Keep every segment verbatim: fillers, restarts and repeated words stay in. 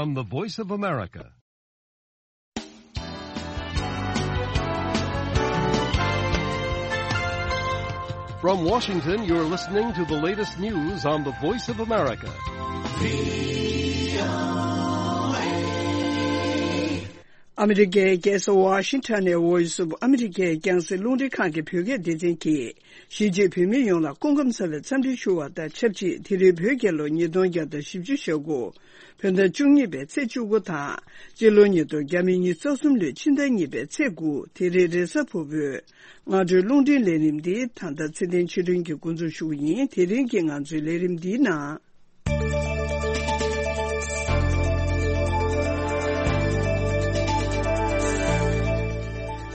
From the Voice of America. From Washington, you're listening to the latest news on the Voice of America. ཨ་མི་རི་ཀའི་རྒྱལ་ས་ཝ་ཤིང་ཊོན་ནས་Voice of America རྒྱང་སྲིང་རླུང་འཕྲིན་ཁང་གི་བོད་སྐད་སྡེ་ཚན་གྱིས། གཞིས་བྱེས་བོད་མི་ཡོངས་ལ་སྐུ་ཁམས་བཟང་བའི་འཚམས་འདྲི་ཞུ་བ་དང་ཆབས་ཅིག་དེ་རིང་བོད་རྒྱལ་ལོ་ཉིས་སྟོང་བརྒྱ་དང་བཞི་བཅུ་ཞེ་དགུ། བོད་ཟླ་བཅུ་གཉིས་པའི་ཚེས་བཅུ་དགུ་དང་། སྤྱི་ལོ་ཉིས་སྟོང་ཉི་ཤུ་རྩ་གསུམ་ལོའི་ཕྱི་ཟླ་གཉིས་པའི་ཚེས་དགུ། དེ་རིང་རེས་གཟའ་ཕུར་བུའི་སྔ་དྲོའི་རླུང་འཕྲིན་ལས་རིམ་འདི་ད་ལྟ་ཚེ་བརྟན་ཆོས་སྒྲོན་གྱིས་འགོ་འཛུགས་ཞུ་གི་ཡིན། དེ་རིང་གི་ང་ཚོའི་ལས་རིམ་འདིའི་ནང་།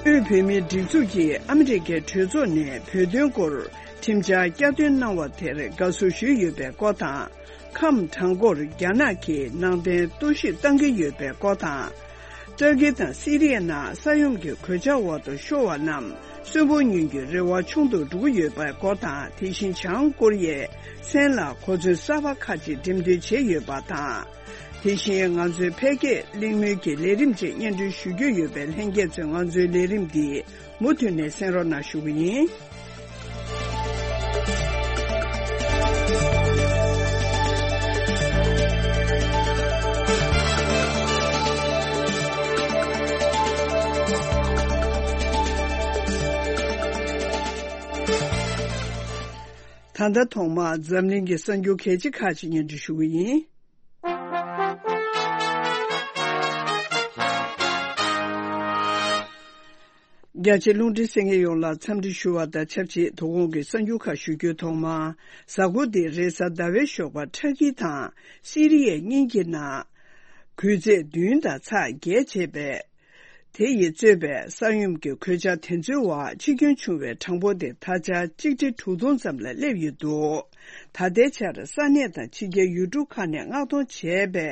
དབུས་བོད་མིའི་སྒྲིག་འཛུགས་ཀྱིས་ཨ་མི་རི་ཀའི་གྲོས་ཚོགས་ནས་བོད་དོན་སྐོར་ཁྲིམས་འཆར་བསྐྱར་འདོན་གནང་བ་དེར་དགའ་བསུ་ཞུས་ཡོད་པའི་སྐོར་དང་། ཁམས་བྲང་ཁོར་རྒྱ་ནག་གིས་ནང་བསྟན་གཏོར་བཤིག་བཏང་གི་ཡོད་པའི་སྐོར་དང་། ཏུར་ཀི་དང་སི་རི་ཡའི་ནང་ས་ཡོམ་གྱི་གོད་ཆག་འོག་ཏུ་ཤོར་བ་རྣམས་གསོན་པོ་ཉིད་ཀྱི་རེ་བ་ཆུང་དུ་འགྲོ་གི་ཡོད་པའི་སྐོར་དང་། དེ་བཞིན་བྱང་ཀོ་རི་ཡའི་མཚན་ལ་གོ་མཚོན་གསར་པ་ཁག་ཅིག་འགྲེམས་སྟོན་བྱས་ཡོད་པ་དང་། དེ་བཞིན་ང་ཚོའི་ཕལ་སྐད་གླེང་མོལ་གྱི་ལས་རིམ་བཅས་སྙན་སྒྲོན་ཞུ་རྒྱུ་ཡོད་པས། ལྷན་རྒྱས་ཚོས་ང་ཚོའི་ལས་རིམ་འདི་མུ་མཐུད་ནས་གསན་རོགས་གནང་ཞུ་གི་ཡིན། ད་ལྟ་ཐོག་མར་འཛམ་གླིང་གི་གསར་འགྱུར་གལ་ཆེ་ཁག་ཅིག་སྙན་སྒྲོན་ཞུ་གི་ཡིན། རྒྱ་ཆེ་རླུང་འཕྲིན་གསན་མཁན་ཡོངས་ལ་འཚམས་འདྲི་ཞུ་བ་དང་ཆབས་ཅིག་དོ་དགོང་གི་གསར་འགྱུར་ཁག་ཞུ་རྒྱུའི་ཐོག་མར། གཟའ་འཁོར་འདིའི་རེས་གཟའ་ཟླ་བའི་ཞོགས་པར་ཏུར་ཀི་དང་སི་རི་ཡའི་གཉིས་ཀྱི་ནང་འགུལ་ཚད་བདུན་དང་ཚེག་བརྒྱད་བྱས་པའི། དེ་ཡིས་གཙོས་པའི་ས་ཡོམ་གྱི་གོད་ཆག་དེ་ཚོའི་འོག་འཆི་སྐྱོན་བྱུང་བའི་གྲངས་འབོར་དེ་ད་ཆ་གཅིག་ཁྲི་དྲུག་སྟོང་ཙམ་ལ་སླེབས་ཡོད་འདུག་ད་ལྟའི་ཆར་ས་གནས་དང་ཕྱི་རྒྱལ་ཡུལ་གྲུ་ཁག་ནས་མངགས་གཏོང་བྱས་པའི་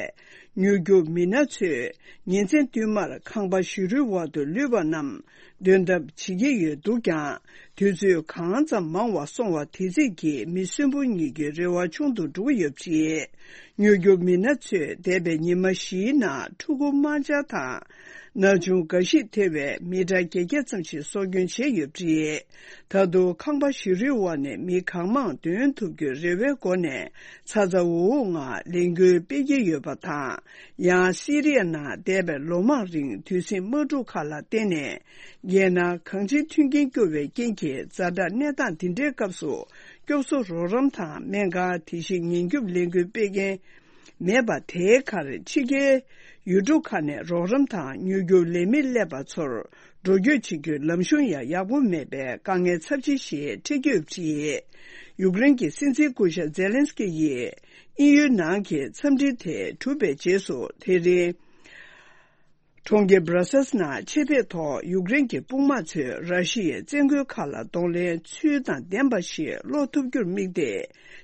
མྱུར་སྐྱོབ་མི་སྣ་ཚོས་ཉིན་མཚན་བསྟུད་མར་ཁང་པ་ཞུ་རུལ་འོག་ཏུ་ལུས་པ་རྣམས་འདོན་ཐབས་བྱེད་ཀྱི་ཡོད་འདུག་ཀྱང་། དུས་ཚོད་གང་ཙམ་མང་བ་སོང་བ་དེ་ཙམ་གྱིས་མི་གསོན་པོ་ཉིད་ཀྱི་རེ་བ་ཆུང་དུ་འགྲོ་གི་ཡོད་པ་རེད། མྱུར་སྐྱོབ་མི་སྣ་ཚོས་འདས་པའི་ཉི་མ་བཞིའི་ནང་ཕྲུ་གུ་དམར་འབྱར་དང་། ན་ཆུང་འགའ་ཞིག་ཐེ་བའི་མི་ཊར་བརྒྱད་བརྒྱ་ཙམ་ཞིག་སྲོག་སྐྱོན་བྱས་ཡོད་པ་རེད། ད་དུང་ཁང་པ་ཞུ་རུལ་འོག་ནས་མི་གང་མང་འདོན་ཐུབ་རྒྱུའི་རེ་བའི་སྒོ་ནས་ཚ་ཚ་འུར་འུར་ངང་ལས་འགུལ་སྤེལ་གྱི་ཡོད་པ་དང་། ཡང་སི་རི་ཡ་ནང་འདས་པའི་ལོ་མང་རིང་དུས་ཟིང་དམག་འཁྲུག་ཁག་ལ་བརྟེན་ནས། རྒྱལ་ནང་གང་ཅིའི་མཐུན་རྐྱེན་སྐྱོ་བའི་རྐྱེན་གྱིས་ཛ་དྲག་གནས་སྟངས་འདི་འདྲའི་སྐབས་སུ་སྐྱོབ་གསོ་རོགས་རམ་དང་སྨན་ཁང་། དེ་བཞིན་ཉེན་སྐྱོབ་ལས་འགུལ་སྤེལ་མཁན་མེད་པ་དེའི་ཁར་ཕྱི་རྒྱལ་ཡུལ་གྲུ་ཁག་ནས་རོགས་རམ་དང་མྱུར་སྐྱོབ་ལས་མི་སླེབས་པ་ཚོར་འགྲོ་སྐྱོད་བྱེད་རྒྱུའི་ལམ་གཞུང་ཡང་ཡག་པོ་མེད་པའི་དཀའ་ངལ་ཚབས་ཆེ་ཞིག་འཕྲད་ཀྱི་ཡོད་པ་རེད། ཡུཀ་རེན་གྱི་སྲིད་འཛིན་སྐུ་ཞབས་ཛེ་ལན་སི་ཀི་ཡིས་དབྱིན་ཡུལ་ནང་གི་འཚམས་འདྲི་དེ་གྲུབ་པའི་རྗེས་སུ་དེ་རིང་། གྲོང་ཁྱེར་སྦྲ་སེལ་ནང་ཆེད་ཕེབས་ཐོག་ཡུཀ་རེན་གྱི་དཔུང་དམག་ཚོས་ར་ཤི་ཡའི་བཙན་རྒོལ་ཁག་ལ་གདོང་ལེན་ཚུལ་དང་ལྡན་པ་ཞིག་སློག་ཐུབ་རྒྱུར་དམིགས་ཏེ།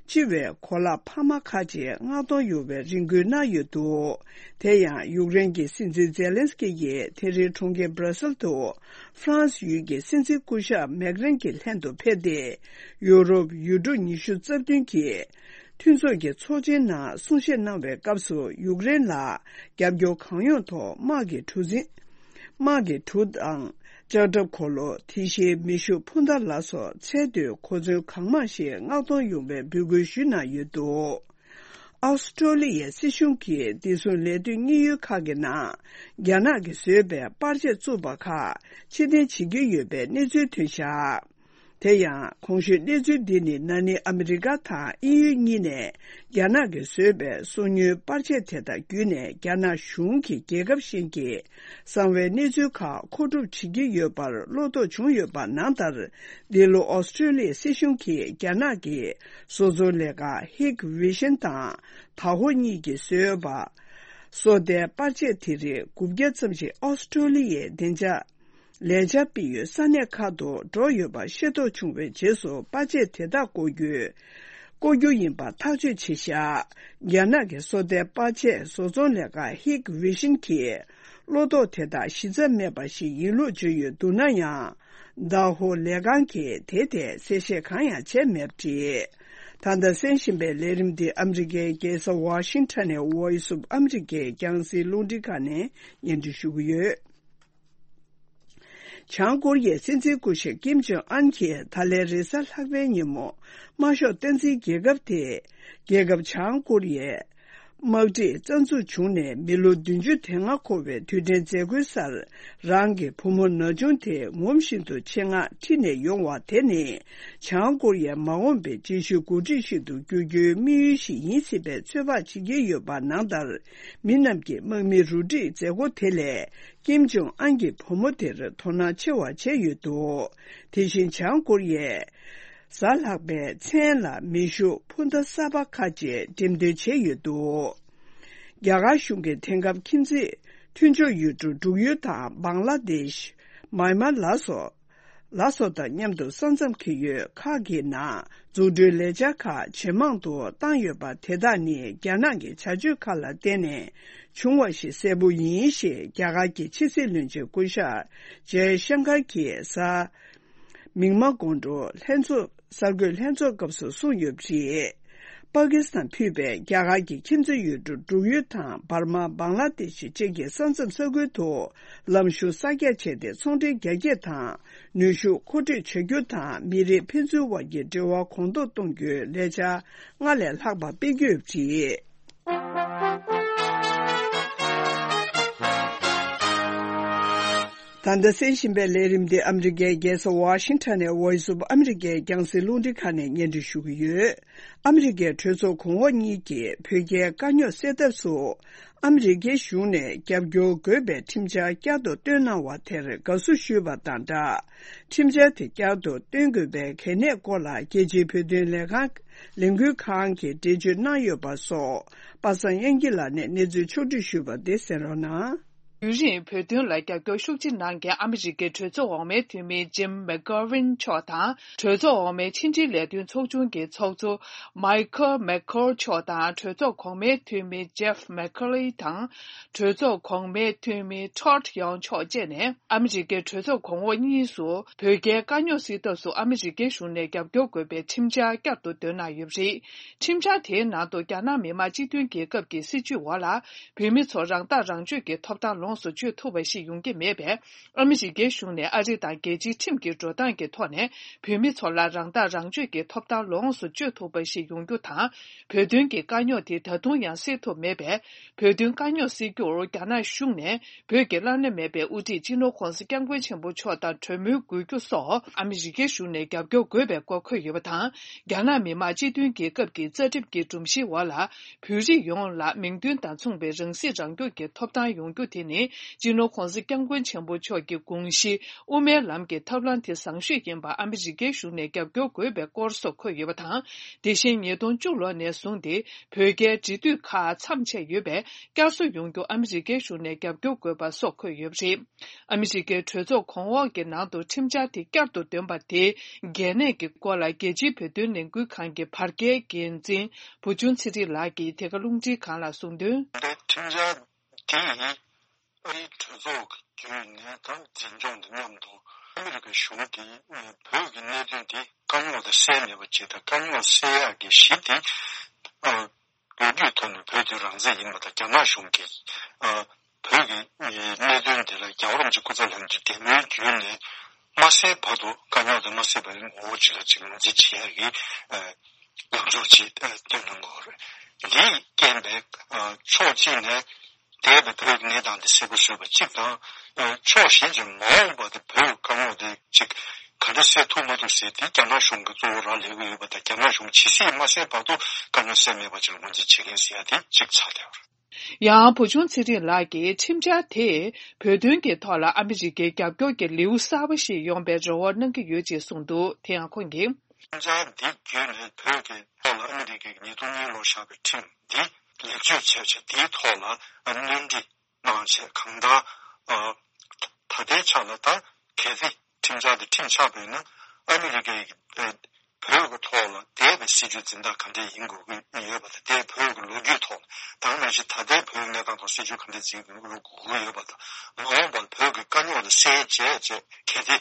སྤྱི་བའི་གོ་ལག་འཕར་མ་ཁག་ཅིག་མངགས་གཏོང་ཡོང་བའི་རེ་སྐུལ་གནང་ཡོད་འདུག་དེ་ཡང་ཡུཀ་རེན་གྱི་སྲིད་འཛིན་ཛེ་ལན་སི་ཀི་ཡིས་དེ་རིང་གྲོང་ཁྱེར་སྦྲ་སེལ་དུ་ཧྥ་རན་སི་ཡུལ་གྱི་སྲིད་འཛིན་སྐུ་ཞབས་མེག་རན་གྱི་ལྷན་དུ་ཕེབས་ཏེ། ཡུ་རོབ་ཡུལ་གྲུ་ཉི་ཤུ་རྩ་བདུན་གྱི་མཐུན་ཚོགས་ཀྱི་ཚོགས་ཆེན་ནང་གསུང་བཤད་གནང་བའི་སྐབས་སུ། ཡུཀ་རེན་ལ་རྒྱབ་སྐྱོར་གང་ཡོང་ཐོག་དམག་གི་གྲུ་གཟིངས། དམག་གི་གྲུ་དང་ལྕགས་ཁྲབ་འཁོར་ལོ། དེ་བཞིན་མེ་ཤུགས་འཕུར་མདའ་ལ་སོགས་ཚད་མཐོའི་གོ་མཚོན་གང་མང་ཞིག་མངགས་གཏོང་ཡོང་བའི་འབོད་སྐུལ་ཞུས་གནང་ཡོད་འདུག་ཨོ་སི་ཀྲོ་ལི་ཡའི་སྲིད་གཞུང་གིས་བདེ་སྲུང་ལས་དོན་གཉེར་ཡུལ་ཁག་གི་ནང་རྒྱ་ནག་གིས་བཟོས་པའི་པར་ཆས་བཙུགས་པ་ཁག་ཕྱིར་འཐེན་བྱེད་ཀྱི་ཡོད་པའི་གནས་ཚུལ་ཐོན་བཞག་དེ་ཡང་གོང་ཞུས་གནས་ཚུལ་འདི་ནི་ན་ནིང་ཨ་མི་རི་ཀ་དང་དབྱིན་ཡུལ་གཉིས་ནས་རྒྱ་ནག་གིས་བཟོས་པའི་སོ་ཉུལ་པར་ཆས་དེ་དག་བརྒྱུད་ནས་རྒྱ་ནག་གཞུང་གིས་རྒྱལ་ཁབ་གཞན་གྱི་གསང་བའི་གནས་ཚུལ་ཁག་མཁོ་སྒྲུབ་བྱེད་ཀྱི་ཡོད་པར་བློ་དོགས་བྱུང་ཡོད་པ་ནང་ལྟར། འདི་ལོ་ཨོ་སི་ཀྲོ་ལི་ཡའི་སྲིད་གཞུང་གིས་རྒྱ་ནག་གི་བཟོ་ཚོང་ལས་ཁང་ཧིག་ཝི་ཤན་དང་ཐའོ་ཧོ་གཉིས་ཀྱིས་བཟོས་པ། སོ་ལྟའི་པར་ཆས་དེ་རིགས་དགུ་བརྒྱ་ཙམ་ཞིག་ཨོ་སི་ཀྲོ་ལི་ཡའི་བདེ་འཇགས། ལས་འཆར་སྤེལ་ཡུལ་ས་གནས་ཁག་ཏུ་འགྲོ་ཡོད་པ་ཤེས་རྟོགས་བྱུང་བའི་རྗེས་སུ། པར་ཆས་དེ་དག་བཀོལ་རྒྱུའི་བཀོལ་རྒྱུ་ཡིན་པ་ཐག་གཅོད་བྱས་བཞག་རྒྱ་ནག་གི་སོ་ལྟའི་པར་ཆས་བཟོ་ཚོང་ལས་ཁང་ཧིག་ཝི་ཤིན་གྱིས་བློ་དོགས་དེ་དག་གཞི་རྩ་མེད་པ་ཞིག་ཡིན་ལུགས་བརྗོད་ཡོད་འདུག་ན་ཡང་། ཏཱ་ཧོ་ལས་ཁང་གིས་དེའི་ཐད་གསལ་བཤད་གང་ཡང་བྱས་མེད་པ་རེད། ད་ལྟ་གསན་བཞིན་པའི་ལས་རིམ་འདི་ཨ་མི་རི་ཀའི་རྒྱལ་ས་ཝ་ཤིང་ཊོན་ནས་Voice of America རྒྱང་སྲིང་རླུང་འཕྲིན་ཁང་ནས་སྙན་སྒྲོན་ཞུ་གི་ཡོད། བྱང་ཀོ་རི་ཡའི་སྲིད་འཛིན་སྐུ་ཞབས་ཀིམ་ཇོང་ཨན་གྱིས་ད་ལན་རེས་གཟའ་ལྷག་པའི་ཉིན་མོ་དམར་ཤོག་སྟངས་འཛིན་རྒྱལ་ཁབ་དེས་རྒྱལ་ཁབ་བྱང་ཀོ་རི་ཡའི་དམག་འཁྲུག་རྩ་འཛུགས་བྱུང་ནས་མི་ལོ་བདུན་ཅུ་དོན་ལྔ་འཁོར་བའི་དུས་དྲན་མཛད་སྒོའི་སར་རང་གི་བུ་མོ་ན་ཆུང་དེ་ངོམ་བཞིན་དུ་ཆེད་མངགས་ཁྲིད་ནས་ཡོང་བ་དེ་ནི་བྱང་ཀོ་རི་ཡའི་མ་འོངས་པའི་རྗེས་ཤུལ་འགོ་ཁྲིད་ཞིག་ཏུ་འགྱུར་རྒྱུའི་དམིགས་ཡུལ་ཞིག་ཡིན་སྲིད་པའི་ཚོད་དཔག་བྱེད་ཀྱི་ཡོད་པ་ནང་ལྟར། མི་རྣམས་ཀྱིས་དམག་མིའི་རུ་སྒྲིག་མཛད་སྒོ་དེ་ལས་ཀིམ་ཇོང་ཨན་གྱི་བུ་མོ་དེར་དོ་སྣང་ཆེ་བ་བྱས་ཡོད་འདུག་དེ་བཞིན་བྱང་ཀོ་རི་ཡས་གཟའ་ལྷག་པའི་མཚན་ལ་མེ་ཤུགས་འཕུར་མདའ་གསར་པ་ཁག་ཅིག་འགྲེམས་སྟོན་བྱས་ཡོད་འདུག་རྒྱ་གར་གཞུང་གིས་དེང་སྐབས་ཁྱིམ་མཚེས་མཐུན་ཕྱོགས་ཡུལ་གྲུ་འབྲུག་ཡུལ་དང་བང་ལ་དེཤ། མཱན་མཱ་ལ་སོགས། ལ་སོགས་དང་མཉམ་དུ་ས་མཚམས་ཀྱི་ཡུལ་ཁག་གི་ནང་འཛུགས་སྐྲུན་ལས་འཆར་ཁག་ཇེ་མང་དུ་བཏང་ཡོད་པ་དེ་དག་ནི་རྒྱ་ནག་གི་བྱ་སྤྱོད་ཁག་ལ་བརྟེན་ནས་བྱུང་བ་ཞིག་གསལ་པོ་ཡིན་ཞེས་རྒྱ་གར་གྱི་ཕྱི་སྲིད་བློན་ཆེན་སྐུ་ཞབས་ཇའི་ཤང་ཀར་གྱིས་གཟའ་མིག་དམར་དགོང་དྲོ་ལྷན་ཚོགས་གསར་འགོད་ལྷན་ཚོགས་སྐབས་སུ་གསུངས་ཡོད་པ་རེད། པ་ཀི་སི་ཐན་ཕུད་པའི་རྒྱ་གར་གྱི་ཁྱིམ་མཚེས་ཡུལ་གྲུ་འབྲུག་ཡུལ་དང་འབར་མ་བང་ལ་དེ་ཤི་བཅས་ཀྱི་ས་མཚམས་ས་ཁུལ་དུ་ལམ་གཞུང་གསར་རྒྱག་བྱས་ཏེ་ཚོང་འབྲེལ་རྒྱ་སྐྱེད་དང་ནུས་ཤུགས་མཁོ་སྤྲོད་བྱ་རྒྱུ་དང་མི་རིགས་ཕན་ཚུན་དབར་གྱི་འབྲེལ་བ་གོང་མཐོར་གཏོང་རྒྱུའི་ལས་འཆར་སྔར་ལས་ལྷག་པ་སྤེལ་རྒྱུ་ཡོད་པ་རེད། ད་ལྟ་གསན་བཞིན་པའི་ལས་རིམ་འདི་ཨ་མི་རི་ཀའི་རྒྱལ་ས་ཝ་ཤིང་ཊོན་ནས་Voice of America རྒྱང་སྲིང་རླུང་འཕྲིན་ཁང་ནས་སྙན་སྒྲོན་ཞུ་གི་ཡོད། ཨ་མི་རི་ཀའི་གྲོས་ཚོགས་གོང་འོག་གཉིས་ཀྱིས་བོད་རྒྱའི་དཀའ་རྙོག་སེལ་ཐབས་སུ་ཨ་མི་རི་ཀའི་གཞུང་ནས་རྒྱབ་སྐྱོར་དགོས་པའི་ཁྲིམས་འཆར་བསྐྱར་དུ་བཏོན་གནང་བ་དེར་དགའ་བསུ་ཞུས་པ་དང་སྦྲགས། ཁྲིམས་འཆར་དེ་བསྐྱར་དུ་བཏོན་དགོས་པའི་གལ་གནད་སྐོར་ལ་རྒྱལ་སྤྱིའི་བོད་དོན་ལས་ཁང་ལས་འགུལ་ཁང་གིས་འགྲེལ་བརྗོད་གནང་ཡོད་པ་སོགས་པ་སངས་དབྱངས་སྐྱིད་ལགས་ནས་གནས་ཚུལ་ཕྱོགས་བསྒྲིགས་ཞུས་པ་དེ་གསན་རོགས་གནང་། ཡུན་རིང་བོད་དོན་ལ་རྒྱབ་སྐྱོར་ཤུགས་ཆེ་གནང་མཁན་ཨ་མི་རི་ཀའི་གྲོས་ཚོགས་འོག་མའི་འཐུས་མི་ཇིམ་མེག་གྷོ་ཝིན་མཆོག་དང་། གྲོས་ཚོགས་འོག་མའི་ཕྱི་འབྲེལ་ལས་དོན་ཚོགས་ཆུང་གི་ཚོགས་གཙོ་མའི་ཁལ་མེག་ཁོལ་མཆོག་དང་། གྲོས་ཚོགས་གོང་མའི་འཐུས་མི་ཇེབ་མེག་ཁོ་ལི་དང་། གྲོས་ཚོགས་གོང་མའི་འཐུས་མི་ཊོཌ་ཡོང་མཆོག་བཅས་ནས་ཨ་མི་རི་ཀའི་གྲོས་ཚོགས་གོང་འོག་གཉིས་སུ་བོད་རྒྱའི་དཀའ་རྙོག་སེལ་ཐབས་སུ་ཨ་མི་རི་ཀའི་གཞུང་ནས་རྒྱབ་སྐྱོར་དགོས་པའི་ཁྲིམས་འཆར་བསྐྱར་དུ་བཏོན་གནང་ཡོད་པ་རེད། ཁྲིམས་འཆར་དེའི་ནང་དུ་རྒྱ་ནག་མི་དམངས་སྤྱི་མཐུན་རྒྱལ་ཁབ་ཀྱི་སྲིད་བྱུས་འོག་ལ། བོད་མི་ཚོ་རང་ཐག་རང་གཅོད་ཀྱི་ཐོབ་ཐང་ལོངས་སུ་སྤྱོད་ཐུབ་པ་ཞིག་ཡོང་གི་མེད་པས། ཨ་མི་རི་ཀའི་གཞུང་ནས་ཨ་རི་དང་རྒྱལ་སྤྱིའི་ཁྲིམས་ཀྱི་འགྲོ་སྟངས་ཀྱི་ཐོག་ནས་བོད་མི་ཚོ་ལ་རང་ཐག་རང་གཅོད་ཀྱི་ཐོབ་ཐང་ལོངས་སུ་སྤྱོད་ཐུབ་པ་ཞིག་ཡོང་རྒྱུ་དང་། བོད་དོན་གྱི་དཀའ་རྙོག་དེ་ད་དུང་ཡང་སེལ་ཐུབ་མེད་པས། བོད་དོན་དཀའ་རྙོག་སེལ་རྒྱུར་རྒྱ་ནག་གཞུང་ནས་བོད་ཀྱི་བླ་ན་མེད་པའི་དབུ་ཁྲིད་སྤྱི་ནོར་ྋགོང་ས་ྋསྐྱབས་མགོན་ཆེན་པོ་མཆོག་དང་གྲོས་མོལ་དགོས་རྒྱུ་སོགས་ཨ་མི་རི་ཀའི་གཞུང་ནས་རྒྱབ་སྐྱོར་དགོས་པའི་སྐོར་འཁོད་ཡོད་པ་དང་། རྒྱ་ནག་མི་དམངས་སྤྱི་མཐུན་རྒྱལ་ཁབ་ཀྱི་རྩ་ཁྲིམས་ཀྱི་སྒྲོམ་གཞིའི་འོག་ལ། བོད་རིགས་ཡོངས་ལ་མིང་དོན་དང་མཚུངས་པའི་རང་སྲིད་རང་སྐྱོང་གི་ཐོབ་ཐང་ཡོང་རྒྱུ་དེ་ནི། སྤྱི་ནོར་ྋགོང་ས་ྋསྐྱབས་མགོན་ཆེན་པོ་མཆོག་གི་དགོངས་གཞི་དབུ་མའི་ལམ་གྱི་ཐབས་ལམ་དེ་བཟང་ཤོས་ཡིན་པར་ཨ་མི་རི་ཀའི་གཞུང་ནས་རྒྱབ་སྐྱོར་དགོས་པའི་སྐོར་སོགས་འཁོད་ཡོད་པ་དང་། དེ་བཞིན་ཉིས་སྟོང་བཅུ་ལོ་ནས་བཟུང་སྟེ་བོད་རྒྱའི་འབྲེལ་མཐུད་ཁག་མཚམས་ཆད་ཡོད་པས། བསྐྱར་གསོ་ཡོང་རྒྱུ་ཨ་མི་རི་ཀའི་གཞུང་ནས་རྒྱབ་སྐྱོར་དགོས་པ་སོགས་འཁོད་ཡོད་པ་རེད། ཨ་མི་རི་ཀའི་གྲོས་ཚོགས་གོང་འོག་གི་ནང་དུ་ཁྲིམས་འཆར་དེ་བསྐྱར་དུ་འདོན་པ་དེའི་གལ་གནད་ཀྱི་སྐོར་ལ་རྒྱལ་སྤྱིའི་བོད་དོན་ལས་འགུལ་ཁང་གི་བར་བརྒལ་འགན་འཛིན་བུ་ཆུང་ཚེ་རིང་ལགས་ཀྱིས་དེ་ག་རླུང་འཕྲིན་ཁང་ལ་གསུངས་དོན། འདི་ཁྲིམས་འཆར་དེ་ཡིས་ཨ་རིའི་གྲོས་ཚོགས་ཀྱི་བརྒྱུད་ནས་དང་འཛིན་སྐྱོང་དང་མཉམ་དུ་ཨ་མི་རི་ཀའི་གཞུང་གིས་བོད་ཀྱི་གནད་དོན་དེ་དཀའ་རྙོག་དེ་སེལ་མེད་པ་བྱེད་དང་། དཀའ་རྙོག་སེལ་ཡག་གི་གཞི་དེ་ལོ་རྒྱུས་ཐོག་ནས་བོད་དེ་རང་བཙན་ཡིན་པ་དང་། རྒྱ་ནག་གཞུང་གིས་ཨ་བོད་ཀྱི་གནད་དོན་དེ་ལ་རྒྱལ་བ་རིན་པོ་ཆེ་སྐུ་ཚེ་ལྷ་མིའི་བདེ་མོའི་བརྒྱུད་ནས་མ་སེལ་བར་དུ་དཀའ་རྙོག་དེ་མ་སེལ་བར་ངོ་བོ་ཅིག་ལ་ཅིག་ངོས་འཛིན་བྱེད་ཡག་གི་ཨ་ལངས་ཕྱོགས་ཅིག་ཨ་བཏོན་གནང་དགོས་པ་རེད། འདིས་རྐྱེན་པས་ཨ་ཕྱོགས་གཅིག་ནས་འདས་པའི་བོད་ཀྱི་གནས་སྟངས་དེ་གསལ་པོ་བཟོས་པ་གཅིག་དང་། ཨ་ཕྱོགས་གཞན་གྱིས་མ་འོངས་པ་དེ་བོད་དཀའ་རྙོག་དེ་ཅིག་ག་འདྲ་སེལ་ཐུབ་མ་ཐུབ་ཟེར་དེ་རྒྱ་ནག་གཞུང་གིས་གཙོ་བོ་རག་ལས་ཀྱི་ཡོད་པ་དང་། རྒྱ་ནག་གཞུང་ཇི་སྲིད་མ་སེལ་བར་དུ་དཀའ་རྙོག་སེལ་མེད་པ་ཅིག་ལ་ངོས་འཛིན་བྱེད་མཁན་ཟེར་ཡ་དེ་གཅིག་ཆགས་བསྡད་པ་རེད། ཡང་བུ་ཆུང་ཚེ་རིང་ལགས་ཀྱིས་ཁྲིམས་འཆར་དེས་བོད་དོན་གྱི་ཐོག་ལ་ཨ་མི་རི་ཀའི་རྒྱབ་སྐྱོར་གྱི་ལེའུ་གསར་པ་ཞིག་ཡོང་པའི་རེ་བ་གནང་གི་ཡོད་ཅེས་གསུངས་འདུག་དེ་ཡང་ཁོང་གིས། ཁྲིམས་འཆར་འདི་བརྒྱུད་ནས་བོད་ཀྱི་ཐོག་ལ་ཨ་མི་རི་ཀས་ཉིས་སྟོང་གཉིས་ལོར་བཞག་པའི་ཁྲིམས་འདི་ལེགས་བཅོས་བྱས་བྱས་དེའི་ཐོག་ལ་སྣོན་འཕྲི་གནང་བྱས། གང་ལྟར་ད་ལྟའི་ཆ་ལ་ད་གལ་སྲིད་ཁྲིམས་འཆར་འདི་ཁྲིམས་ཆགས་པ་ཡིན་ན། ཨ་མི་རི་ཀའི་ བོད་ཀྱི་ཐོག་ལ་འདས་པའི་སྲིད་བྱུས་འཛིན་སྟངས་ག་འདྲས་ཡིན་དགོས་ཀྱི་ཡོད་པ་དང་། དེ་བོད་ཀྱི་ལོ་རྒྱུས་ཐོག་ལ་ད་ག་ནང་བཞིན་ད་ལྟའི་བོད་ཀྱི་གནས་སྟངས་ཐོག་སྲིད་བྱུས་ག་འདྲས་འཛིན་དགོས་ཀྱི་ཡོད་པ་དང་། མ་འོངས་པར་བོད་ཀྱི་དཀའ་རྙོག་དེ་སེལ་བྱས་བྱས་གལ་ཏེ་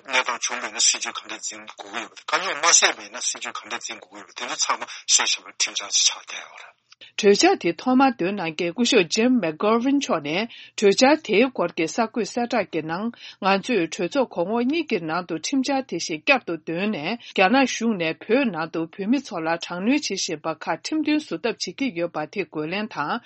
གནས་སྟངས་བྱུང་བ་ཡིན་ན་སྲིད་བྱུས་ག་འདྲས་འཛིན་དགོས་ཀྱི་ཡོད་པ་དང་། དཀའ་རྙོག་མ་སེལ་བ་ཡིན་ན་སྲིད་བྱུས་ག་འདྲས་འཛིན་དགོས་ཀྱི་ཡོད་པ། དེ་ཚོ་ཚང་མ་གསལ་ཞིང་ཕྲ་ཕྲན་ཆགས་ཆགས་བསྡད་ཡོད་རེད། གྲོས་འཆར་དེ་ཐོག་མར་འདོན་གནང་མཁན་སྐུ་ཞབས་ཇིམ་མེག་གྷོ་ཝིན་མཆོག་ནས། གྲོས་འཆར་དེའི་སྐོར་གྱི་གསར་འགོད་གསལ་བསྒྲགས་ཀྱི་ནང་། ང་ཚོས་གྲོས་ཚོགས་གོང་འོག་གཉིས་ཀྱི་ནང་དུ་ཁྲིམས་འཆར་དེ་བཞིན་བསྐྱར་དུ་འདོན་ནས། རྒྱ་ནག་གཞུང་ནས་བོད་ནང་དུ་བོད་མི་ཚོ་ལ་དྲག་གནོན་བྱེད་བཞིན་པ་ཁག་ཁྲིམས་མཐུན་བཟོ་ཐབས་བྱེད་ཀྱི་ཡོད་པ་དེ་རྒོལ་ལན་དང་།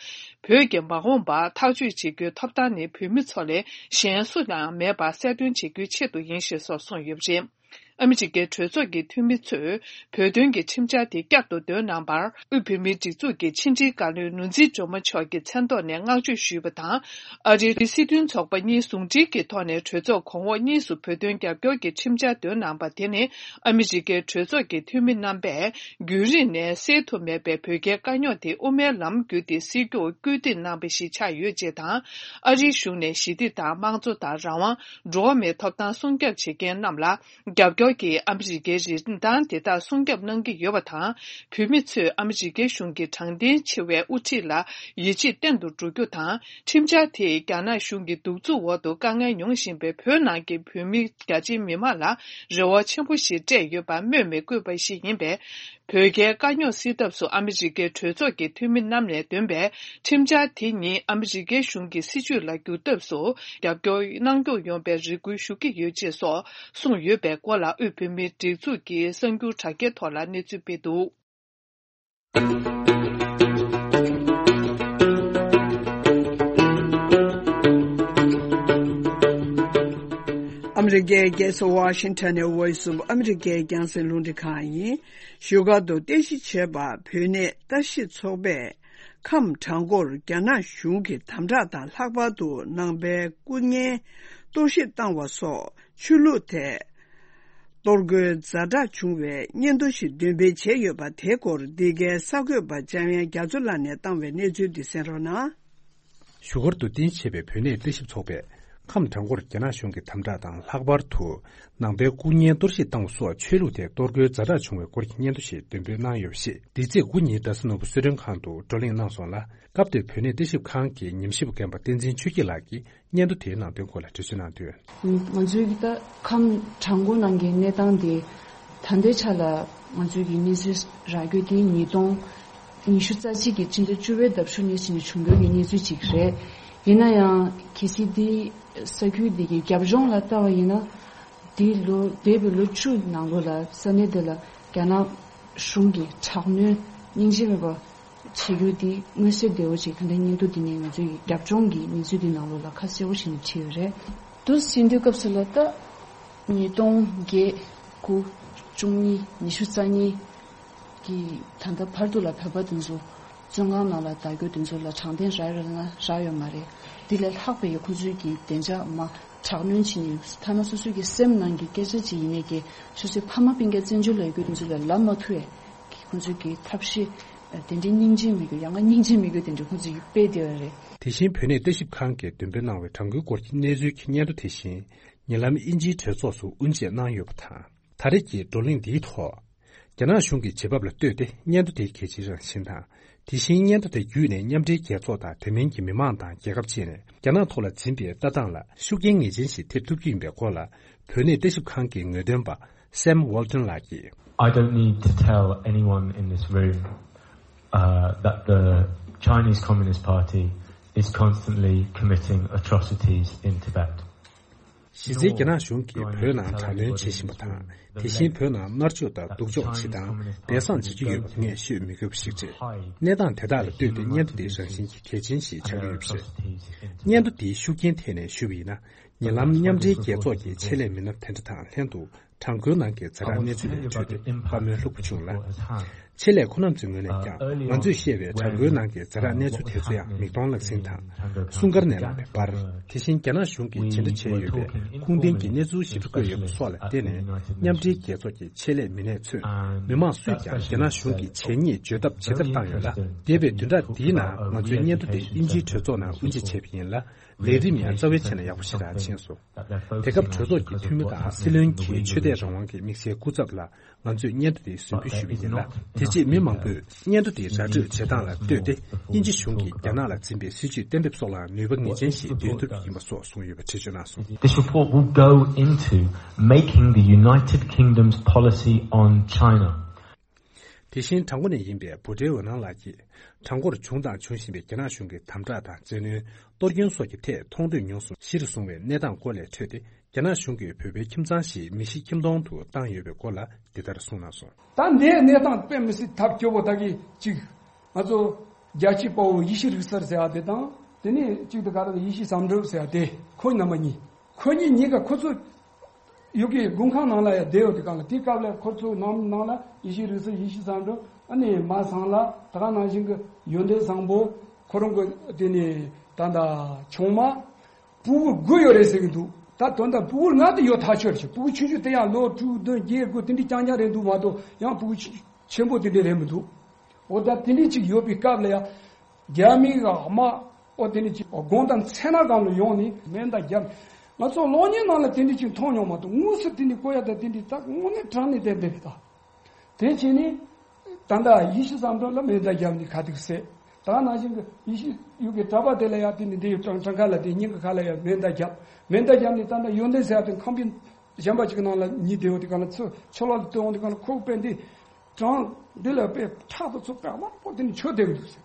བོད་ཀྱི་མ་འོངས་པ་ཐག་གཅོད་བྱེད་རྒྱུའི་ཐོབ་ཐང་ནི་བོད་མི་ཚོ་ལས་གཞན་སུ་ལའང་མེད་པ་གསལ་སྟོན་བྱེད་རྒྱུའི་ཆེད་དུ་ཡིན་ཞེས་སོགས་གསུངས་ཡོད་པ་རེད། ཨ་མི་རི་ཀའི་གྲོས་ཚོགས་ཀྱི་འཐུས་མི་ཚོས་བོད་དོན་གྱི་ཁྲིམས་འཆར་དེ་བསྐྱར་དུ་འདོན་གནང་བར། དབུས་བོད་མིའི་སྒྲིག་འཛུགས་ཀྱི་ཕྱི་འབྲེལ་བཀའ་བློན་ནོར་འཛིན་སྒྲོལ་མ་མཆོག་གི་མཚན་ཐོག་ནས་བསྔགས་བརྗོད་ཞུས་པ་དང་། ཨ་རིའི་སྲིད་དོན་ཚོགས་པ་གཉིས་ཟུང་འབྲེལ་གྱི་ཐོག་ནས་གྲོས་ཚོགས་གོང་འོག་གཉིས་སུ་བོད་དོན་རྒྱབ་སྐྱོར་གྱི་ཁྲིམས་འཆར་འདོན་གནང་པ་དེ་ནི། ཨ་མི་རི་ཀའི་གྲོས་ཚོགས་ཀྱི་འཐུས་མི་རྣམ་པས་རྒྱུན་རིང་ནས་སེལ་ཐུབ་མེད་པའི་བོད་རྒྱའི་དཀའ་རྙོག་དེ་དབུ་མའི་ལམ་བརྒྱུད་དེ་སེལ་རྒྱུར་སྐུལ་འདེད་གནང་བ་ཞིག་ཆགས་ཡོད་ཅེས་དང་། ཨ་རིའི་གཞུང་ནས་ཞི་བདེ་དང་། དམངས་གཙོ་དང་། རང་དབང་། འགྲོ་བ་མིའི་ཐོབ་ཐང་སྲུང་སྐྱོབ་བྱེད་མཁན་རྣམས་ལ། རྒྱབ་སྐྱོར་གྱིས་ཨ་མི་རི་ཀའི་རིན་ཐང་དེ་དག་སྲུང་སྐྱོབ་གནང་གི་ཡོད་པ་དང་། བོད་མི་ཚོས་ཨ་མི་རི་ཀའི་གཞུང་གི་དྲང་བདེན་ཆེ་བའི་དབུ་ཁྲིད་ལ་ཡིད་ཆེས་བརྟན་དུ་འགྲོ་རྒྱུ་དང་། ཁྲིམས་འཆར་དེས་རྒྱ་ནག་གཞུང་གི་གདུག་རྩུབ་འོག་ཏུ་དཀའ་ངལ་མྱོང་བཞིན་པའི་བོད་ནང་གི་བོད་མི་རྒྱ་ཆེའི་མི་མང་ལ་རེ་བ་ཆེན་པོ་ཞིག་སྤྲད་ཡོད་པ་སྨོས་མི་དགོས་པ་ཞིག་ཡིན་པས། བོད་རྒྱའི་དཀའ་རྙོག་སེལ་ཐབས་སུ་ཨ་མི་རི་ཀའི་གྲོས་ཚོགས་ཀྱི་འཐུས་མི་རྣམས་ནས་འདོན་པའི་ཁྲིམས་འཆར་དེ་ཉིད་ཨ་མི་རི་ཀའི་གཞུང་གི་སྲིད་བྱུས་ལ་འགྱུར་ཐབས་སུ་རྒྱབ་སྐྱོར་གནང་སྐྱོང་ཡོང་བའི་རེ་སྐུལ་ཞུ་གི་ཡོད་ཅེས་སོགས་གསུངས་ཡོད་པའི་སྐོར་ལ། དབུས་བོད་མིའི་སྒྲིག་འཛུགས་ཀྱི་གསར་འགྱུར་དྲ་རྒྱའི་ཐོག་ལ་གནས་ཚུལ་སྤེལ་འདུག། ཨ་མི་རི་ཀའི་རྒྱལ་ས་ཝ་ཤིང་ཊོན་ནས་Voice of America རྒྱང་སྲིང་རླུང་འཕྲིན་ཁང་ཡིན། བཞུགས་སྒར་དུ་རྟེན་གཞི་བྱས་པ་བོད་གནས་ལྟ་ཞིབ་ཚོགས་པས། ཁམས་བྲག་འགོར་རྒྱ་ནག་གཞུང་གི་དམ་དྲག་དང་། ལྷག་པར་དུ་ནང་པའི་སྐུ་ངལ་གཏོར་བཤིག་བཏང་བ་སོགས་ཆོས་ལུགས་ཐད་གཏོར་རྒོལ་ཛ་དྲག་བྱུང་བའི་སྙན་ཐོ་ཞིག་འདོན་སྤེལ་བྱས་ཡོད་པ། དེའི་སྐོར་འདི་གའི་གསར་འགོད་པ་འཇམ་དབྱངས་རྒྱ་མཚོ་ལགས་ནས་བཏང་བའི་གནས་ཚུལ་འདི་གསན་རོགས་གནང་། བཞུགས་སྒར་དུ་རྟེན་གཞི་བྱས་པའི་བོད་གནས་ལྟ་ཞིབ་ཚོགས་པས། ཁམས་བྲག་འགོར་རྒྱ་ནག་གཞུང་གི་དམ་དྲག་དང་། ལྷག་པར་དུ་ནང་པའི་སྐུ་ངལ་གཏོར་བཤིག་བཏང་བ་སོགས་ཆོས་ལུགས་ཐད་གཏོར་རྒོལ་ཛ་དྲག་བྱུང་བའི་སྐོར་གྱི་སྙན་ཐོ་ཞིག་འདོན་སྤེལ་གནང་ཡོད་པ་ཞིག་འདི་ཚེས་དགུ་ཉིན་རྡ་ས་ནོར་བུ་གསོལ་མགྲོན་ཁང་དུ་བགྲོ་གླེང་གནང་སོང་ལ། སྐབས་དེར་བོད་གནས་ལྟ་ཞིབ་ཁང་གི་ཉམས་ཞིབ་པ་རྒན་པ་བསྟན་འཛིན་ཆོས་སྐྱིད་ལགས་ཀྱིས་སྙན་ཐོ་དེའི་ནང་དོན་སྐོར་ལ་འགྲེལ་བརྗོད་གནང་དོན། ང་ཚོའི་གི་ད་ཁམས་བྲག་འགོ་ནང་གི་གནས་སྟངས་དེ་ད་ལྟའི་ཆ་ལ་ང་ཚོའི་གི་གནས་ཚུལ་རག་རྒྱུ་དེ་ཉིས་སྟོང་ཉི་ཤུ་རྩ་གཅིག་གི་ཕྱི་ཟླ་བཅུ་པའི་ཟླ་བཞུགས་ནས་བྱས་ནས་བྱུང་རྒྱུ་གི་གནས་ཚུལ་ཅིག་རེད། ཡིན་ན་ཡང་གལ་སྲིད་འདི་ས་ཁུལ་འདི་གི་རྒྱབ་ལྗོངས་ལ་ལྟ་བ་ཡིན་ན། འདི་ལོ་འདས་པའི་ལོ་བཅུ་ནང་ལོགས་ལ་ས་གནས་འདི་ལ་རྒྱ་ནག་གཞུང་གི་དྲག་གནོན་སྙིང་རྗེ་མེད་པ་བྱེད་རྒྱུ་འདི་མངོན་གསལ་དོད་པོ་ཅིག་ད་ལྟ་སྙན་ཐོ་འདི་ནས་ང་ཚོའི་རྒྱབ་ལྗོངས་ཀྱི་གནས་ཚུལ་འདི་ནང་ལོགས་ལ་ཁ་གསལ་པོ་བྱས་ནས་བྲིས་ཡོད་རེད། འདུག་ཟེར་དུས་སྐབས་སུ་ལ་ད་ཉིས་སྟོང་བརྒྱད་དགུ་བཅུ་གཉིས་ཉི་ཤུ་རྩ་གཉིས་ཀྱི་ད་ལྟ་བར་དུ་ལ་བོད་པ་དེ་ཚོ་བཙོན་ཁང་ནང་ལ་བདག་སྐྱོང་དེ་ཚོ་ལ་དྲང་བདེན་རག་ཡོད་ན་རག་ཡོད་མ་རེད། འདི་ལས་ལྷག་པའི་ཁོང་ཚོའི་གི་བདེ་འཇགས་མ་དྲག་གནོན་བྱེད་ནས་ཐ་ན་སོ་སོའི་གི་སེམས་ནང་གི་སྐད་ཆ་ཅིག་ཡིན་ནའི་གི་སོ་སོའི་ཕ་མ་སྤུན་ཀྱག་བཙན་བྱོལ་ལ་ཡོད་རྒྱུ་དེ་ཚོ་ལ་ལབ་མ་ཐུབ་ཡས་ཁོང་ཚོའི་གི་ཐབས་ཤེས་དེ་འདྲའི་སྙིང་རྗེ་མེད་རྒྱུ་ཡང་ན་སྙིང་རྗེ་མེད་རྒྱུ་དེ་འདྲ་ཁོང་ཚོའི་གི་དཔེ་དེ་བ་རེད། དེ་བཞིན་བོད་གནས་ལྟ་ཞིབ་ཁང་གིས་འདོན་སྤེལ་གནང་བའི་དྲ་འགོའི་སྐོར་གྱི་གནས་ཚུལ་གྱི་སྙན་ཐོ་དེ་བཞིན་ཉེ་ལམ་དབྱིན་ཇིའི་གྲོས་ཚོགས་སུ་དབུ་འབྱེད་གནང་ཡོད་པ་དང་། ད་རེས་ཀྱི་བགྲོ་གླེང་འདིའི་ཐོག་རྒྱ་ནག་གཞུང་གི་བྱེད་བབ་ལ་ལྟོས་ཏེ་སྙན་ཐོ་དེའི་གལ་ཆེའི་རང་བཞིན་དང་། དེ་བཞིན་སྙན་ཐོ་དེ་བརྒྱུད་ནས་མཉམ་འབྲེལ་རྒྱལ་ཚོགས་དང་དེ་མིན་གྱི་མི་མང་དང་རྒྱལ་ཁབ་བཅས་ནས་རྒྱ་ནག་ཐོག་ལ་འཛིན་པའི་ལྟ་སྟངས་ལ་ཤུགས་རྐྱེན་ངེས་ཅན་ཞིག་ཐེབས་ཐུབ་ཀྱི་ཡིན་པའི་སྐོར་ལ། བོད་གནས་ལྟ་ཞིབ་ཁང་གི་ངོས་འདོན་པ་Sam Walton ལགས་ཀྱིས། I don't need to tell anyone in this room, uh, that the Chinese Communist Party is constantly committing atrocities in Tibet. གཞི་རྩའི་རྒྱ་ནག་གཞུང་གིས་བོད་ནང་དྲག་གནོན་བྱེད་བཞིན་པ་དང་། དེ་བཞིན་བོད་ནང་མནར་གཅོད་དང་སྡུག་སྦྱོང་བྱེད་སྟངས་སྦས་གསང་བྱེད་ཀྱི་ཡོད་པ་ངས་ཤོད་མི་དགོས་པ་ཞིག་རེད། གནས་སྟངས་དེ་དག་ལ་ལྟོས་ཏེ་སྙན་ཐོ་འདི་རང་བཞིན་གྱིས་གལ་ཆེན་ཞིག་ཆགས་ཀྱི་ཡོད་པ་རེད། སྙན་ཐོ་འདིའི་ཤུགས་རྐྱེན་ཐད་ནས་ཞུས་པ་ཡིན་ན། ཉེ་ལམ་མཉམ་འབྲེལ་རྒྱལ་ཚོགས་ཀྱི་ཆེད་ལས་མི་སྣ་དེ་འདྲ་དང་ལྷན་དུ་བྲག་འགོའི་ནང་གི་ཛ་དྲག་གནས་ཚུལ་ལ་ལྟོས་ཏེ་བཀའ་མོལ་ལྷུག་པོ་བྱུང་ལ། ཆེད་ལས་ཁོ་རྣམ་ཚོའི་ངོས་ནས་ཀྱང་ང་ཚོས་བཤད་པའི་དྲ་འགོའི་ནང་གི་ཛ་དྲག་གནས་ཚུལ་དེ་ཚོ་ཡང་མིག་མཐོང་ལག་ཟིན་དང་། སྲུང་སྐར་ནས་ལངས་པའི་པར། དེ་བཞིན་རྒྱ་ནག་གཞུང་གིས་ཇི་འདྲ་བྱས་ཡོད་པའི་ཁུངས་ལྡན་གྱི་གནས་ཚུལ་ཞིབ་ཕྲ་བཀོད་ཡོད་པ་སོགས་ལ་བརྟེན་ནས། མཉམ་འབྲེལ་རྒྱལ་ཚོགས་ཀྱི་ཆེད་ལས་མི་སྣས་མཚོན། མི་མང་སུས་ཀྱང་རྒྱ་ནག་གཞུང་གིས་བྱས་ཉེས་བརྗོད་ཐབས་ཇི་ལྟར་བཏང་ཡོད་ལ། འདས་པའི་བདུན་ཕྲག་འདིའི་ནང་ང་ཚོའི་སྙན་ཐོ་དེ་དབྱིན་ཇིའི་གྲོས་ཚོགས་ནང་དབུ་འབྱེད་བྱས་པ་ཡིན་ལ། ལས་རིམ་ཡང་རྩ་བའི་ཆ་ནས་ཡག་པོ་ཞེ་དྲག་ཕྱིན་སོང་། དེ་སྐབས་གྲོས་ཚོགས་ཀྱི་འཐུས་མི་དང་སྲིད་བློན་གྱིས་ཆོས་དད་རང་དབང་གི་དམིགས་བསལ་སྐུ་ཚབ་ལ་ང་ཚོས་སྙན་ཐོ་དེ་ཟིན་འབུལ་ཞུས་པ་ཡིན་ལ། དེ་རྗེས་མི་མང་པོས་སྙན་ཐོ་དེ་ར་སྤྲོད་བྱེད་སྟངས་ལ་ལྟོས་ཏེ། དབྱིན་ཇི་གཞུང་གིས་རྒྱ་ནག་ལ་འཛིན་པའི་སྲིད་བྱུས་གཏན་འབེབས་སོགས་ལ་ནུས་པ་ངེས་ཅན་ཞིག་འདོན་ཐུབ་ཀྱི་ཡིན་པ་སོགས་གསུངས་ཡོད་པ་འགྲེལ་བརྗོད་གནང་སོང་། This report will go into making the United Kingdom's policy on China. དེ་བཞིན་བྲག་འགོ་ནས་ཡིན་པའི་བུ་ཁྲའི་འོད་སྣང་ལགས་ཀྱིས། བྲག་འགོར་བྱུང་དང་འབྱུང་བཞིན་པའི་རྒྱ་ནག་གཞུང་གི་དམ་དྲག་དང་བཙན་གནོན། གཏོར་སྐྱོན་སོགས་ཀྱི་ཐད་མཐོང་ཐོས་མྱོང་གསུམ་གཞིར་བཟུང་བའི་གནས་སྟངས་སྐོར་ལས་འཕྲོས་ཏེ། རྒྱ་ནག་གཞུང་གིས་བོད་པའི་ཁྱིམ་ཚང་ཞིག་མི་ཤི་ཁྱིམ་སྟོང་དུ་བཏང་ཡོད་པའི་སྐོར་ལ་འདི་ལྟར་གསུངས་གནང་སོང་། ད་འདིའི་གནས་སྟངས་དཔེ་མི་སྲིད་ཐབས་སྐྱོ་པོ་ད་གི་གཅིག་ང་ཚོ་རྒྱལ་གཅེས་དཔའ་བོ་ཡེ་ཤེས་རིག་གསར་ཟེར་བ་དེ་དང་། དེ་ནས་གཅིག་ཏུ་ག་རེ་ཡེ་ཤེས་བསམ་གྲུབ་ཟེར་བ་དེ། ཁོ་རྣམ་པ་གཉིས། ཁོ་གཉིས་གཉིས་ཀ་ཁོ་ཚོ་ཡུལ་གྱི་དགུན་ཁང་ནང་ལ་ཡང་བསྡད་ཡོད་དུས་སྒང་ལ། དེའི་སྐབས་ལ་ཁོ་ཚོའི་ནང་ནང་ལ་ཡེ་ཤེས་རིག་གསར་ཡེ་ཤེས་བསམ་གྲུབ། ཨ་ནི་མ་བཟང་ལ་ད་ག་ནང་བཞིན་གྱི་ཡོན་ཏན་བཟང་པོ། ཁོ་རང་གི་དེ་ནས་ད་ལྟ་ཆུང་མ། ཕྲུ་གུ་དགུ་ཡོད་རེད་ཟེར་གྱི་འདུག་ད་དོན་དག་ཕྲུ་གུ་ལྔ་དེ་ཡོད་ཐག་ཆོད་རེད། ཕྲུ་གུ་ཆུང་ཆུང་དེ་ཡང་ལོ་དྲུག་བདུན་བརྒྱད་དགུ་དེ་འདྲའི་རྐྱང་རྐྱང་རེད་འདུག་མ་གཏོགས། ཡང་ཕྲུ་གུ་ཆེ་ཆེན་པོ་དེ་འདྲ་རེད་མི་འདུག་འོ་ད་དེ་འདྲའི་ཅིག་ཡོད་པའི་སྐབས་ལ་ཡང་། རྒྱ་མིའི་དམག་འོ་དེ་འདྲའི་ཅིག་དགོང་དང་མཚན་ནག་སྒང་ལ་ཡོང་ནས་མེ་མདའ་བརྒྱབ། ང་ཚོ་གློག་བརྙན་ནང་ལ་དེ་འདྲའི་ཅིག་མཐོང་མྱོང་མ་གཏོགས། དངོས་སུ་དེ་འདྲའི་བཀོད་ཡ་ད་དེ་འདྲའི་ད་དངོས་གནས་དྲང་གནས་བསྡད་བསྡད་རེད་ད། དེ་བྱས་ནས་ད་ལྟ་ཡེ་ཤེས་བསམ་གྲུབ་ལ་མེ་མདའ་བརྒྱབ་ནས་ཁ་ཐུག་བསད། ད་ག་ནང་བཞིན་གྱི་ཡེ་ཤེས་ཡུལ་གྱི་གྲྭ་པ་དེ་ལ་ཡང་དེ་ནས་འདི་ཡི་བྲང་བྲང་ཁ་ལ་དེ་སྙིང་གི་ཁ་ལ་ཡང་མེ་མདའ་བརྒྱབ། མེ་མདའ་བརྒྱབ་ནས་ད་ལྟ་ཡོན་ཏན་ཟེར་ཡ་དེ་ཁང་པའི་གཞན་པ་ཅིག་གི་ནང་ལ་ཉལ་བསྡད་ཡོད་དུས་སྒང་ལ། ཚུར་ཕྱི་ལོགས་ལ་ཐོན་འོང་དུས་སྒང་ལ་ཁོ་གི་དཔེ་འདི་བྲང་འདི་ལ་དཔེ་ཕྲག་དང་ཚུར་དཔེ་དམར་པོ་དེ་ནས་ཆོད་བསྡད་ཀྱི་འདུག་ཟེར།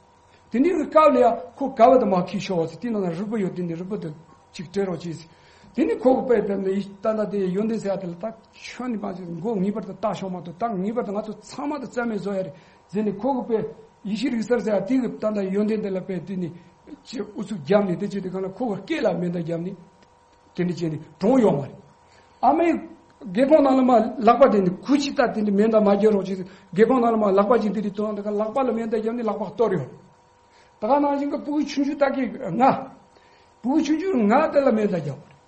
དེ་ནས་གི་སྐབས་ལ་ཡང་ཁོ་ག་བ་དང་མ་ཁྱི་ཤོར་བ་ཟེར། དེ་ནང་ལ་རུས་པ་ཡོད། དེ་ནས་རུས་པ་དེ་ཅིག་སྤྲད་རོགས་གྱིས་ཟེར། དེ་ནས་ཁོ་གི་དཔེ་དེ་ནས་ད་ལྟ་དེ་ཡོན་ཏན་ཟེར་ཡ་དེ་ལ་ད་ཁྱོད་ནི་མ་ཟེར། མགོ་ངེས་པར་དུ་བཏགས་ཤོག་མ་གཏོགས། ད་ངེས་པར་དུ་ང་ཚོ་ཚང་མ་དང་རྩ་མེད་བཟོ་ཡ་རེད་ཟེར་ནས། ཁོ་གི་དཔེ་ཡེ་ཤེས་རིག་གསར་ཟེར་ཡ་དེ་གི་ད་ལྟ་ཡོན་ཏན་དེ་ལ་དཔེ་དེ་ནས་ཅིག་ཨུ་ཚུགས་བརྒྱབ་ནས། དེ་བྱེད་དུས་སྒང་ལ་ཁོ་གི་སྐེ་ལ་མེ་མདའ་བརྒྱབ་ནས། དེ་འདྲ་བྱས་ནས་གྲོངས་ཡོང་བ་རེད། ཨ་མའི་སྒེའུ་ཁུང་ནང་ལ་མར་ལག་པ་དེ་ནི་ཁུ་ཅི་ལྟ། དེ་འདྲ་མེ་མདའ་མ་རྒྱག་རོགས་གྱིས། སྒེའུ་ཁུང་ནང་ལ་མར་ལག་པ་ཅིག་འདི་འདྲ་བཏོན་དུས་སྒང་ལ་ལག་པ་ལ་མེ་མདའ་བརྒྱབ་ནས་ལག་པ་གཏོར་ཡོད། ད་ག་ནང་བཞིན་གྱི་ཕྲུ་གུ་ཆུང་ཆུང་དག་གི་ང་། ཕྲུ་གུ་ཆུང་ཆུང་ང་དེ་ལ་མེ་མདའ་བརྒྱབ་པ་རེད།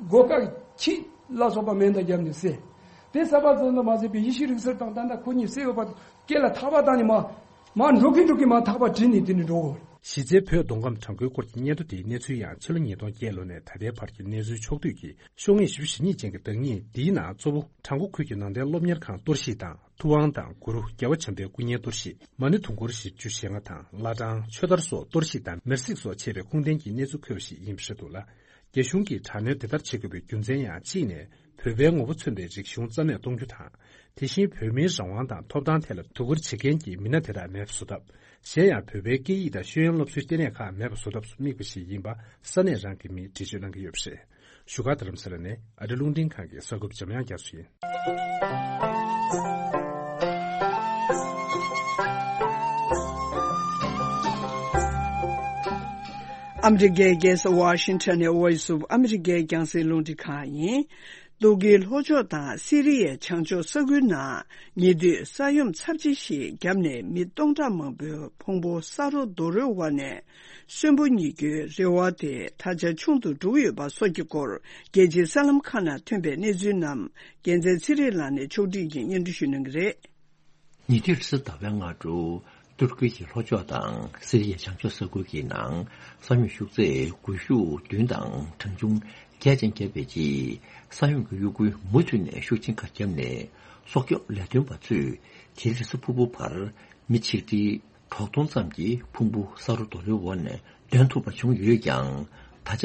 སྒོ་ཁ་ཁྱི་ལ་སོགས་པ་མེ་མདའ་བརྒྱབ་ནས་བསད། དེ་བསད་པ་ཙམ་དུ་མ་ཟད་པའི་ཡེ་ཤེས་རིག་གསར་དང་ད་ལྟ་ཁོ་གཉིས་བསད་ཡོད་པ། སྐེ་ལ་ཐག་པ་བཏགས་ནས་མར་མར་འགྲོ་གིན་འགྲོ་གིན་མར་ཐག་པ་དྲུད་ནས་དེ་ནས་འགྲོ་གི་ཡོད་རེད། གཞི་རྩའི་བོད་མདོ་ཁམས་བྲག་འགོའི་སྐོར་གྱི་སྙན་ཐོ་དེའི་གནས་ཚུལ་ཡང་ཕྱི་ལོ་ཉིས་སྟོང་བརྒྱད་ལོ་ནས་ད་ལྟའི་བར་གྱི་གནས་ཚུལ་ཕྱོགས་བསྡུས་ཀྱི་ཤོག་ངོས་བཞི་བཅུ་ཞེ་གཉིས་ཅན་གྱི་བརྡ་རྙིང་འདིའི་ནང་གཙོ་བོ་བྲག་འགོ་ཁུལ་གྱི་ནང་བསྟན་སློབ་གཉེར་ཁང་གཏོར་བཤིག་དང་། ཐུབ་དབང་དང་གུ་རུ་རྒྱལ་བ་བྱམས་པའི་སྐུ་བརྙན་གཏོར་བཤིག། མ་ཎི་དུང་འཁོར་བཞི་བཅུ་ཞེ་ལྔ་དང་བླ་བྲང་། ཆོས་དར་སོགས་གཏོར་བཤིག་དང་མེར་སྲེག་སོགས་བྱས་པའི་ཁུངས་ལྡན་གྱི་གནས་ཚུལ་འཁོད་པ་ཞིག་ཡིན་པ་རེད་འདུག་ལ། རྒྱ་གཞུང་གིས་དྲག་གནོན་དེ་ལྟར་བྱེད་དགོས་པའི་རྒྱུ་མཚན་ཡང་གཅིག་ནས། བོད་པའི་ངོ་བོ་མཚོན་པའི་རིག་གཞུང་རྩ་མེད་གཏོང་རྒྱུ་དང་། དེ་བཞིན་བོད་མིའི་རང་དབང་དང་ཐོབ་ཐང་ཐད་ལ་དོ་ཁུར་བྱེད་མཁན་གྱི་མི་སྣ་དེ་དག་མེད་པ་བཟོ་ཐབས། གཞན་ཡང་བོད་པའི་སྐད་ཡིག་དང་ཤེས་ཡོན་སློབ་གསོའི་ལྟེ་གནས་ཁག་མེད་པ་བཟོ་ཐབས་སུ་དམིགས་པ་ཞིག་ཡིན་པ་ས་གནས་རང་གི་མིས་འགྲེལ་བརྗོད་གནང་གི་ཡོད་པ་རེད། བཞུགས་སྒར་རྡ་རམ་ས་ལ་ནས་ཨ་རི་རླུང་འཕྲིན་ཁང་གི་གསར་འགོད་པ་འཇམ་དབྱངས་རྒྱ་མཚོ་ཡིན། ཨ་མི་རི་ཀའི་རྒྱལ་ས་ཝ་ཤིང་ཊོན་ནས་Voice of America རྒྱང་སྲིང་རླུང་འཕྲིན་ཁང་ཡིན། ཏུར་ཀིའི་ལྷོ་ཕྱོགས་དང་སི་རི་ཡའི་བྱང་ཕྱོགས་ས་ཁུལ་ནང་ཉེ་དུས་ས་ཡོམ་ཚབས་ཆེ་ཞིག་བརྒྱབ་ནས་མི་སྟོང་ཕྲག་མང་པོའི་ཕུང་པོ་ས་རོ་རྡོ་རོའི་འོག་ནས་གསོན་པོ་རྙེད་རྒྱུའི་རེ་བ་དེ་ད་ཆ་ཆུང་དུ་འགྲོ་གི་ཡོད་པ་སོགས་ཀྱི་སྐོར། རྒྱལ་སྤྱིའི་གསར་ལམ་ཁག་ནང་ཐོན་པའི་གནས་ཚུལ་རྣམས་རྒྱལ་མཚན་ཚེ་རིང་ལགས་ནས་ཕྱོགས་སྒྲིག་གིས་སྙན་སྒྲོན་ཞུ་གནང་གི་རེད། ཉེ་དུས་རེས་གཟའ་ཟླ་བའི་སྔ་དྲོ། ཏུར་ཀི་ཡི་ལྷོ་ཕྱོགས་དང་སི་རི་ཡའི་བྱང་ཕྱོགས་ས་ཁུལ་གྱི་ནང་ས་ཡོམ་ཤུགས་ཚད་འགུལ་ཤུགས་བདུན་དང་གྲངས་ཆུང་བརྒྱད་ཅན་བརྒྱབ་པའི་རྗེས། ས་ཡོམ་གྱི་གཡོ་འགུལ་མུ་མཐུད་ནས་ཤུགས་ཆེན་ཁ་བརྒྱབ་ནས། སྲོག་སྐྱོབ་ལས་དོན་པ་ཚོས་དེ་རིང་གཟའ་ཕུར་བུ་བར་མི་ཆིག་ཁྲི་དྲུག་སྟོང་ཙམ་གྱི་ཕུང་པོ་ས་རོ་རྡོ་རོའི་འོག་ནས་འདོན་ཐུབ་པ་བྱུང་ཡོད་ཀྱང་། ད་ཆ་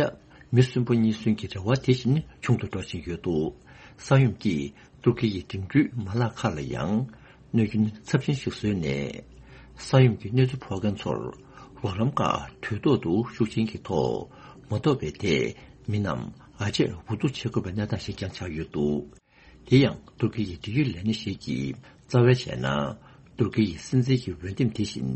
མི་གསོན་པོ་རྙེད་སོན་གྱི་རེ་བ་དེ་བཞིན་ཆུང་དུ་འགྲོ་བཞིན་ཡོད་འདུག་ས་ཡོམ་གྱིས་ཏུར་ཀི་ཡི་འགྲིམ་འགྲུལ་མ་ལག་ཁག་ལ་ཡང་གནོད་སྐྱོན་ཚབས་ཆེན་ཞིག་བཟོས་ནས། ས་ཡོམ་གྱི་གནོད་འཚེ་ཕོག་མཁན་ཚོར་རོགས་རམ་ཁག་དུས་ཐོག་ཏུ་ཤུགས་ཆེན་གྱི་ཐོག་མ་ཐོབ་པའི་ཐད། མི་རྣམས་ཨ་ཅེར་འུ་ཐུག་བྱེད་དགོས་པའི་གནས་སྟངས་ཤིག་ཀྱང་ཆགས་ཡོད་འདུག་དེ་ཡང་ཏུར་ཀི་ཡི་འབྲེལ་ཡོད་ལས་སྣེ་ཞིག་གིས་རྩ་བའི་བྱས་ན། ཏུར་ཀི་ཡི་སྲིད་འཛིན་གྱི་འོས་འདེམས་དེ་བཞིན་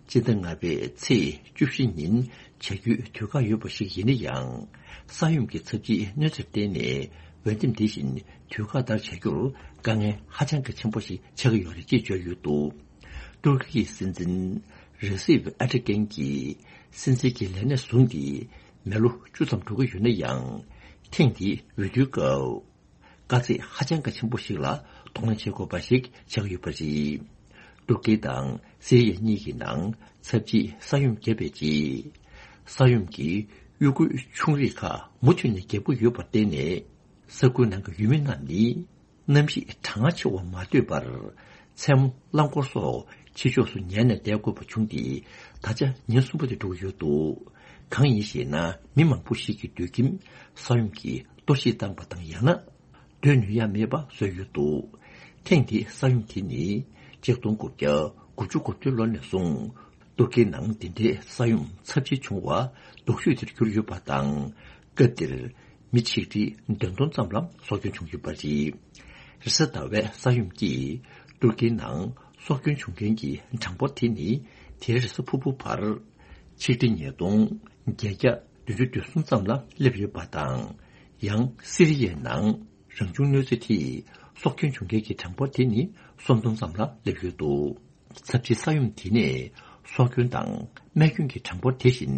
སྤྱི་ཟླ་ལྔ་པའི་ཚེས་བཅུ་བཞི་ཉིན་བྱ་རྒྱུའི་དུས་བཀག་ཡོད་པ་ཞིག་ཡིན་ན་ཡང་། ས་ཡོམ་གྱི་ཚབས་ཆེའི་གནོད་འཚེར་བརྟེན་ནས་འོས་འདེམས་དེ་བཞིན་དུས་བཀག་ལྟར་བྱ་རྒྱུར་དཀའ་ངལ་ཧ་ཅང་གི་ཆེན་པོ་ཞིག་ཆགས་ཀྱི་ཡོད་རེད་ཅེས་བརྗོད་ཡོད་འདུག་ཏུར་ཀི་ཡི་སྲིད་འཛིན་རེ་སིབ་ཨ་ཏྲི་ཀན་གྱིས་སྲིད་འཛིན་གྱི་ལས་གནས་བཟུང་སྟེ་མི་ལོ་བཅུ་ཙམ་འགྲོ་གི་ཡོད་ན་ཡང་། ཐེངས་འདིའི་འོས་བསྡུའི་སྐབས་དཀའ་ཚེགས་ཧ་ཅང་གི་ཆེན་པོ་ཞིག་ལ་གདོང་ལེན་བྱེད་དགོས་པ་ཞིག་ཆགས་ཡོད་པ་རེད། ཏུར་ཀི་དང་སི་རི་ཡ་གཉིས་ཀྱི་ནང་ཚབས་ཆེའི་ས་ཡོམ་བརྒྱབ་པའི་རྗེས། ས་ཡོམ་གྱིས་གཡུག་རྒོལ་ཆུང་རིགས་ཁག་མུ་མཐུད་ནས་བརྒྱབ་ཀྱི་ཡོད་པར་བརྟེན་ནས། ས་ཁུལ་ནང་གི་ཡུལ་མི་རྣམས་ནི། གནམ་གཤིས་གྲང་ངར་ཆེ་བ་མ་ལྟོས་པར། མཚན་མོ་རླངས་འཁོར་སོགས་ཕྱི་ཕྱོགས་སུ་ཉལ་ནས་བསྡད་དགོས་པ་བྱུང་སྟེ། ད་ཆ་ཉིན་གསུམ་པ་དེ་འགྲོ་གི་ཡོད་འདུག་གང་ཡིན་ཞེ་ན། མི་མང་པོ་ཞིག་གི་སྡོད་ཁྱིམ་ས་ཡོམ་གྱིས་གཏོར་བཤིག་བཏང་པ་དང་། ཡང་ན་སྡོད་ནུས་ཡ་མེད་པ་བཟོས་ཡོད་འདུག་ཐེངས་འདིའི་ས་ཡོམ་དེ་ནི་ཆིག་སྟོང་དགུ་བརྒྱ་དགུ་བཅུ་གོ་བདུན་ལོ་ནས་བཟུང་ཏུར་ཀིའི་ནང་འདི་འདྲའི་ས་ཡོམ་ཚབས་ཆེ་བྱུང་བ་སྡུག་ཤོས་དེར་གྱུར་ཡོད་པ་དང་། སྐབས་དེར། མི་ཆིག་ཁྲི་བདུན་སྟོང་ཙམ་ལ་སྲོག་སྐྱོན་བྱུང་ཡོད་པ་རེད། རེས་གཟའ་ཟླ་བའི་ས་ཡོམ་གྱིས་ཏུར་ཀིའི་ནང་སྲོག་སྐྱོན་བྱུང་མཁན་གྱི་གྲངས་འབོར་དེ་ནི་དེ་རེས་གཟའ་ཕུར་བུ་བར་ཆིག་ཁྲི་ཉིས་སྟོང་བརྒྱད་བརྒྱ་བདུན་ཅུ་དོན་གསུམ་ཙམ་ལ་སླེབས་ཡོད་པ་དང་། ཡང་སི་རི་ཡའི་ནང་རང་བྱུང་གནོད་འཚེ་དེས་སྲོག་སྐྱོན་བྱུང་མཁན་གྱི་གྲངས་འབོར་དེ་ནི་སུམ་སྟོང་ཙམ་ལ་སླེབས་ཡོད་འདུག་ཚབས་ཆེའི་ས་ཡོམ་དེ་ནས་སྲོག་སྐྱོན་དང་རྨས་སྐྱོན་གྱི་གྲངས་འབོར་དེ་བཞིན་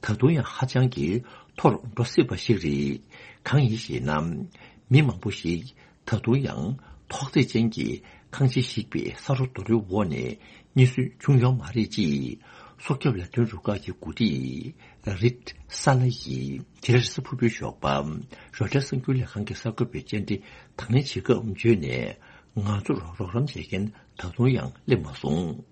ད་དུང་ཡང་ཧ་ཅང་གི་མཐོར་འགྲོ་སྲིད་པ་ཞིག་རེད། གང་ཡིན་ཞེ་ན། མི་མང་པོ་ཞིག་ད་དུང་ཡང་ཐོག་བརྩེགས་ཅན་གྱི་ཁང་ཆེ་ཞིག་པའི་ས་རོ་རྡོ་རོའི་འོག་ནས་རྙེད་སོན་བྱུང་ཡོད་མ་རེད། ཅེས་སྲོག་སྐྱོབ་ལས་དོན་རུ་ཁག་གི་འགོ་ཁྲིད་རིད་ས་ལ་ཡིས་དེ་རེས་གཟའ་ཕུར་བུའི་ཞོགས་པ་རོའི་ཊར་གསར་འགྱུར་ལས་ཁང་གི་གསར་འགོད་པའི་བཅར་འདྲི་དང་ལེན་བྱེད་སྐབས་བརྗོད་ནས། ང་ཚོར་རོགས་རམ་བྱེད་མཁན་ད་དུང་ཡང་སླེབས་མ་སོང་།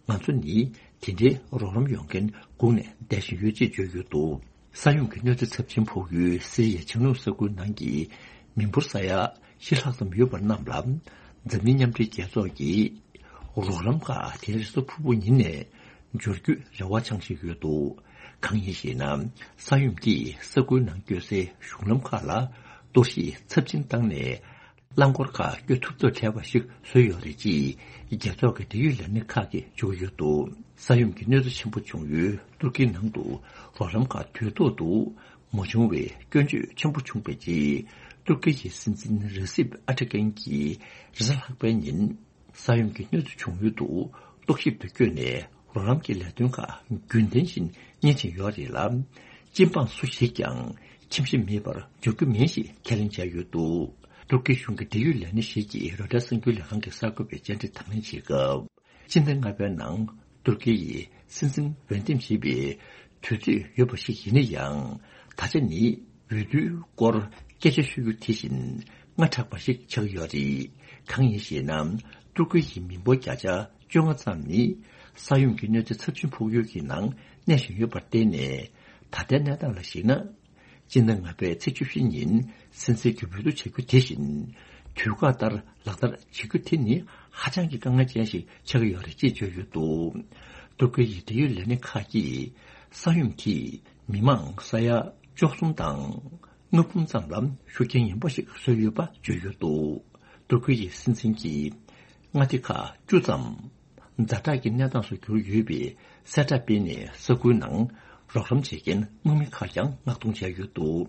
ང་ཚོ་ནི་དེ་འདྲའི་རོགས་རམ་ཡོང་མཁན་སྒུག་ནས་བསྡད་བཞིན་ཡོད། ཅེས་བརྗོད་ཡོད་འདུག་ས་ཡོམ་གྱི་གནོད་འཚེ་ཚབས་ཆེན་ཕོག་ཡུལ་སི་རི་ཡའི་བྱང་ནུབ་ས་ཁུལ་ནང་གི་མི་འབོར་ས་ཡ་བཞི་ལྷག་ཙམ་ཡོད་པ་རྣམས་ལ། འཛམ་གླིང་མཉམ་འབྲེལ་རྒྱལ་ཚོགས་ཀྱིས་རོགས་རམ་ཁག་དེ་རེས་གཟའ་ཕུར་བུ་ཉིན་ནས་འབྱོར་རྒྱུའི་རེ་བ་འཆང་བཞིན་ཡོད་འདུག་གང་ཡིན་ཞེ་ན། ས་ཡོམ་གྱིས་ས་ཁུལ་ནང་སྐྱོད་སའི་གཞུང་ལམ་ཁག་ལ་གཏོར་བཤིག་ཚབས་ཆེན་བཏང་ནས། རླངས་འཁོར་ཁག་སྐྱོད་ཐུབ་ཐབས་བྲལ་བ་ཞིག་བཟོས་ཡོད་རེད། ཅེས་རྒྱལ་ཚོགས་ཀྱི་འབྲེལ་ཡོད་ལས་སྣེ་ཁག་གིས་བརྗོད་ཀྱི་ཡོད་འདུག་ས་ཡོམ་གྱི་གནོད་འཚེ་ཆེན་པོ་བྱུང་ཡུལ་ཏུར་ཀིའི་ནང་དུ་རོགས་རམ་ཁག་དུས་ཐོག་ཏུ་མ་བྱུང་བའི་སྐྱོན་བརྗོད་ཆེན་པོ་བྱུང་བའི་རྗེས། ཏུར་ཀི་ཡི་སྲིད་འཛིན་རེ་སིབ་ཨ་ཏྲི་ཀན་གྱིས་རེས་གཟའ་ལྷག་པའི་ཉིན། ས་ཡོམ་གྱི་གནོད་འཚེ་བྱུང་ཡུལ་དུ་རྟོག་ཞིབ་ཏུ་བསྐྱོད་ནས། རོགས་རམ་གྱི་ལས་དོན་ཁག་རྒྱུན་ལྡན་བཞིན་གཉེར་བཞིན་ཡོད་རེད་ལ། སྤྱི་འབངས་སུ་ཞིག་ཀྱང་ཁྱིམ་གཞིས་མེད་པར་འགྲོ་རྒྱུ་མིན་ཞེས་ཁས་ལེན་བྱས་ཡོད་འདུག་ཏུར་ཀི་གཞུང་གི་འབྲེལ་ཡོད་ལས་སྣེ་ཞིག་གིས་རོའི་ཊར་གསར་འགྱུར་ལས་ཁང་གི་གསར་འགོད་པའི་བཅར་འདྲི་དང་ལེན་བྱེད་སྐབས། སྤྱི་ཟླ་ལྔ་པའི་ནང་ཏུར་ཀི་ཡི་སྲིད་འཛིན་འོས་འདེམས་བྱེད་པའི་དུས་ཚོད་ཡོད་པ་ཞིག་ཡིན་ན་ཡང་། ད་ཆ་ནི་འོས་བསྡུའི་སྐོར་སྐད་ཆ་ཤོད་རྒྱུ་དེ་བཞིན་སྔ་དྲགས་པ་ཞིག་ཆགས་ཡོད་རེད། གང་ཡིན་ཞེ་ན། ཏུར་ཀི་ཡི་མི་འབོར་བརྒྱ་ཆ་བཅོ་ལྔ་ཙམ་ནི་ས་ཡོམ་གྱི་གནོད་འཚེ་ཚབས་ཆེན་ཕོག་ཡུལ་གྱི་ནང་གནས་བཞིན་ཡོད་པར་བརྟེན་ནས། ད་ལྟའི་གནས་སྟངས་ལ་གཞིགས་ན། སྤྱི་ཟླ་ལྔ་པའི་ཚེས་བཅུ་བཞི་ཉིན་སྲིད་འཛིན་གྱི་འོས་བསྡུ་བྱ་རྒྱུ་དེ་བཞིན་དུས་བཀག་ལྟར་ལག་བསྟར་བྱེད་རྒྱུ་དེ་ནི་ཧ་ཅང་གི་དཀའ་ངལ་ཅན་ཞིག་ཆགས་ཀྱི་ཡོད་རེད། ཅེས་བརྗོད་ཡོད་འདུག་ཏུར་ཀི་ཡི་འབྲེལ་ཡོད་ལས་སྣེ་ཁག་གིས་ས་ཡོམ་དེས་མི་མང་ས་ཡ་བཅུ་གསུམ་དང་ལྔ་འབུམ་ཙམ་ལ་ཤུགས་རྐྱེན་ངན་པ་ཞིག་བཟོས་ཡོད་པ་བརྗོད་ཡོད་འདུག་ཏུར་ཀི་ཡི་སྲིད་འཛིན་གྱིས་མངའ་སྡེ་ཁག་བཅུ་ཙམ། ཛ་དྲག་གི་གནས་སྟངས་སུ་གྱུར་ཡོད་པའི་གསལ་བསྒྲགས་སྤེལ་ནས། ས་ཁུལ་ནང་རོགས་རམ་བྱེད་མཁན་དམག་མི་ཁག་ཀྱང་མངགས་གཏོང་བྱས་ཡོད་འདུག་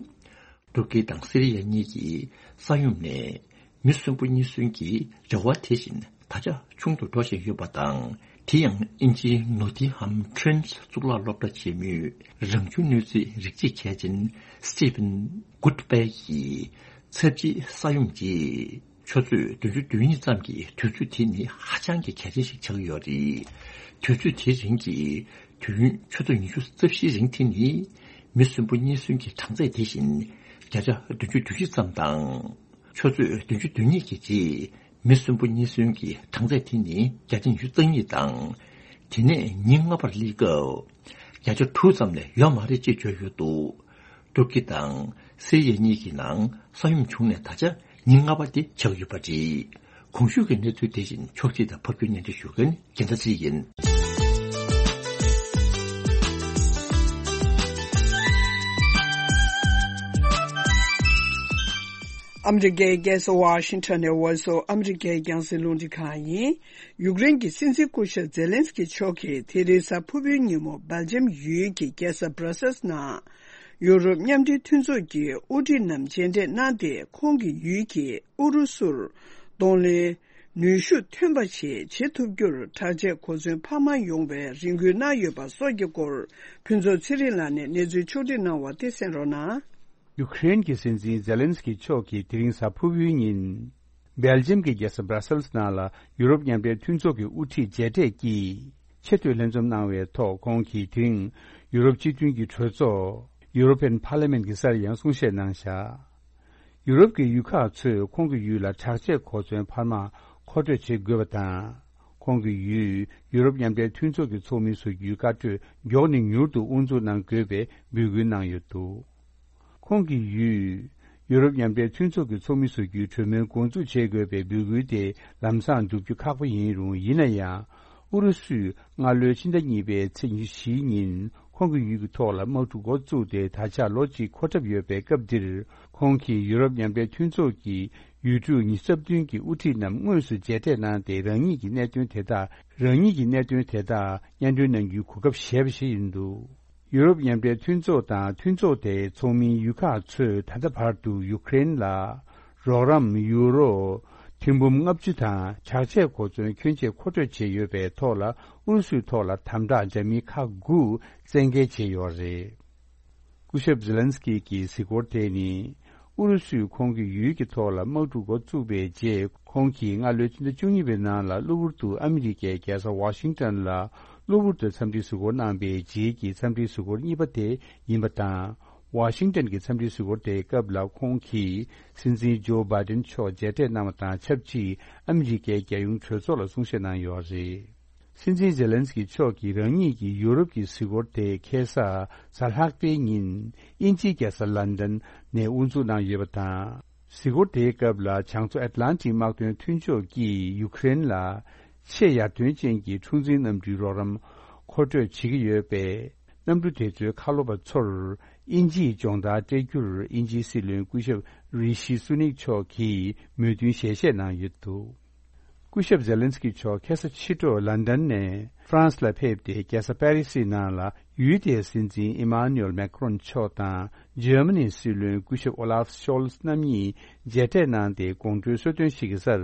ཏུར་ཀི་དང་སི་རི་ཡ་གཉིས་ཀྱིས་ས་ཡོམ་ནས་མི་གསོན་པོ་རྙེད་སོན་གྱི་རེ་བ་དེ་བཞིན་ད་ཆ་ཆུང་དུ་འགྲོ་བཞིན་ཡོད་པ་དང་། དེ་ཡང་དབྱིན་ཇིའི་ནོ་ཏིང་ཧམ་ཕྲན་གཙུག་ལག་སློབ་གྲྭ་ཆེན་མོའི་རང་བྱུང་གནོད་འཚེ་རིགས་གཅིག་མཁས་ཅན་སི་ཊི་ཝན་གུད་པེ་ཡིས་ཚབས་ཆེའི་ས་ཡོམ་གྱིས། ཆུ་ཚོད་བདུན་ཅུ་དོན་གཉིས་ཙམ་གྱི་དུས་ཚོད་དེ་ནི་ཧ་ཅང་གི་གལ་ཆེན་ཞིག་ཆགས་ཡོད་རེད། དུས་ཚོད་དེའི་རིང་གི་དུས་ཡུན་ཆུ་ཚོད་ཉི་ཤུ་རྩ་བཞིའི་རིང་དེ་ནི་མི་གསོན་པོ་རྙེད་སོན་གྱི་གྲངས་ཚད་དེ་བཞིན་བརྒྱ་ཆ་བདུན་ཅུ་དོན་བཞི་ཙམ་དང་། ཆུ་ཚོད་བདུན་ཅུ་དོན་གཉིས་ཀྱི་རྗེས་མི་གསོན་པོ་རྙེད་སོན་གྱི་གྲངས་ཚད་དེ་ནི་བརྒྱ་ཆ་ཉི་ཤུ་རྩ་གཉིས་དང་། དེ་ནས་ཉིན་ལྔ་པར་སླེབས་སྐབས་བརྒྱ་ཆ་དྲུག་ཙམ་ལས་ཡོད་མ་རེད། ཅེས་བརྗོད་ཡོད་འདུག་ཏུར་ཀི་དང་སི་རི་ཡ་གཉིས་ཀྱི་ནང་ས་ཡོམ་བྱུང་ནས་ད་ཆ་ཉིན་ལྔ་པ་དེ་ཆགས་ཡོད་པ་རེད། གོང་ཞུས་ཀྱི་གནས་ཚུལ་དེ་བཞིན་ཕྱོགས་སྒྲིག་དང་ཕབ་སྒྱུར་སྙན་སྒྲོན་ཞུ་མཁན་རྒྱལ་མཚན་ཚེ་རིང་ཡིན། ཨ་མི་རི་ཀའི་རྒྱལ་ས་ཝ་ཤིང་ཊོན་ནས་འོལ་སོ་ཨ་མི་རི་ཀའི་རྒྱང་སྲིང་རླུང་འཕྲིན་ཁང་ཡིན། ཡུཀ་རེན་གྱི་སྲིད་འཛིན་སྐུ་ཞབས་ཛེ་ལན་སི་ཀི་མཆོག་གིས་དེ་རིང་གཟའ་ཕུར་བུའི་ཉིན་མོ་སྦེལ་ཇམ་ཡུལ་གྱི་རྒྱལ་ས་བྷྲ་སེལ་སི་ནང་ཡུ་རོབ་མཉམ་འབྲེལ་མཐུན་ཚོགས་ཀྱི་དབུ་ཁྲིད་རྣམས་མཇལ་འཕྲད་གནང་སྟེ། ཁོང་གིས་ཡུལ་གྱི་ཨུ་རུ་སུར་གདོང་ལེན་ ནུས་ཤུགས་ཐོན་པ་ཞིག་བྱེད་ཐུབ་རྒྱུར་དྲག་ཆས་གོ་མཚོན་འཕར་མ་ཡོང་བའི་རེ་སྐུལ་གནང་ཡོད་པ་སོགས་ཀྱི་སྐོར། ཕུན་ཚོགས་ཚེ་རིང་ལགས་ནས་གནས་ཚུལ་ཕྱོགས་སྒྲིག་གནང་བ་དེ་གསན་རོགས་གནང་། ཡུ་ཀེ་རེན་གྱི་སྲིད་འཛིན་ཛེ་ལན་སི་ཀི་མཆོག་གིས་དེ་རིང་གཟའ་ཕུར་བུའི་ཉིན། སྦེལ་ཇམ་གྱི་རྒྱལ་ས་སྦྲ་སེལ་སི་ནང་ལ་ཡུ་རོབ་མཉམ་འབྲེལ་མཐུན་ཚོགས་ཀྱི་དབུ་ཁྲིད་མཇལ་འཕྲད་ཀྱིས་ཆེས་མཐོའི་ལྷན་འཛོམས་གནང་བའི་ཐོག་ཁོང་གིས་དེ་རིང་ཡུ་རོབ་སྤྱི་མཐུན་གྱི་གྲོས་ཚོགས་European Parliament གྱི་སར་ཡང་གསུང་བཤད་གནང་བཞག་ཡུ་རོབ་ཀྱི་ཡུལ་ཁག་ཚོས་ཁོང་གི་ཡུལ་ལ་དྲག་ཆས་གོ་མཚོན་འཕར་མ་མཁོ་སྤྲོད་བྱེད་དགོས་པ་དང་། ཁོང་གི་ཡུལ་ཡུ་རོབ་མཉམ་འབྲེལ་མཐུན་ཚོགས་ཀྱི་ཚོགས་མི་བཟོ་རྒྱུའི་བཀའ་གྲོས་མགྱོགས་ནས་མྱུར་དུ་དབུ་འཛུགས་གནང་དགོས་པའི་འབོད་སྐུལ་གནང་ཡོད་འདུག་ཁོང་གི་ཡུལ་ཡུ་རོབ་མཉམ་འབྲེལ་མཐུན་ཚོགས་ཀྱི་ཚོགས་མི་བཟོ་རྒྱུའི་གྲོས་མོལ་འགོ་འཛུགས་བྱེད་དགོས་པའི་འབོད་སྐུལ་དེ་ལམ་སང་བསྒྲུབ་རྒྱུ་ཁག་པོ་ཡིན་རུང་། ཡིན་ན་ཡང་། ཨུ་རུ་སུས་སྔ་ལོའི་ཕྱི་ཟླ་གཉིས་པའི་ཚེས་ཉི་ཤུའི་ཉིན་ཁོང་གི་ཡུལ་གྱི་ཐོག་ལ་དམག་འཁྲུག་འགོ་བཙུགས་ཏེ་ད་ཆ་ལོ་གཅིག་འཁོར་གྲབས་ཡོད་པའི་སྐབས་འདིར། ཁོང་གིས་ཡུ་རོབ་མཉམ་འབྲེལ་མཐུན་ཚོགས་ཀྱི་ཡུལ་གྲུ་ཉི་ཤུ་རྩ་བདུན་གྱི་དབུ་ཁྲིད་རྣམས་དངོས་སུ་མཇལ་འཕྲད་གནང་སྟེ། རང་ཉིད་ཀྱི་གནད་དོན་དེ་དག་རང་ཉིད་ཀྱི་གནད་དོན་དེ་དག་སྙན་སྒྲོན་གནང་རྒྱུའི་གོ་སྐབས་བཞེས་པ་ཞིག་ཡིན་འདུག་ཡུ་རོབ་མཉམ་འབྲེལ་མཐུན་ཚོགས་དང་མཐུན་ཚོགས་དེའི་ཚོགས་མིའི་ཡུལ་ཁག་ཚོས་ད་ལྟ་བར་དུ་ཡུ་ཀེ་རེན་ལ་རོགས་རམ་ཡུ་རོ་ཐེར་འབུམ་ལྔ་བཅུ་དང་དྲག་ཆས་གོ་མཚོན་ཁྱོན་ཆེ་མཁོ་སྤྲོད་བྱས་ཡོད་པའི་ཐོག་ལ། ཨུ་རུ་སུའི་ཐོག་ལ་དམ་དྲག་འདྲ་མིན་ཁག་དགུ་བཙན་འགེལ་བྱས་ཡོད་རེད། སྐུ་ཞབས་ཛེ་ལན་སི་ཀི་གི་གཟིགས་སྐོར་དེ་ནི། ཨུ་རུ་སུས་ཁོང་གི་ཡུལ་གྱི་ཐོག་ལ་དམག་འཁྲུག་འགོ་བཙུགས་པའི་རྗེས། ཁོང་གིས་སྔ་ལོའི་ཕྱི་ཟླ་བཅུ་གཉིས་པའི་ནང་ལ་གློ་བུར་དུ་ཨ་མི་རི་ཀའི་རྒྱལ་ས་ཝ་ཤིང་ཏན་ལ་གློ་བུར་དུ་འཚམས་འདྲིའི་གཟིགས་སྐོར་གནང་པའི་རྗེས་ཀྱི་འཚམས་འདྲིའི་གཟིགས་སྐོར་གཉིས་པ་དེ་ཡིན་པ་དང་། ཝ་ཤིང་ཏན་གྱི་འཚམས་འདྲིའི་གཟིགས་སྐོར་དེའི་སྐབས་ལ་ཁོང་གིས་སྲིད་འཛིན་ཇོ་བྷའི་ཏིན་མཆོག་མཇལ་འཕྲད་གནང་བ་དང་ཆབས་ཅིག་ཨ་མི་རི་ཀའི་རྒྱལ་ཡོངས་གྲོས་ཚོགས་ལ་གསུང་བཤད་གནང་ཡོད་རེད། སྲིད་འཛིན་ཛེ་ལན་སི་ཀི་མཆོག་གིས་རང་ཉིད་ཀྱི་ཡུ་རོབ་ཀྱི་གཟིགས་སྐོར་དེ་ཁ་སང་གཟའ་ལྷག་པའི་ཉིན་དབྱིན་ཇིའི་རྒྱལ་ས་ལན་ཌན་ནས་དབུ་འཛུགས་གནང་ཡོད་པ་དང་། གཟིགས་སྐོར་དེའི་སྐབས་ལ་བྱང་མཚོ་ཨེཊ་ལན་ཊིག་དམག་དོན་མཐུན་ཕྱོགས་ཀྱིས་ཡུ་ཀེ་རེན་ལ་ཆེས་ཡར་ཐོན་ཅན་གྱི་འཁྲུག་འཛིང་གནམ་གྲུའི་རོགས་རམ་མཁོ་སྤྲོད་བྱེད་ཀྱི་ཡོད་པས། གནམ་གྲུ་དེ་ཚོའི་ཁ་ལོ་པ་ཚོར་དབྱིན་ཇིའི་སྦྱོང་བརྡར་སྤྲད་རྒྱུར་དབྱིན་ཇིའི་སྲིད་བློན་སྐུ་ཞབས་རི་ཤི་སུ་ནིག་མཆོག་གིས་མོས་མཐུན་ཞལ་བཞེས་གནང་ཡོད་འདུག་སྐུ་ཞབས་ཛེ་ལན་སི་ཀི་མཆོག་ཁ་སང་ཕྱི་དྲོ་ལན་ཌན་ནས་ཧྥ་རན་སི་ལ་ཕེབས་ཏེ། རྒྱལ་ས་པེ་རི་སིའི་ནང་ལ་ཡུལ་དེའི་སྲིད་འཛིན་ཨི་མཱ་ནུ་ཨེལ་མེག་རོན་མཆོག་དང་འཇར་མ་ནིའི་སྲིད་བློན་སྐུ་ཞབས་ཨོ་ལཱབ་ཤོལ་ཚ་རྣམ་གཉིས་མཇལ་འཕྲད་གནང་སྟེ། དགོང་དྲོའི་གསོལ་སྟོན་ཞིག་གི་སར་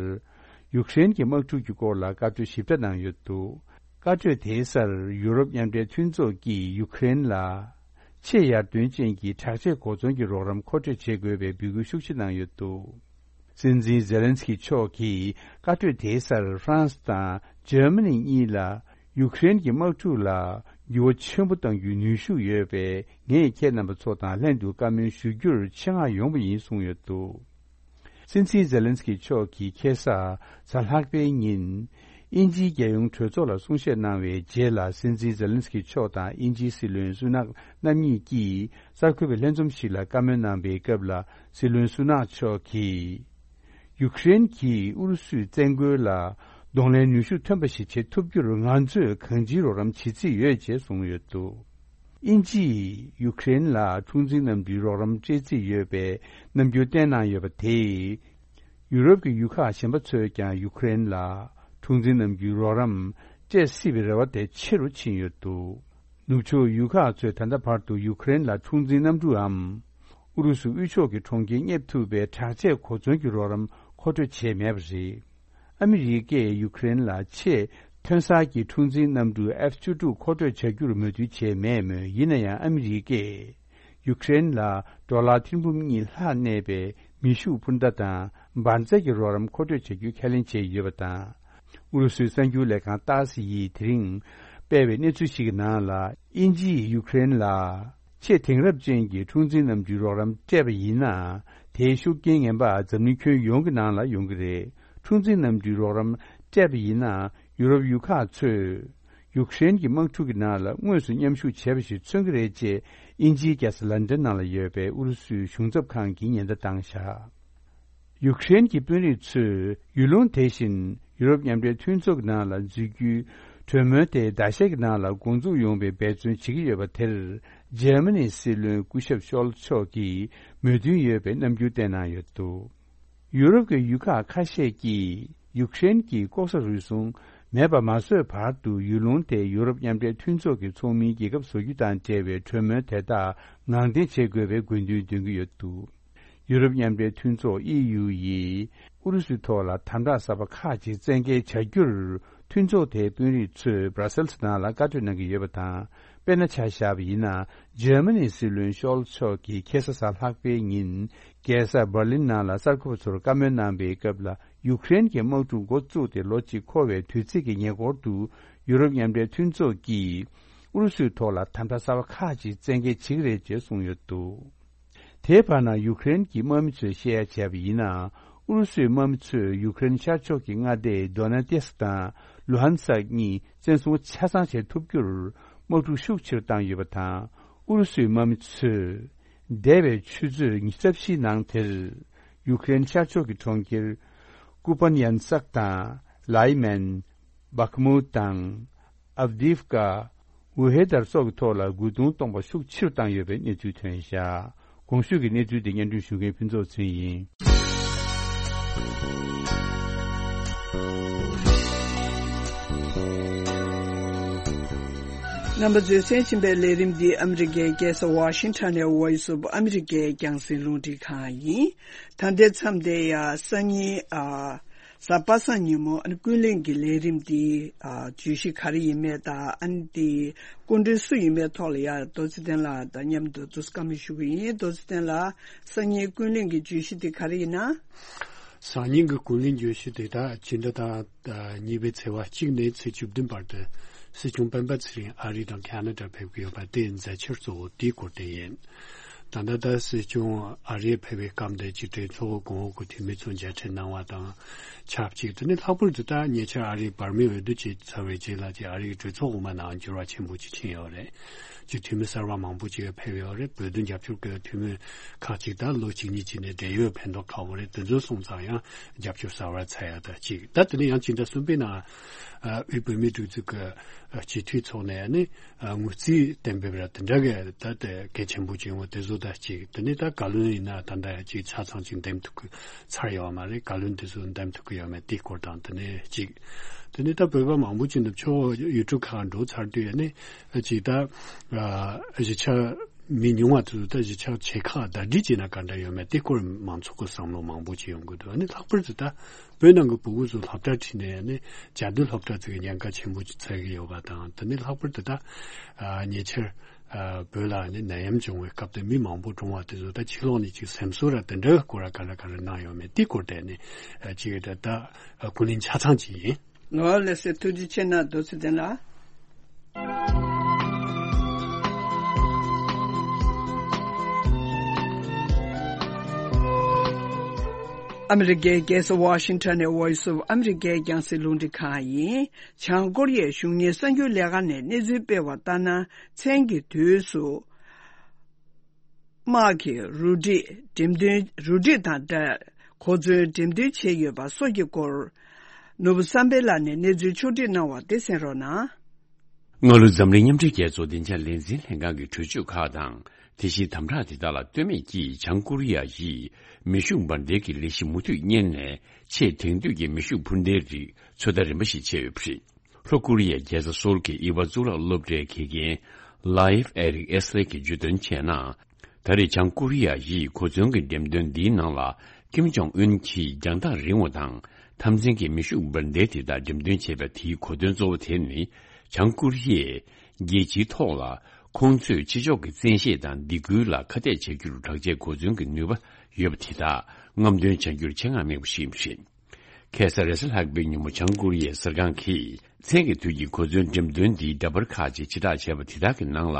ཡུ་ཀེ་རེན་གྱི་དམག་འཁྲུག་གི་སྐོར་ལ་བཀའ་གྲོས་ཞིབ་ཕྲ་གནང་ཡོད་འདུག་བཀའ་གྲོས་དེའི་སར་ཡུ་རོབ་མཉམ་འབྲེལ་མཐུན་ཚོགས་ཀྱིས་ཡུ་ཀེ་རེན་ལ་ཆེས་ཡར་ཐོན་ཅན་གྱི་དྲག་ཆས་གོ་མཚོན་གྱི་རོགས་རམ་མཁོ་སྤྲོད་བྱེད་དགོས་པའི་འབོད་སྐུལ་ཤུགས་ཆེ་གནང་ཡོད་འདུག་སྲིད་འཛིན་ཛེ་ལན་སི་ཀི་མཆོག་གིས་བཀའ་གྲོས་དེའི་སར་ཧྥ་རན་སི་དང་འཇར་མ་ནི་གཉིས་ལ་ཡུ་ཀེ་རེན་གྱི་དམག་འཁྲུག་ལ་འགྱུར་བ་ཆེན་པོ་གཏང་རྒྱུའི་ནུས་ཤུགས་ཡོད་པས། ངས་ཁྱེད་རྣམ་པ་ཚོ་དང་ལྷན་དུ་བཀའ་མོལ་ཞུ་རྒྱུར་ཆེད་མངགས་ཡོང་བ་ཡིན་གསུངས་ཡོད་འདུག་སྲིད་འཛིན་ཛེ་ལན་སི་ཀི་མཆོག་གིས་ཁ་སང་གཟའ་ལྷག་པའི་ཉིན་དབྱིན་ཇིའི་རྒྱལ་ཡོངས་གྲོས་ཚོགས་ལ་གསུང་བཤད་གནང་བའི་རྗེས་ལ། སྲིད་འཛིན་ཛེ་ལན་སི་ཀི་མཆོག་དང་དབྱིན་ཇིའི་སྲིད་བློན་སུ་ནག་རྣམ་གཉིས་ཀྱིས་གསར་འགོད་པའི་ལྷན་འཛོམས་ཤིག་ལ་བཀའ་མོལ་གནང་བའི་སྐབས་ལ། སྲིད་བློན་སུ་ནག་མཆོག་གིས། ཡུ་ཀེ་རེན་གྱིས་ཨུ་རུ་སུའི་བཙན་རྒོལ་ལ་གདོང་ལེན་ནུས་ཤུགས་ཐོན་པ་ཞིག་བྱེད་ཐུབ་རྒྱུར་ང་ཚོས་གང་ཅིའི་རོགས་རམ་བྱེད་རྩིས་ཡོད་ཅེས་གསུངས་ཡོད་འདུག་དབྱིན་ཇིས་ཡུ་ཀེ་རེན་ལ་འཁྲུག་འཛིང་གནམ་གྲུའི་རོགས་རམ་སྤྲད་རྩིས་ཡོད་པའི་རྣམ་འགྱུར་བསྟན་གནང་ཡོད་པ་དེས། ཡུ་རོབ་ཀྱི་ཡུལ་ཁག་གཞན་པ་ཚོས་ཀྱང་ཡུ་ཀེ་རེན་ལ་འཁྲུག་འཛིང་གནམ་གྲུའི་རོགས་རམ་སྤྲད་སྲིད་པའི་རེ་བ་དེ་ཆེ་རུ་ཕྱིན་ཡོད་འདུག་ནུབ་ཕྱོགས་ཡུལ་ཁག་ཚོས་ད་ལྟ་བར་དུ་ཡུ་ཀེ་རེན་ལ་འཁྲུག་འཛིང་གནམ་གྲུའམ། ཨུ་རུ་སུ་དབུས་ཕྱོགས་ཀྱི་གྲོང་ཁྱེར་སྙེབ་ཐུབ་པའི་དྲག་ཆས་གོ་མཚོན་གྱི་རོགས་རམ་མཁོ་སྤྲོད་བྱས་མེད་པ་རེད། ཨ་མི་རི་ཀས་ཡུ་ཀེ་རེན་ལ་ཆེས་ཐོན་གསར་གྱི་འཁྲུག་འཛིང་གནམ་གྲུ་ཨེཕ་བཅུ་དྲུག་མཁོ་སྤྲོད་བྱ་རྒྱུར་མོས་མཐུན་བྱས་མེད་མོད། ཡིན་ན་ཡང་ཨ་མི་རི་ཀས་ཡུ་ཀེ་རེན་ལ་ཌོ་ལར་ཐེར་འབུམ་གཉིས་ལྷག་གནས་པའི་མེ་ཤུགས་འཕུར་མདའ་དང་འབར་རྫས་ཀྱི་རོགས་རམ་མཁོ་སྤྲོད་བྱ་རྒྱུ་ཁས་ལེན་བྱས་ཡོད་པ་དང་། ཨུ་རུ་སུའི་གསར་འགྱུར་ལས་ཁང་ཏཱ་སི་ཡིས་དེ་རིང་སྤེལ་བའི་གནས་ཚུལ་ཞིག་གི་ནང་ལ། དབྱིན་ཇིས་ཡུ་ཀེ་རེན་ལ་ཆེས་དེང་རབས་ཅན་གྱི་འཁྲུག་འཛིང་གནམ་གྲུའི་རོགས་རམ་སྤྲད་པ་ཡིན་ན། དེའི་ཤུགས་རྐྱེན་ངན་པ་འཛམ་གླིང་ཁྱོན་ཡོངས་ཀྱི་ནང་ལ་ཡོང་གི་རེད། འཁྲུག་འཛིང་གནམ་གྲུའི་རོགས་རམ་སྤྲད་པ་ཡིན་ན། ཡུ་རོབ་ཡུལ་ཁག་ཚོས་ཡུ་ཀེ་རེན་གྱི་དམག་འཁྲུག་གི་ནང་ལ་དངོས་སུ་མཉམ་ཞུགས་བྱས་པ་ཞིག་མཚོན་གྱི་རེད་ཅེས། དབྱིན་ཇིའི་རྒྱལ་ས་ལན་ཌན་ནང་ལ་ཡོད་པའི་ཨུ་རུ་སུའི་གཞུང་ཚབ་ཁང་གིས་ཉེན་བརྡ་བཏང་བཞག་ཡུ་ཀེ་རེན་གྱི་དཔོན་རིགས་ཚོས་ཡུལ་ལུང་དེ་བཞིན་ཡུ་རོབ་མཉམ་འབྲེལ་མཐུན་ཚོགས་ཀྱི་ནང་ལ་འཛུལ་རྒྱུའི་གྲོས་མོལ་དེ་ཟླ་ཤས་ཀྱི་ནང་ལ་འགོ་འཛུགས་ཡོང་བའི་འབད་བརྩོན་བྱེད་ཀྱི་ཡོད་པ་དེར། འཇར་མ་ནིའི་སྲིད་བློན་སྐུ་ཞབས་ཤོལ་ཚ་མཆོག་གིས་མོས་མཐུན་ཡོད་པའི་རྣམ་འགྱུར་བསྟན་གནང་ཡོད་འདུག་ཡུ་རོབ་ཀྱི་ཡུལ་ཁག་ཁ་ཤས་ཀྱིས་ཡུ་ཀེ་རེན་གྱིས་ལྐོག་ཟ་རུལ་སུངས་མེད་པ་མ་བཟོས་བར་དུ། ཡུལ་ལུང་དེ་ཡུ་རོབ་མཉམ་འབྲེལ་མཐུན་ཚོགས་ཀྱི་ཚོགས་མིའི་རྒྱལ་ཁབ་བཟོ་རྒྱུ་དང་འབྲེལ་བའི་གྲོས་མོལ་དེ་དག་ངང་འཐེན་བྱེད་དགོས་པའི་དགོས་འདུན་འདོན་གྱི་ཡོད་འདུག་ཡུ་རོབ་མཉམ་འབྲེལ་མཐུན་ཚོགས་ཨི་ཡུ་ཡིས་ཨུ་རུ་སུའི་ཐོག་ལ་དམ་དྲག་གསར་པ་ཁག་ཅིག་བཙན་འགེལ་བྱ་རྒྱུར། མཐུན་ཚོགས་དེའི་དཔོན་རིགས་ཚོས་སྦྲ་སེལ་སི་ནང་ལ་བཀའ་གྲོས་གནང་གི་ཡོད་པ་དང་། དཔེར་ན་ཆ་བཞག་པ་ཡིན་ན། འཇར་མ་ནིའི་སྲིད་བློན་ཤོལ་ཚ་མཆོག་གིས་ཁ་སང་གཟའ་ལྷག་པའི་ཉིན། རྒྱལ་ས་འབར་ལིན་ནང་ལ་གསར་འགོད་པ་ཚོར་བཀའ་མོལ་གནང་པའི་སྐབས་ལ། ཡུཀ་རེན་གྱི་དམག་འཁྲུག་འགོ་བཙུགས་ཏེ་ལོ་གཅིག་འཁོར་བའི་དུས་ཚིགས་ཀྱི་ཉེ་འཁོར་དུ། ཡུ་རོབ་མཉམ་འབྲེལ་མཐུན་ཚོགས་ཀྱིས་ཨུ་རུ་སུའི་ཐོག་ལ་དམ་དྲག་གསར་པ་ཁག་ཅིག་བཙན་འགེལ་བྱེད་ཀྱི་རེད་ཅེས་གསུངས་ཡོད་འདུག་དེའི་བར་ན། ཡུཀ་རེན་གྱི་དམག་མི་ཚོས་བཤད་ཡ་བྱས་པ་ཡིན་ན། ཨུ་རུ་སུའི་དམག་མི་ཚོས་ཡུཀ་རེན་ཤར་ཕྱོགས་ཀྱི་མངའ་སྡེ་དོ་ན་ཏེ་སི་ཀི་དང་ལུ་ཧན་སཀ་གཉིས་བཙན་བཟུང་ཆ་ཚང་བྱེད་ཐུབ་རྒྱུར། དམག་འཁྲུག་ཤུགས་ཆེ་རུ་བཏང་ཡོད་པ་དང་། ཨུ་རུ་སུའི་དམག་མི་ཚོས། འདས་པའི་ཆུ་ཚོད་ཉི་ཤུ་རྩ་བཞིའི་ནང་དེར། ཡུཀ་རེན་ཤར་ཕྱོགས་ཀྱི་གྲོང་ཁྱེར། ཀུ་པན་ཡན་སཀ་དང་། ལའི་མན། བྷག་མུ་དང་། ཨབ་དིབ་ཀ། ཝུ་ཧེ་དར་སོགས་ཀྱི་ཐོག་ལ་རྒོལ་རྡུང་གཏོང་པ་ཤུགས་ཆེ་རུ་བཏང་ཡོད་པའི་གནས་ཚུལ་ཐོན་བཞག་གོང་ཞུས་ཀྱི་གནས་ཚུལ་དེ་སྙན་སྒྲོན་ཞུ་མཁན་ཕུན་ཚོགས་ཚེ་རིང་ཡིན། རྣམ་པ་ཚོས་གསན་བཞིན་པའི་ལས་རིམ་འདི་ཨ་མི་རི་ཀའི་རྒྱལ་ས་ཝ་ཤིང་ཊོན་ནས་Voice of America རྒྱང་སྲིང་རླུང་འཕྲིན་ཁང་ཡིན། ད་ལྟའི་མཚམས་དེ་ཡང་སང་ཉིན་ཨ། གཟའ་པ་སངས་ཉིན་མོ་ཨ་ནི་ཀུན་གླེང་གི་ལས་རིམ་འདི་ཨ། བརྗོད་གཞི་ག་རེ་ཡིན་མེད་དང་ཨ་ནི་འདི་སྐུ་མགྲོན་སུ་ཡིན་མེད་ཐོག་ལ་ཡང་རྡོ་རྗེ་བསྟན་ལགས་དང་མཉམ་དུ་ཏོག་ཙམ་བཀའ་མོལ་ཞུ་གི་ཡིན། རྡོ་རྗེ་བསྟན་ལགས། སང་ཉིན་ཀུན་གླེང་གི་བརྗོད་གཞི་དེ་ག་རེ་ཡིན་ན། སང་ཉིན་གྱི་ཀུན་གླེང་བརྗོད་གཞི་དེ་དག་སྤྱི་ཟླ་དང་གཉིས་པའི་ཚེས་པ་གཅིག་ནས་ཚེས་བཅུ་བདུན་བར་དུ་སྲིད་སྐྱོང་སྤེན་པ་ཚེ་རིང་ཨ་རི་དང་ཁ་ན་ཌ་ཕེབས་ཀྱི་ཡོད་པ་དེའི་མཛད་འཆར་གཙོ་བོ་དེའི་སྐོར་དེ་ཡིན། ད་ལྟ་ད་སྲིད་སྐྱོང་ཨ་རིར་ཕེབས་པའི་སྐབས་འདིར་སྤྱི་མཐུན་ཚོགས་གོང་འོག་གི་འཐུས་མི་ཚོ་མཇལ་འཕྲད་གནང་བ་དང་ཆབས་ཅིག་དེ་ནས་ལྷག་པར་དུ་ད་ཉེ་ཆར་ཨ་རིའི་བར་མའི་འོས་བསྡུ་བྱས་ཚར་བའི་རྗེས་ལ་ཅིག་ཨ་རིའི་གྲོས་ཚོགས་འོག་མ་ནང་འགྱུར་བ་ཆེན་པོ་ཅིག་ཕྱིན་ཡོད་རེད། ཅིག་འཐུས་མི་གསར་པ་མང་པོ་ཅིག་ཕེབས་ཡོད་རེད། བོད་དོན་རྒྱབ་སྐྱོར་གྱི་འཐུས་མི་ཁག་ཅིག་ད་ལོ་གཅིག་གཉིས་ཅིག་ནས་བགྲེས་ཡོལ་ཕན་ཐོགས་ཁག་པོ་རེད། དེ་ཚོ་སོང་ཙང་ཡང་རྒྱབ་སྐྱོར་གསར་པ་འཚོལ་ཡ་ད་ཅིག་ད་དེ་ནས་ཡང་སྤྱི་ཟླ་གསུམ་པའི་ནང་དབུས་བོད་མིའི་སྒྲིག་འཛུགས་ཀྱི་སྤྱི་འཐུས་ཚོགས་ནས་ནི་ངོས་རྩིས་གཏན་འབེབས་ར་དེ་འདྲ་གི་ད་དེ་གལ་ཆེན་པོ་ཅིག་ཡོང་བ་དེ་ཚོ་ད་ཅིག་དེ་ནས་ད་བཀའ་བློན་ཡིན་ན་ད་ད་ཅིག་ཆ་ཚང་ཅིག་འདེམས་ཐུབ་ཀྱི་ཚར་ཡོད་མ་རེད། བཀའ་བློན་དེ་ཚོ་འདེམས་ཐུབ་ཀྱི་ཡོད་མེད་དེའི་སྐོར་དང་དེ་ནས་ཅིག་དེ་ནས་ད་བོད་པ་མང་པོ་ཅིག་ནུབ་ཕྱོགས་ཡུལ་གྲུ་ཁག་འགྲོ་ཚར་དུས་ནི་ཅིག་ད་གཞིས་ཆགས་མི་ཉུང་བ་དེ་ཚོ་ད་གཞིས་ཆགས་ཆེ་ཁག་ཟླ་སྒྲིལ་བྱས་ན་ག་འདྲ་ཡོད་མེད་དེ་སྐོར་མང་ཚོགས་ཀྱི་བསམ་བློ་མང་པོ་ཅིག་ཡོང་གི་འདུག་ཨ་ནི་ལྷག་པར་དུ་ད་བོད་ནང་གི་བུ་གུ་ཚོ་སློབ་གྲྭ་ཁྲིད་ནས་ནི་བཅའ་སྡོད་སློབ་གྲྭ་ཚོ་གི་ཉེན་ཁ་ཆེན་པོ་ཅིག་འཚོལ་གྱི་ཡོད་པ་དང་དེ་ནི་ལྷག་པར་དུ་ད་ཉེ་ཆར་བོད་ལ་ནི་ནད་ཡམས་བྱུང་བའི་སྐབས་དེ་མི་མང་པོ་གྲོངས་བ་དེ་ཚོ་ད་ཕྱི་ལོགས་ནས་ཅིག་སེམས་གསོ་ར་དེ་འདྲ་སྐོར་ར་ག་རེ་ག་རེ་གནང་ཡོད་མེད་དེ་སྐོར་དེ་ནི་ཅིག་ད་ད་ཀུན་གླེང་ཆ་ཚང་ཅིག་ཡིན། ངོ་ལེ་སེ་ཐུགས་རྗེ་ཆེ་གནང་རྡོ་རྗེ་བསྟན་ལགས། ཨ་མི་རི་ཀའི་རྒྱལ་ས་ཝ་ཤིང་ཊོན་ནས་Voice of America རྒྱང་སྲིང་རླུང་འཕྲིན་ཁང་ཡིན། བྱང་ཀོ་རི་ཡའི་གཞུང་གཉེར་གསར་འགྱུར་ལས་ཁང་ནས་གནས་ཚུལ་སྤེལ་བ་ལྟར་ན། མཚན་གྱི་དུས་སུ། དམག་གི་རུ་སྒྲིག་འགྲེམས་སྟོན། རུ་སྒྲིག་དང་སྦྲགས་གོ་མཚོན་འགྲེམས་སྟོན་བྱས་ཡོད་པ་སོགས་ཀྱི་སྐོར། ནོར་བུ་བསམ་འཕེལ་ལགས་ནས་གནས་ཚུལ་ཕྱོགས་སྒྲིག་གནང་བ་དེ་གསན་རོགས་གནང་། སྔ་ལོ་འཛམ་གླིང་མཉམ་འབྲེལ་རྒྱལ་ཚོགས་བདེ་འཇགས་ལས་འཛིན་ལྷན་ཁང་གི་གྲོས་ཆོད་ཁག་དང་། དེ་བཞིན་དམ་དྲག་དེ་དག་ལ་ལྟོས་མེད་ཀྱིས་བྱང་ཀོ་རི་ཡ་ཡིས་མེ་ཤུགས་འབར་མདེལ་གྱི་ལས་གཞི་མུ་མཐུད་གཉེར་ནས། ཆེས་དེང་དུས་ཀྱི་མེ་ཤུགས་འཕུར་མདེལ་རིགས་ཚོད་ལྟ་རིམ་པ་ཞིག་བྱས་ཡོད་པ་རེད། ལྷོ་ཀོ་རི་ཡའི་རྒྱལ་ས་སོལ་གྱི་དབྱི་བ་གཙུག་ལག་སློབ་གྲྭའི་དགེ་རྒན་Leif Erik Esle གྱིས་བརྗོད་དོན་བྱས་ན། ད་རེས་བྱང་ཀོ་རི་ཡ་ཡིས་གོ་མཚོན་གྱི་འགྲེམས་སྟོན་འདིའི་ནང་ལ་ཀིམ་ཇོང་ཨུན་གྱིས་རྒྱང་ཐག་རིང་བ་དང་མཐའ་མཚན་གྱི་མེ་ཤུགས་འབར་མདེལ་དེ་དག་འགྲེམས་སྟོན་བྱས་པ་དེའི་གོ་དོན་གཙོ་བོ་དེ་ནི། བྱང་ཀོ་རི་ཡས་རྒྱལ་སྤྱིའི་ཐོག་ལ་ཁོང་ཚོས་ཕྱི་ཕྱོགས་ཀྱི་བཙན་ཤེད་དང་སྡིགས་སྐུལ་ལ་ཁ་གཏད་བྱ་རྒྱུར་དྲག་ཆས་གོ་མཚོན་གྱི་ནུས་པ་ཡོད་པ་དེ་དག་རྔམ་སྟོན་བྱ་རྒྱུར་ཆེད་མངགས་དམིགས་པ་ཞིག་ཡིན་པ་རེད། ཁ་སང་རེས་གཟའ་ལྷག་པའི་ཉིན་མོ་བྱང་ཀོ་རི་ཡའི་གསར་ཁང་གིས་མཚན་གྱི་དུས་ཀྱི་གོ་མཚོན་འགྲེམས་སྟོན་འདིའི་འདྲ་པར་ཁག་ཅིག་ཕྱིར་བསྒྲགས་བྱས་པ་དེ་དག་གི་ནང་ལ།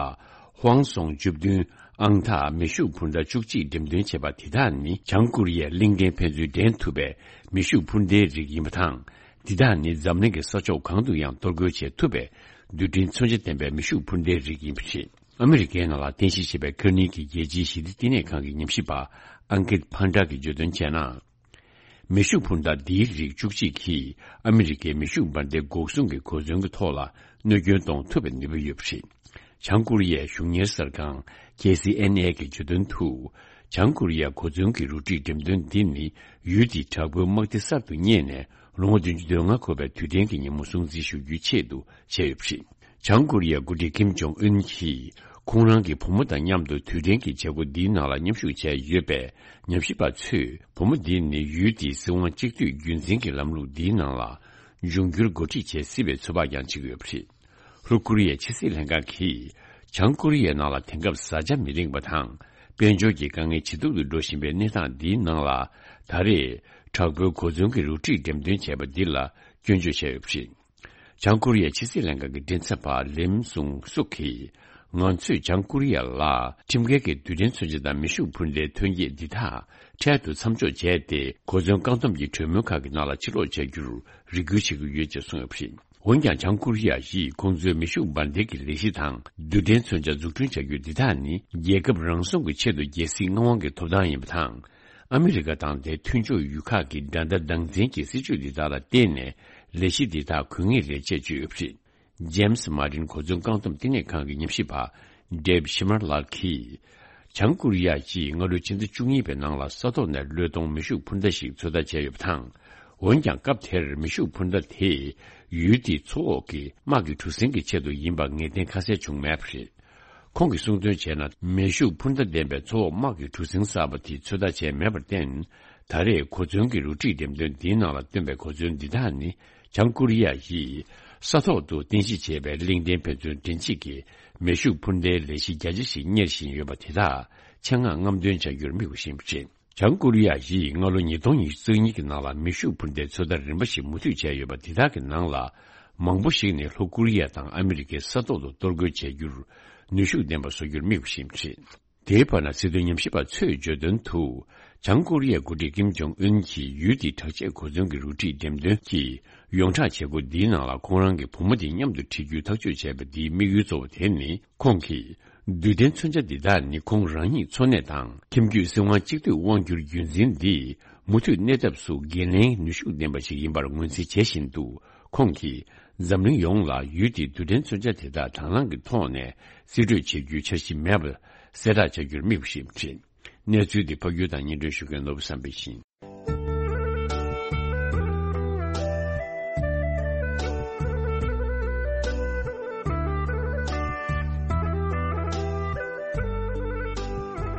ཧོང་སོང་བཅུ་བདུན་ཨང་རྟགས་མེ་ཤུགས་འཕུར་མདའ་བཅུ་གཅིག་འགྲེམས་སྟོན་བྱས་པ་དེ་དག་ནི་བྱང་ཀོ་རི་ཡའི་གླིང་ཕྲན་ཕན་ཚུན་འགྲན་ཐུབ་པའི་མེ་ཤུགས་འཕུར་མདའི་རིགས་ཡིན་པ་དང་། དེ་དག་ནི་འཛམ་གླིང་གི་ས་ཕྱོགས་གང་དུ་ཡང་གཏོར་རྒོལ་བྱེད་ཐུབ་པའི་རྡུལ་ཕྲན་མཚོན་ཆ་ལྡན་པའི་མེ་ཤུགས་འཕུར་མདའི་རིགས་ཡིན་པ་རེད། ཨ་མི་རི་ཀའི་ནང་ལ་རྟེན་གཞི་བྱས་པའི་ཁ་ནིང་གི་རྒྱལ་སྤྱིའི་ཞི་བདེ་བསྟི་གནས་ཁང་གི་ཉམས་ཞིབ་པ་ཨང་ཀིད་ཕན་ཏྲ་གིས་བརྗོད་དོན་བྱས་ན། མེ་ཤུགས་འཕུར་མདའ་འདིའི་རིགས་བཅུ་གཅིག་གིས་ཨ་མི་རི་ཀའི་མེ་ཤུགས་འབར་མདེལ་འགོག་སྲུང་གི་གོ་མཚོན་གྱི་ཐོག་ལ་གནོད་སྐྱོན་གཏོང་ཐུབ་པའི་ནུས་པ་ཡོད་པ་རེད། བྱང་ཀོ་རི་ཡའི་གཞུང་གཉེར་གསར་ཁང་ཁེ་སི་ཨེན་ཨེ་གིས་བརྗོད་དོན་དུ། བྱང་ཀོ་རི་ཡའི་གོ་མཚོན་གྱི་རུ་སྒྲིག་འགྲེམས་སྟོན་འདི་ནི་ཡུལ་དེའི་དྲག་པོའི་དམག་སྡེ་གསར་དུ་རྙེད་ནས་ལོ་ངོ་བདུན་ཅུ་དོན་ལྔ་འཁོར་བའི་དུས་དྲན་གྱི་ཉིན་མོ་སྲུང་བརྩི་ཞུ་རྒྱུའི་ཆེད་དུ་བྱས་ཡོད་པ་རེད། བྱང་ཀོ་རི་ཡའི་འགོ་ཁྲིད་ཀིམ་ཇོང་ཨུན་གྱིས་ ཁོང་རང་གི་བུ་མོ་དང་མཉམ་དུ་དུས་དྲན་གྱི་བྱེད་སྒོ་འདིའི་ནང་ལ་མཉམ་ཞུགས་བྱས་ཡོད་པས། ཉམས་ཞིབ་པ་ཚོས་བུ་མོ་འདི་ནི་ཡུལ་དེའི་སྲིད་དབང་གཅིག་སྡུད་རྒྱུན་འཛིན་གྱི་ལམ་ལུགས་འདིའི་ནང་ལ་འབྱུང་འགྱུར་འགོ་ཁྲིད་བྱེད་སྲིད་པའི་ཚོད་དཔག་ཀྱང་བྱེད་ཀྱི་ཡོད་པ་རེད། ལྷོ་ཀོ་རི་ཡའི་ཕྱི་སྲིད་ལྷན་ཁང་གིས། བྱང་ཀོ་རི་ཡའི་ནང་ལ་དེང་སྐབས་བཟའ་བཅའ་མི་རིང་བ་དང་། དཔལ་འབྱོར་གྱི་དཀའ་ངལ་ཇེ་སྡུག་ཏུ་འགྲོ་བཞིན་པའི་གནས་སྟངས་འདིའི་ནང་ལ། ད་རེས་དྲག་པོའི་གོ་མཚོན་གྱི་རུ་ཁྲིད་འགྲེམས་སྟོན་བྱས་པ་འདི་ལ་སྐྱོན་བརྗོད་བྱས་ཡོད་པ་རེད། བྱང་ཀོ་རི་ཡའི་ཕྱི་སྲིད་ལྷན་ཁང་གི་མགྲིན་ཚབ་པ་ལིམ་སུང་སུག་གིས། ང་ཚོས་བྱང་ཀོ་རི་ཡ་ལ་ཁྲིམས་འགལ་གྱི་རྡུལ་ཕྲན་མཚོན་ཆ་དང་མེ་ཤུགས་འཕུར་མདའི་ཐོན་སྐྱེད་འདི་དག་འཕྲལ་དུ་མཚམས་འཇོག་བྱས་ཏེ། གོ་མཚོན་བཀག་སྡོམ་གྱི་གྲོས་མོལ་ཁག་གི་ནང་ལ་ཕྱིར་ལོག་བྱ་རྒྱུར་རེ་སྐུལ་བྱེད་ཀྱི་ཡོད་ཅེས་གསུངས་ཡོད་པ་རེད། འོན་ཀྱང་། བྱང་ཀོ་རི་ཡ་ཡིས་ཁོང་ཚོའི་མེ་ཤུགས་འབར་མདེལ་གྱི་ལས་གཞི་དང་། རྡུལ་ཕྲན་མཚོན་ཆ་འཛུགས་སྐྲུན་བྱ་རྒྱུ་འདི་དག་ནི། རྒྱལ་ཁབ་རང་སྲུང་གི་ཆེད་དུ་རྒྱལ་སྲིད་མངའ་དབང་གི་ཐོབ་ཐང་ཡིན་པ་དང་། ཨ་མི་རི་ཀ་དང་དེའི་མཐུན་ཕྱོགས་ཡུལ་ཁག་གི་འགྲན་ཟླ་སྡང་འཛིན་གྱི་སྲིད་ཇུས་འདི་དག་ལ་བརྟེན་ནས། ལས་གཞི་འདི་དག་གོ་ངེས་རེད་ཅེས་བརྗོད་ཡོད་པ་རེད། ཇེམ་སི་མ་ཏིན་གོ་མཚོན་བཀག་སྡོམ་བསྟི་གནས་ཁང་གི་ཉམས་ཞིབ་པ་ཌེབ་ཤི་མར་ལགས་ཀྱིས། བྱང་ཀོ་རི་ཡ་ཡིས་སྔ་ལོའི་ཕྱི་ཟླ་བཅུ་གཉིས་པའི་ནང་ལ་ས་ཐོག་ནས་བློས་གཏོང་མེ་ཤུགས་འཕུར་མདའ་ཞིག་ཚོད་ལྟ་བྱས་ཡོད་པ་དང་། འོན་ཀྱང་། སྐབས་དེར་མེ་ཤུགས་འཕུར་མདའ་དེ་ཡུལ་དེའི་མཚོ་འོག་གི་དམག་གི་གྲུ་གཟིངས་ཀྱི་ཆེད་དུ་ཡིན་པ་ངེས་གཏན་ཁ་གསལ་བྱུང་མེད་པ་རེད། ཁོང་གིས་གསུངས་དོན་བྱས་ན། མེ་ཤུགས་འཕུར་མདའ་ལྡན་པའི་མཚོ་འོག་དམག་གི་གྲུ་གཟིངས་གསར་པ་དེ་ཚོད་ལྟ་བྱས་མེད་པར་བརྟེན། ད་རེས་གོ་མཚོན་གྱི་རུ་ཁྲིད་འགྲེམས་སྟོན་འདིའི་ནང་ལ་བཏོན་པའི་གོ་མཚོན་འདི་དག་ནི། བྱང་ཀོ་རི་ཡ་ཡིས་ས་ཐོག་ཏུ་རྟེན་གཞི་བྱས་པའི་གླིང་ཕྲན་ཕན་ཚུན་འདྲེན་བྱེད་ཀྱི་མེ་ཤུགས་འཕུར་མདའི་ལས་གཞི་རྒྱ་ཆེ་ཞིག་གཉེར་བཞིན་ཡོད་པ་དེ་དག་ཆེད་མངགས་རྔམ་སྟོན་བྱ་རྒྱུར་དམིགས་པ་ཞིག་ཡིན་པ་རེད། བྱང་ཀོ་རི་ཡ་ཡིས་སྔ་ལོ་ཉིས་སྟོང་ཉི་ཤུ་རྩ་གཉིས་ཀྱི་ནང་ལ་མེ་ཤུགས་འཕུར་མདའི་ཚོད་ལྟ་རིམ་པ་ཞིག་མུ་མཐུད་བྱས་ཡོད་པ་དེ་དག་གི་ནང་ལ། མང་པོ་ཞིག་ནི་ལྷོ་ཀོ་རི་ཡ་དང་ཨ་མི་རི་ཀའི་ས་ཐོག་ཏུ་གཏོར་རྒོལ་བྱ་རྒྱུར་ནུས་ཤུགས་ལྡན་པ་བཟོ་རྒྱུར་དམིགས་པ་ཞིག་ཡིན་པ་རེད། དེའི་བར་ན། སྲིད་དོན་ཉམས་ཞིབ་པ་ཚོས་བརྗོད་དོན་དུ། བྱང་ཀོ་རི་ཡའི་འགོ་ཁྲིད་ཀིམ་ཇོང་ཨུན་གྱིས་ཡུལ་དེའི་དྲག་ཆས་གོ་མཚོན་གྱི་རུ་ཁྲིད་འགྲེམས་སྟོན་གྱི་ཡོངས་གྲགས་བྱེད་སྒོ་འདིའི་ནང་ལ་ཁོང་རང་གི་བུ་མོ་དེ་མཉམ་དུ་ཁྲིད་རྒྱུའི་ཐག་གཅོད་བྱས་པ་འདིའི་དམིགས་ཡུལ་གཙོ་བོ་དེ་ནི། ཁོང་གིས་རྡུལ་ཕྲན་མཚོན་ཆ་འདི་དག་ནི་ཁོང་རང་ཉིད་འཚོ་གནས་དང་། ཁྱིམ་རྒྱུད་སྲིད་དབང་གཅིག་སྡུད་དབང་སྒྱུར་རྒྱུན་འཛིན་འདིས་མུ་མཐུད་གནས་ཐབས་སུ་འགན་ལེན་ནུས་ཤུགས་ལྡན་པ་ཞིག་ཡིན་པར་ངོས་འཛིན་བྱེད་བཞིན་དུ། ཁོང་གིས་འཛམ་གླིང་ཡོངས་ལ་ཡུལ་དེའི་རྡུལ་ཕྲན་མཚོན་ཆ་དེ་དག་དང་བླངས་ཀྱི་ཐོག་ནས་རྩིས་སྤྲོད་བྱེད་རྒྱུའི་འཆར་གཞི་མེད་པ་གསལ་བསྒྲགས་བྱ་རྒྱུར་དམིགས་པ་ཞིག་ཡིན་པ་རེད། གནས་ཚུལ་འདི་ཕབ་སྒྱུར་དང་སྙན་སྒྲོན་ཞུ་མཁན་ནོར་བུ་བསམ་འཕེལ་ཡིན།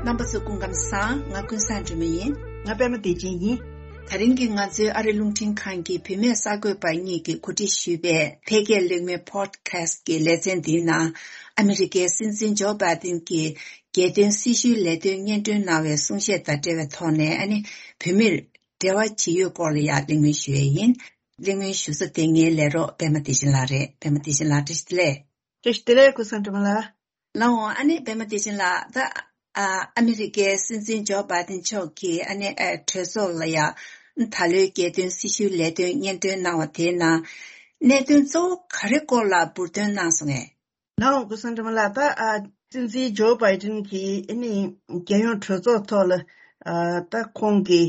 རྣམ་པ་ཚོ་སྐུ་ཁམས་བཟང་། ང་ཀུན་བཟང་སྒྲོལ་མ་ཡིན། ང་པད་མ་བདེ་ཆེན་ཡིན། དེ་རིང་གི་ང་ཚོའི་ཨ་རི་རླུང་འཕྲིན་ཁང་གི་བུད་མེད་གསར་འགོད་པ་གཉིས་ཀྱིས་གོ་སྒྲིག་ཞུས་པའི་འཕེལ་རྒྱས་གླེང་མོལ་Podcast་གི་ལེ་ཚན་འདིའི་ནང་། ཨ་མི་རི་ཀའི་སྲིད་འཛིན་ཇོ་བྷའི་ཏིན་གྱིས་རྒྱལ་དོན་སྲི་ཞུའི་ལས་དོན་སྙན་སྒྲོན་གནང་བའི་གསུང་བཤད་དང་འབྲེལ་བའི་ཐོག་ནས། ཨ་ནི་བུད་མེད་འབྲེལ་བ་ཇི་ཡོད་སྐོར་ལ་ཡང་གླེང་མོལ་ཞུ་ཡས་ཡིན། གླེང་མོལ་ཞུ་ས་དེ་ངའི་ལས་རོགས་པད་མ་བདེ་ཆེན་ལགས་རེད། པད་མ་བདེ་ཆེན་ལགས། བཀྲ་ཤིས་བདེ་ལེགས། བཀྲ་ཤིས་བདེ་ལེགས། ཀུན་བཟང་སྒྲོལ་མ་ལགས། ལགས་འོང་། ཨ་ནི་པད་མ་བདེ་ཆེན་ལགས། ད་ཨ་ཨ་མི་རི་ཀའི་སྲིད་འཛིན་ཇོ་བྷའི་ཏིན་མཆོག་གིས་ཨ་ནི་ཨ་གྲོས་ཚོགས་ལ་ཡང་ད་ལོའི་རྒྱལ་དོན་སྲི་ཞུའི་ལས་དོན་སྙན་སྒྲོན་གནང་བ་དེའི་ནང་གནད་དོན་གཙོ་བོ་ག་རེ་སྐོར་ལ་འབུར་འདོན་གནང་སོང་ངས། ལགས་འོང་། ཀུན་བཟང་སྒྲོལ་མ་ལགས། ད་ཨ་སྲིད་འཛིན་ཇོ་བྷའི་ཏིན་གྱིས་ཨ་ནི་རྒྱལ་ཡོངས་གྲོས་ཚོགས་ཐོག་ལ་ཨ་ད་ཁོང་གི་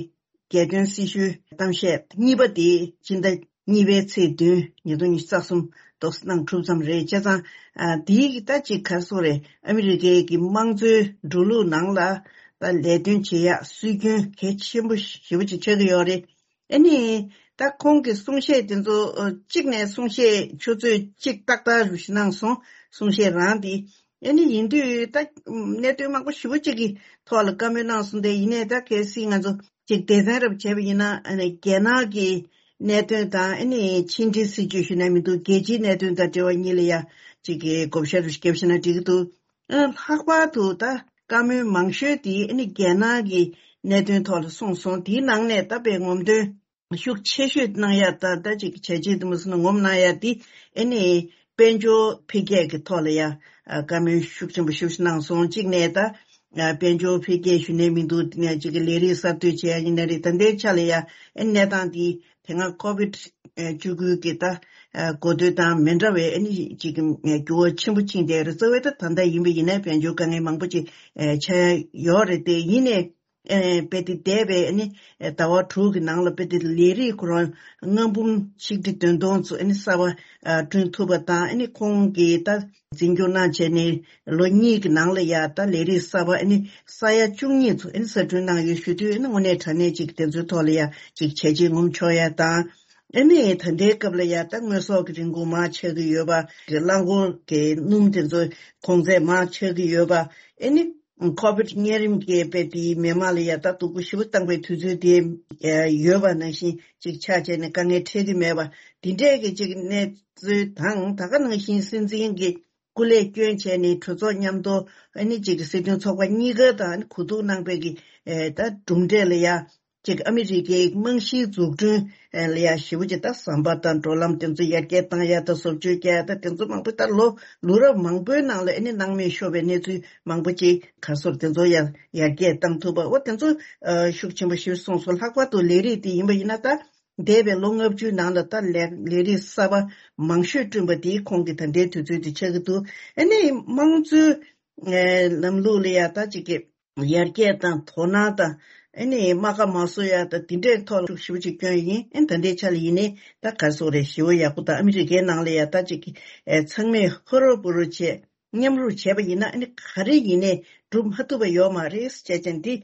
རྒྱལ་དོན་སྲི་ཞུའི་གཏམ་བཤད་གཉིས་པ་དེ་སྤྱི་ཟླ་གཉིས་པའི་ཚེས་བདུན་ཉིས་སྟོང་ཉི་ཤུ་རྩ་གསུམ་ཏོག་ཙམ་གནང་གྲུབ་ཙམ་རེད། བྱས་ཙང་ཨ་དེའི་གི་ད་ཅིག་ག་རེ་ཟེར་དགོས་རེད། ཨ་མི་རི་ཀའི་གི་དམངས་གཙོའི་འགྲོ་ལུགས་ནང་ལ་ད་ལས་དོན་བྱེད་ཡག་སྲོལ་རྒྱུན་གལ་ཆེན་པོ་ཞེ་པོ་ཅིག་ཆགས་ཀྱི་ཡོད་རེད། ཨ་ནི་ད་ཁོང་གི་གསུང་བཤད་དེ་ཚོ་ཨ་གཅིག་ནས་གསུང་བཤད་ཆུ་ཚོད་གཅིག་ཏག་ཏག་རུ་ཞིག་གནང་སོང་། གསུང་བཤད་རང་དེ། ཨ་ནི་ཡིན་དུས་ད་གནད་དོན་མང་པོ་ཞེ་པོ་ཅིག་གི་ཐོག་ལ་བཀའ་མོལ་གནང་སོང་སྟེ། ཡིན་ནའི་ད་གལ་སྲིད་ང་ཚོ་ཅིག་སྡེ་ཚན་རབ་བྱས་པ་ཡིན་ན། ཨ་ནི་རྒྱལ་ནང་གི་གནད་དོན་དང་། ཨ་ནི་ཕྱི་འབྲེལ་སྲིད་ཇུས་ཞུ་ན་མི་འདུག་རྒྱལ་སྤྱིའི་གནད་དོན་དང་འབྲེལ་བ་གཉིས་ལ་ཡ་ཅིག་གི་བགོ་བཤའ་རུ་ཞིག་བརྒྱབ་ཤེ་ན་འགྲིག་གི་འདུག་ཨ་ལྷག་པར་དུ་ད་བཀའ་མོལ་མང་ཤོས་དེ་ཨ་ནི་རྒྱལ་ནང་གི་གནད་དོན་ཐོག་ལ་གསུངས་སོང་། དེའི་ནང་ནས་ད་དཔེ་ངོམ་སྟོན་ཤུགས་ཆེ་ཤོས་གནང་ཡ། ད་ད་ཅིག་བྱས་རྗེས་དུ་མ་སོང་ན་ངོམ་གནང་ཡ་དེ་ཨ་ནི་དཔལ་འབྱོར་འཕེལ་རྒྱས་ཀྱི་ཐོག་ལ་ཡ་ཨ་བཀའ་མོལ་ཤུགས་ཆེན་པོ་ཞེ་པོ་ཅིག་གནང་སོང་། གཅིག་ནས་ད་ཨ་དཔལ་འབྱོར་འཕེལ་རྒྱས་ཞུ་ནས་མི་འདུག་དེ་ནས་ཅིག་གི་ལས་རིགས་གསར་གཏོད་བྱེད་ཡ་ཡིན་ན་རེད། ད་ལྟའི་ཆ་ལ་ཡ་ཨ་ནི་གནས་སྟངས་དེ་དེ་སྔ་ཀོ་བིད་བཅུ་དགུ་གི་ད་ཨ་འགོ་སྟོད་དང་མི་འདྲ་བའི་ཨ་ནི་ཅིག་གི་འགྱུར་བ་ཆེན་པོ་ཕྱིན་བསྡད་རེད། རྩ་བའི་ད་ད་ལྟ་ཡིན་པ་ཡིན་ན་དཔལ་འབྱོར་དཀའ་ངལ་མང་པོ་ཅིག་ཨ་ཆགས་ཡ་ཡོད་རེད། དེ་ཡིན་ནའི་ཨ་དཔེ་དེ་འདས་པའི་ཨ་ནི་ཟླ་བ་དྲུག་གི་ནང་ལ་དཔེ་དེ་ལས་རིགས་ཁོ་རང་ལྔ་འབུམ་ཆིག་ཁྲི་བདུན་སྟོང་ཚོ་ཨ་ནི་གསར་པ་ཨ་བསྐྲུན་ཐུབ་པ་དང་། ཨ་ནི་ཁོང་གིས་ད་འཛིན་སྐྱོང་གནང་བྱས་ནས་ལོ་གཉིས་ཀྱི་ནང་ལ་ཡ་ད་ལས་རིགས་གསར་པ་ཨ་ནི་ས་ཡ་བཅུ་གཉིས་ཚོ་ཨ་ནི་གསར་སྐྲུན་གནང་ཡོད་ཞུ་དུས། ཨ་ནི་དངོས་གནས་དྲང་གནས་ཅིག་དེ་ཚོའི་ཐོག་ལ་ཡ་ཅིག་བྱས་རྗེས་ངོམ་ཆོག་ཡ་དང་། ཨ་ནི་ད་ལྟའི་སྐབས་ལ་ཡ་ད་དངོས་ཟོག་གི་རིན་གོང་མར་ཆག་གི་ཡོད་པ། རླངས་འཁོར་གྱི་སྣུམ་དེ་ཚོ་གོང་ཚད་མར་ཆག་གི་ཡོད་པ། ཨ་ནི་ཁོ་བིད་གཉན་རིམས་ཀྱི་དཔེ་དེའི་མི་མང་ལ་ཡ་ད་སྡུག་པོ་ཞེ་པོ་བཏང་པའི་དུས་ཚོད་དེ་ཡོད་པ་ནང་བཞིན་ཅིག་ཆགས་བྱས་ནས་དཀའ་ངལ་འཕྲད་ཀྱི་མེད་པ། འདི་འདྲས་ཀྱི་ཅིག་གནས་ཚུལ་དང་། ད་ག་ནང་བཞིན་སྲིད་འཛིན་གྱི་སྐུ་ལས་བསྐྱོན་བྱས་ནས་གྲོས་ཚོགས་མཉམ་དུ་ཨ་ནི་ཅིག་སྲིད་དོན་ཚོགས་པ་གཉིས་ཀ་དང་གོ་བསྡུར་གནང་པའི་གི་ཨེ་ད་གྲུབ་འབྲས་ལ་ཡ་ཅིག་ཨ་མི་རི་ཀའི་རྨང་གཞིའི་འཛུགས་སྐྲུན་ལ་ཡ་ཞེ་པོ་ཅིག་ད་ཟམ་པ་དང་འགྲོ་ལམ་དེ་ཚོ་ཡར་རྒྱས་བཏང་ཡ་དང་བཟོ་བཅོས་རྒྱག་ཡ་ད་དེ་ཚོ་མང་པོ་ད་ལོ་ལོ་རབས་མང་པོའི་ནང་ལ་ཨ་ནི་སྣང་མེད་ཤོར་བའི་གནས་ཚུལ་མང་པོ་ཅིག་ག་སོར་དེ་ཚོ་ཡར་ཡར་རྒྱས་བཏང་ཐུབ་པ། འོ་དེ་ཚོ་ཤུགས་ཆེན་པོ་ཞིག་གསུངས་སོང་། ལྷག་པར་དུ་ལས་རིགས་དེ་ཡིན་པ་ཡིན་ན་ད། འདས་པའི་ལོ་ལྔ་བཅུའི་ནང་ལ་ད་ལས་ལས་རིགས་གསར་པ་མང་ཤོས་བསྐྲུན་པ་དེའི་ཁོངས་ཀྱི་ད་ལྟའི་དུས་ཚོད་དེ་ཆགས་ཀྱི་འདུག་ཨ་ནི་དམངས་གཙོའི་ཨེ་ལམ་ལུགས་ལ་ཡ་ད་ཅིག་གི་ཡར་རྒྱས་དང་དོ་སྣང་དང་། ཨ་ནི་རྨ་ཁ་མ་བཟོ་ཡ་ད་དེ་འདྲའི་ཐོག་ལ་ཤུགས་ཞེ་པོ་ཅིག་བསྐྱོན་ཡིན། ཨ་ནི་ད་ལྟའི་ཆ་ལ་ཡིན་ནའི་ད་ག་རེ་ཟེར་དགོས་རེད། ཞེ་པོ་ཡག་པོ་དང་། ཨ་མི་རི་ཀའི་ནང་ལ་ཡ་ད་ཅིག་གི་ཨེ་ཚང་མས་ཧུར་པོ་རུ་བྱས། མཉམ་རུབ་བྱས་པ་ཡིན་ན་ཨ་ནི་ག་རེ་ཡིན་ནའི་འགྲུབ་མ་ཐུབ་པ་ཡོད་མ་རེད་ཅེས་བྱས་འདི་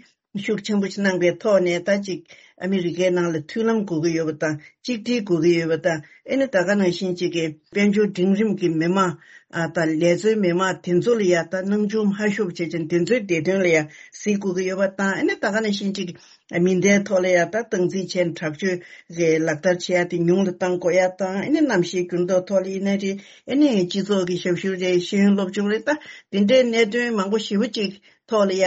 ཤུགས་ཆེན་པོ་ཞིག་གནང་པའི་ཐོག་ནས། ད་ཅིག་ཨ་མི་རི་ཀའི་ནང་ལ་མཐུན་ལམ་དགོས་ཀྱི་ཡོད་པ་དང་། གཅིག་སྒྲིལ་དགོས་ཀྱི་ཡོད་པ་དང་། ཨ་ནི་ད་ག་ནང་བཞིན་ཅིག་གི་དཔལ་འབྱོར་འབྲིང་རིམ་གྱི་མི་མང་ཨ་དང་ལས་བཟོའི་མི་མང་དེ་ཚོ་ལ་ཡ་ད་སྣང་ཆུང་མ་ཤོར་བྱས་ཅིག་དེ་ཚོའི་བདེ་དོན་ལ་ཡ་གཟིགས་དགོས་ཀྱི་ཡོད་པ་དང་། ཨ་ནི་ད་ག་ནང་བཞིན་ཅིག་མི་སྣའི་ཐོག་ལ་ཡ་ད་སྟངས་འཛིན་བྱས་ནས་དྲག་སྤྱོད་ཀྱི་ལག་བསྟར་བྱེད་ཡ་དེ་ཉུང་དུ་གཏང་དགོས་ཡ་དང་། ཨ་ནི་གནམ་གཤིས་འགྱུར་ལྡོག་ཐོག་ལ་ཡིན་ན་རེད། ཨ་ནི་སྤྱི་ཚོགས་ཀྱི་ཞབས་ཞུ་རེད། ཤེས་ཡོན་སློབ་སྦྱོང་རེད། ད་དེ་འདྲའི་གནད་དོན་མང་པོ་ཞེ་པོ་ཅིག་ཐོག་ལ་ཡ་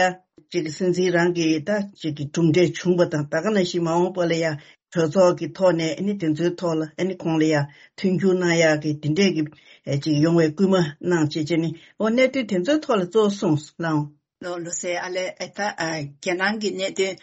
ཅིག་སྲིད་འཛིན་རང་གིས་ད་ཅིག་གི་གྲུབ་འབྲས་བྱུང་བ་དང་། ད་ག་ནང་བཞིན་མ་འོངས་པ་ལ་ཡ་གྲོས་ཚོགས་ཀྱི་ཐོག་ནས་ཨ་ནི་དེ་ཚོའི་ཐོག་ལ་ཨ་ནི་ཁོང་ལ་ཡ་མཐུན་འགྱུར་གནང་ཡག་གི་དེ་འདྲས་ཀྱི་ཨེ་ཅིག་ཡོང་བའི་སྐུལ་མ་གནང་བྱས་བྱས་ནས། འོ་གནད་དོན་དེ་ཚོའི་ཐོག་ལ་གཙོ་བོ་གསུངས་ལགས། ལོ་ལོ་སེ་ཨ་ལེ། ཨེ་ད་ཨ་རྒྱ་ནང་གི་གནད་དོན་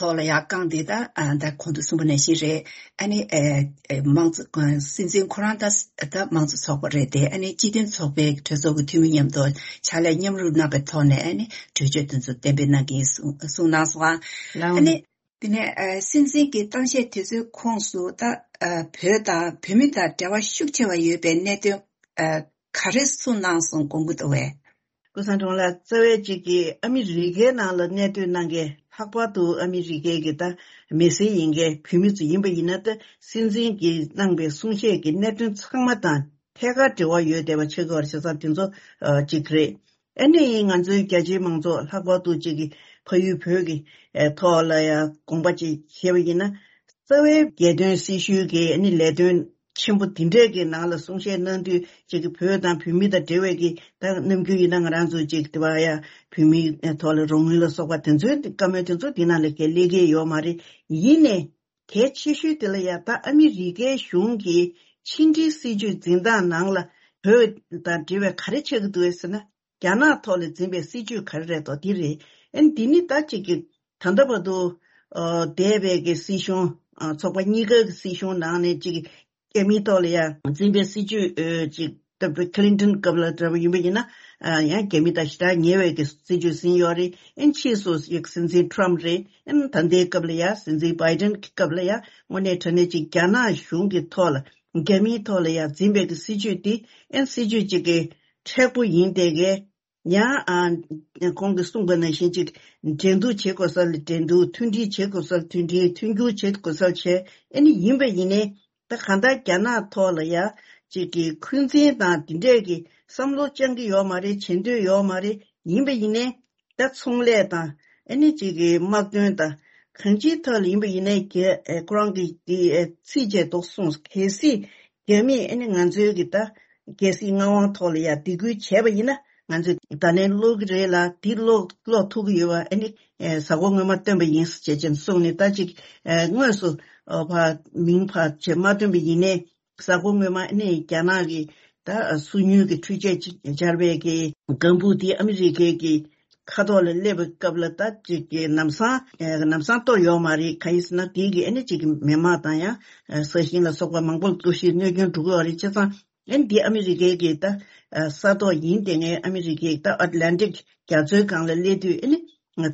ཐོག་ལ་ཡ་བཀང་དེ་ད་ཨ་ད་གོང་དུ་གསུངས་པ་ནང་བཞིན་རེད། ཨ་ནི་ཨེ་ཨེ་མང་གཙོ་ཨ་སྲིད་འཛིན་ཁོ་རང་ད་ད་མང་གཙོ་ཚོགས་པ་རེད་དེ། ཨ་ནི་སྤྱི་མཐུན་ཚོགས་པའི་གྲོས་ཚོགས་ཀྱི་འཐུས་མི་མཉམ་དུ་ཕྱག་ལས་མཉམ་རུབ་གནང་པའི་ཐོག་ནས། ཨ་ནི་གྲོས་ཆོད་དེ་ཚོ་གཏན་འབེབས་གནང་གི་ཡིན་གསུངས་གསུངས་གནང་སོང་ཨ། ལགས། ཨ་ནི་དེ་ནས་ཨ་སྲིད་འཛིན་གྱི་གཏམ་བཤད་དེ་ཚོའི་ཁོངས་སུ་ད་ཨ་བོད་དང་བོད་མི་དང་འབྲེལ་བ་ཤུགས་ཆེ་བ་ཡོད་པའི་གནད་དོན་ཨ་ག་རེ་གསུངས་གནང་སོང་དགོངས་ཀྱི་འདུག་བས། ཀུན་བཟང་སྒྲོལ་མ་ལགས། རྩ་བའི་གཅིག་གིས་ཨ་མི་རི་ཀའི་ནང་ལ་གནས་སྡོད་གནང་མཁན། ལྷག་པར་དུ་ཨ་མི་རི་ཀའི་གི་ད་མི་སེར་ཡིན་མཁན་བོད་མི་ཚོ་ཡིན་པ་ཡིན་ན། ད་སྲིད་འཛིན་གྱིས་གནང་པའི་གསུང་བཤད་ཀྱི་གནད་དོན་ཚང་མ་དང་ཐད་ཀར་འབྲེལ་བ་ཡོད་བསྡད་པ་ཆགས་ཀྱི་ཡོད་རེད། བྱས་ཙང་དེ་ཚོ་ཨ་གཅིག་རེད། ཨ་ནི་ང་ཚོའི་རྒྱ་ཆེའི་མང་ཚོགས། ལྷག་པར་དུ་གཅིག་གི་ཕ་ཡུལ་བོད་ཀྱི་ཨ་ཐོག་ལ་ཡང་དགོངས་པ་ཅིག་བཞེས་པ་ཡིན་ན། རྩ་བའི་རྒྱལ་དོན་སྲི་ཞུའི་གི་ཨ་ནི་ལས་དོན་ཆེན་པོ་འདི་འདྲས་ཀྱི་ནང་ལ་གསུང་བཤད་གནང་དུས། གཅིག་གི་བོད་དང་བོད་མི་དང་འབྲེལ་བའི་གི་ད་ནམ་རྒྱུན་ཡིན་ན་ང་རང་ཚོ་གཅིག་དེ་བ་ཡ་བོད་མིའི་ཐོག་ལ་རོགས་དངུལ་ལ་སོགས་པ་དེ་ཚོའི་བཀའ་མོལ་དེ་ཚོ་འདི་ནང་ལ་ག་སླེབས་ཀྱི་ཡོད་མ་རེད། ཡིན་ནའི་གལ་ཆེ་ཤོས་དེ་ལ་ཡ་ད་ཨ་མི་རི་ཀའི་གཞུང་གི་ཕྱི་འབྲེལ་སྲིད་ཇུས་འཛིན་སྟངས་ནང་ལ་བོད་དང་འབྲེལ་བའི་ག་རེ་ཆགས་ཀྱི་འདུག་ཟེར་ན། རྒྱ་ནག་ཐོག་ལ་འཛིན་པའི་སྲིད་ཇུས་ག་རེ་རེད་དོ། འདི་རེད། ཨ་ནི་འདི་ནི་ད་གཅིག་གི་ད་ལྟ་བར་དུ་ཨ་འདས་པའི་གི་སྲིད་གཞུང་ཨ་ཚོགས་པ་གཉིས་ཀ་གི་སྲིད་གཞུང་ནང་ནས་གཅིག་རྒྱ་མིའི་ཐོག་ལ་ཡ་འཛིན་པའི་སྲིད་ཇུས་ཨ་གཅིག་ད་ཁི་ལིན་ཊོན་སྐབས་ལ་འདྲ་པོ་ཡིན་པ་ཡིན་ན། ཨ་ཡང་རྒྱ་མི་དང་ཞེ་དྲག་ཉེ་བའི་གི་སྲིད་ཇུས་ཟིན་ཡོད་རེད། ཨ་ནི་ཕྱིས་སུ་ཡ་སྲིད་འཛིན་ཊམ་རེད། ཨ་ནི་ད་ལྟའི་སྐབས་ལ་ཡ་སྲིད་འཛིན་བྷའི་ཌེན་གྱི་སྐབས་ལ་ཡ་དངོས་གནས་དྲང་གནས་གཅིག་རྒྱ་ནག་གཞུང་གི་ཐོག་ལ། རྒྱ་མིའི་ཐོག་ལ་ཡ་འཛིན་པའི་གི་སྲིད་ཇུས་འདི་ཨ་ནི་སྲིད་ཇུས་གཅིག་གི་མཁྲེགས་པོ་ཡིན་བསྡད་མཁན། ཡང་ཨ་ཁོང་གིས་གསུངས་པ་ནང་བཞིན་ཅིག་འགྲན་བསྡུར་བྱེད་དགོས་ས་ལ་འགྲན་བསྡུར། མཐུན་སྒྲིལ་བྱེད་དགོས་ས་ལ་མཐུན་སྒྲིལ། མཐུན་འགྱུར་བྱེད་དགོས་ས་ལ་བྱེད། ཨ་ནི་ཡིན་པ་ཡིན་ནའི་ད་གང་ལྟར་རྒྱ་ནག་ཐོག་ལ་ཡ་ཅིག་གི་འཁོན་འཛིན་དང་འདི་འདྲས་ཀྱི་བསམ་བློ་བཅངས་ཀྱི་ཡོད་མ་རེད། བྱེད་འདོད་ཡོད་མ་རེད། ཡིན་པ་ཡིན་ནའི་ད་ཚོང་ལས་དང་ཨ་ནི་ཅིག་གི་དམག་དོན་དང་གང་ཅིའི་ཐོག་ལ་ཡིན་པ་ཡིན་ནའི་རྒྱ་ཨེ་ཁོ་རང་གི་དེ་ཨེ་ཚིག་བཅད་ཐོག་གསུངས། གལ་སྲིད་རྒྱ་མིས་ཨ་ནི་ང་ཚོའི་གི་ད་རྒྱལ་སྲིད་མངའ་དབང་ཐོག་ལ་ཡ་སྡིགས་སྐུལ་བྱས་པ་ཡིན་ན། ང་ཚོས་བརྡ་ལན་སློག་གི་རེད་ལ། འདི་སློག་སློག་ཐུབ་ཀྱི་ཡོད་པ། ཨ་ནི་ཨེ་གཟའ་འཁོར་སྔོན་མ་བཏོན་པ་ཡིན་ཟེར་བྱས་ཅན་གསུངས་ནས། ད་ཅིག་ཨེ་དངོས་སུ་ཨོ་ཕ་མིང་ཕ་ཆེ་མ་བཏོན་པ་ཡིན་ནའི། གཟའ་འཁོར་སྔོན་མ་ཨ་ནི་རྒྱ་ནག་གི་ད་སོ་ཉུལ་གྱི་འཕྲུལ་ཆས་ཅིག་སྦྱར་བའི་གི་ལྒང་བུ་དེ་ཨ་མི་རི་ཀའི་གི་ཁ་ཐོག་ལ་སླེབས་པའི་སྐབས་ལ། ད་ཅིག་གི་ལམ་སང་ལམ་སང་གཏོར་ཡོད་མ་རེད། གང་ཡིན་ཟེར་ན་དེའི་གི་ཨ་ནི་ཅིག་གི་མི་མང་དང་ཡང་ས་ཞིང་ལ་སོགས་པ་མང་པོ་ལ་གཏོར་བཤིག་གནོད་སྐྱོན་འགྲོ་གི་ཡོད་རེད། བྱས་ཙང་ཨ་ནི་འདི་ཨ་མི་རི་ཀའི་གི་ད་ས་ཐོག་ཡིན་དེ་ངས་ཨ་མི་རི་ཀའི་ད་ཨ་ཊ་ལན་ཊིག་རྒྱ་མཚོའི་སྒང་ལ་སླེབས་དུས་ཨ་ནི་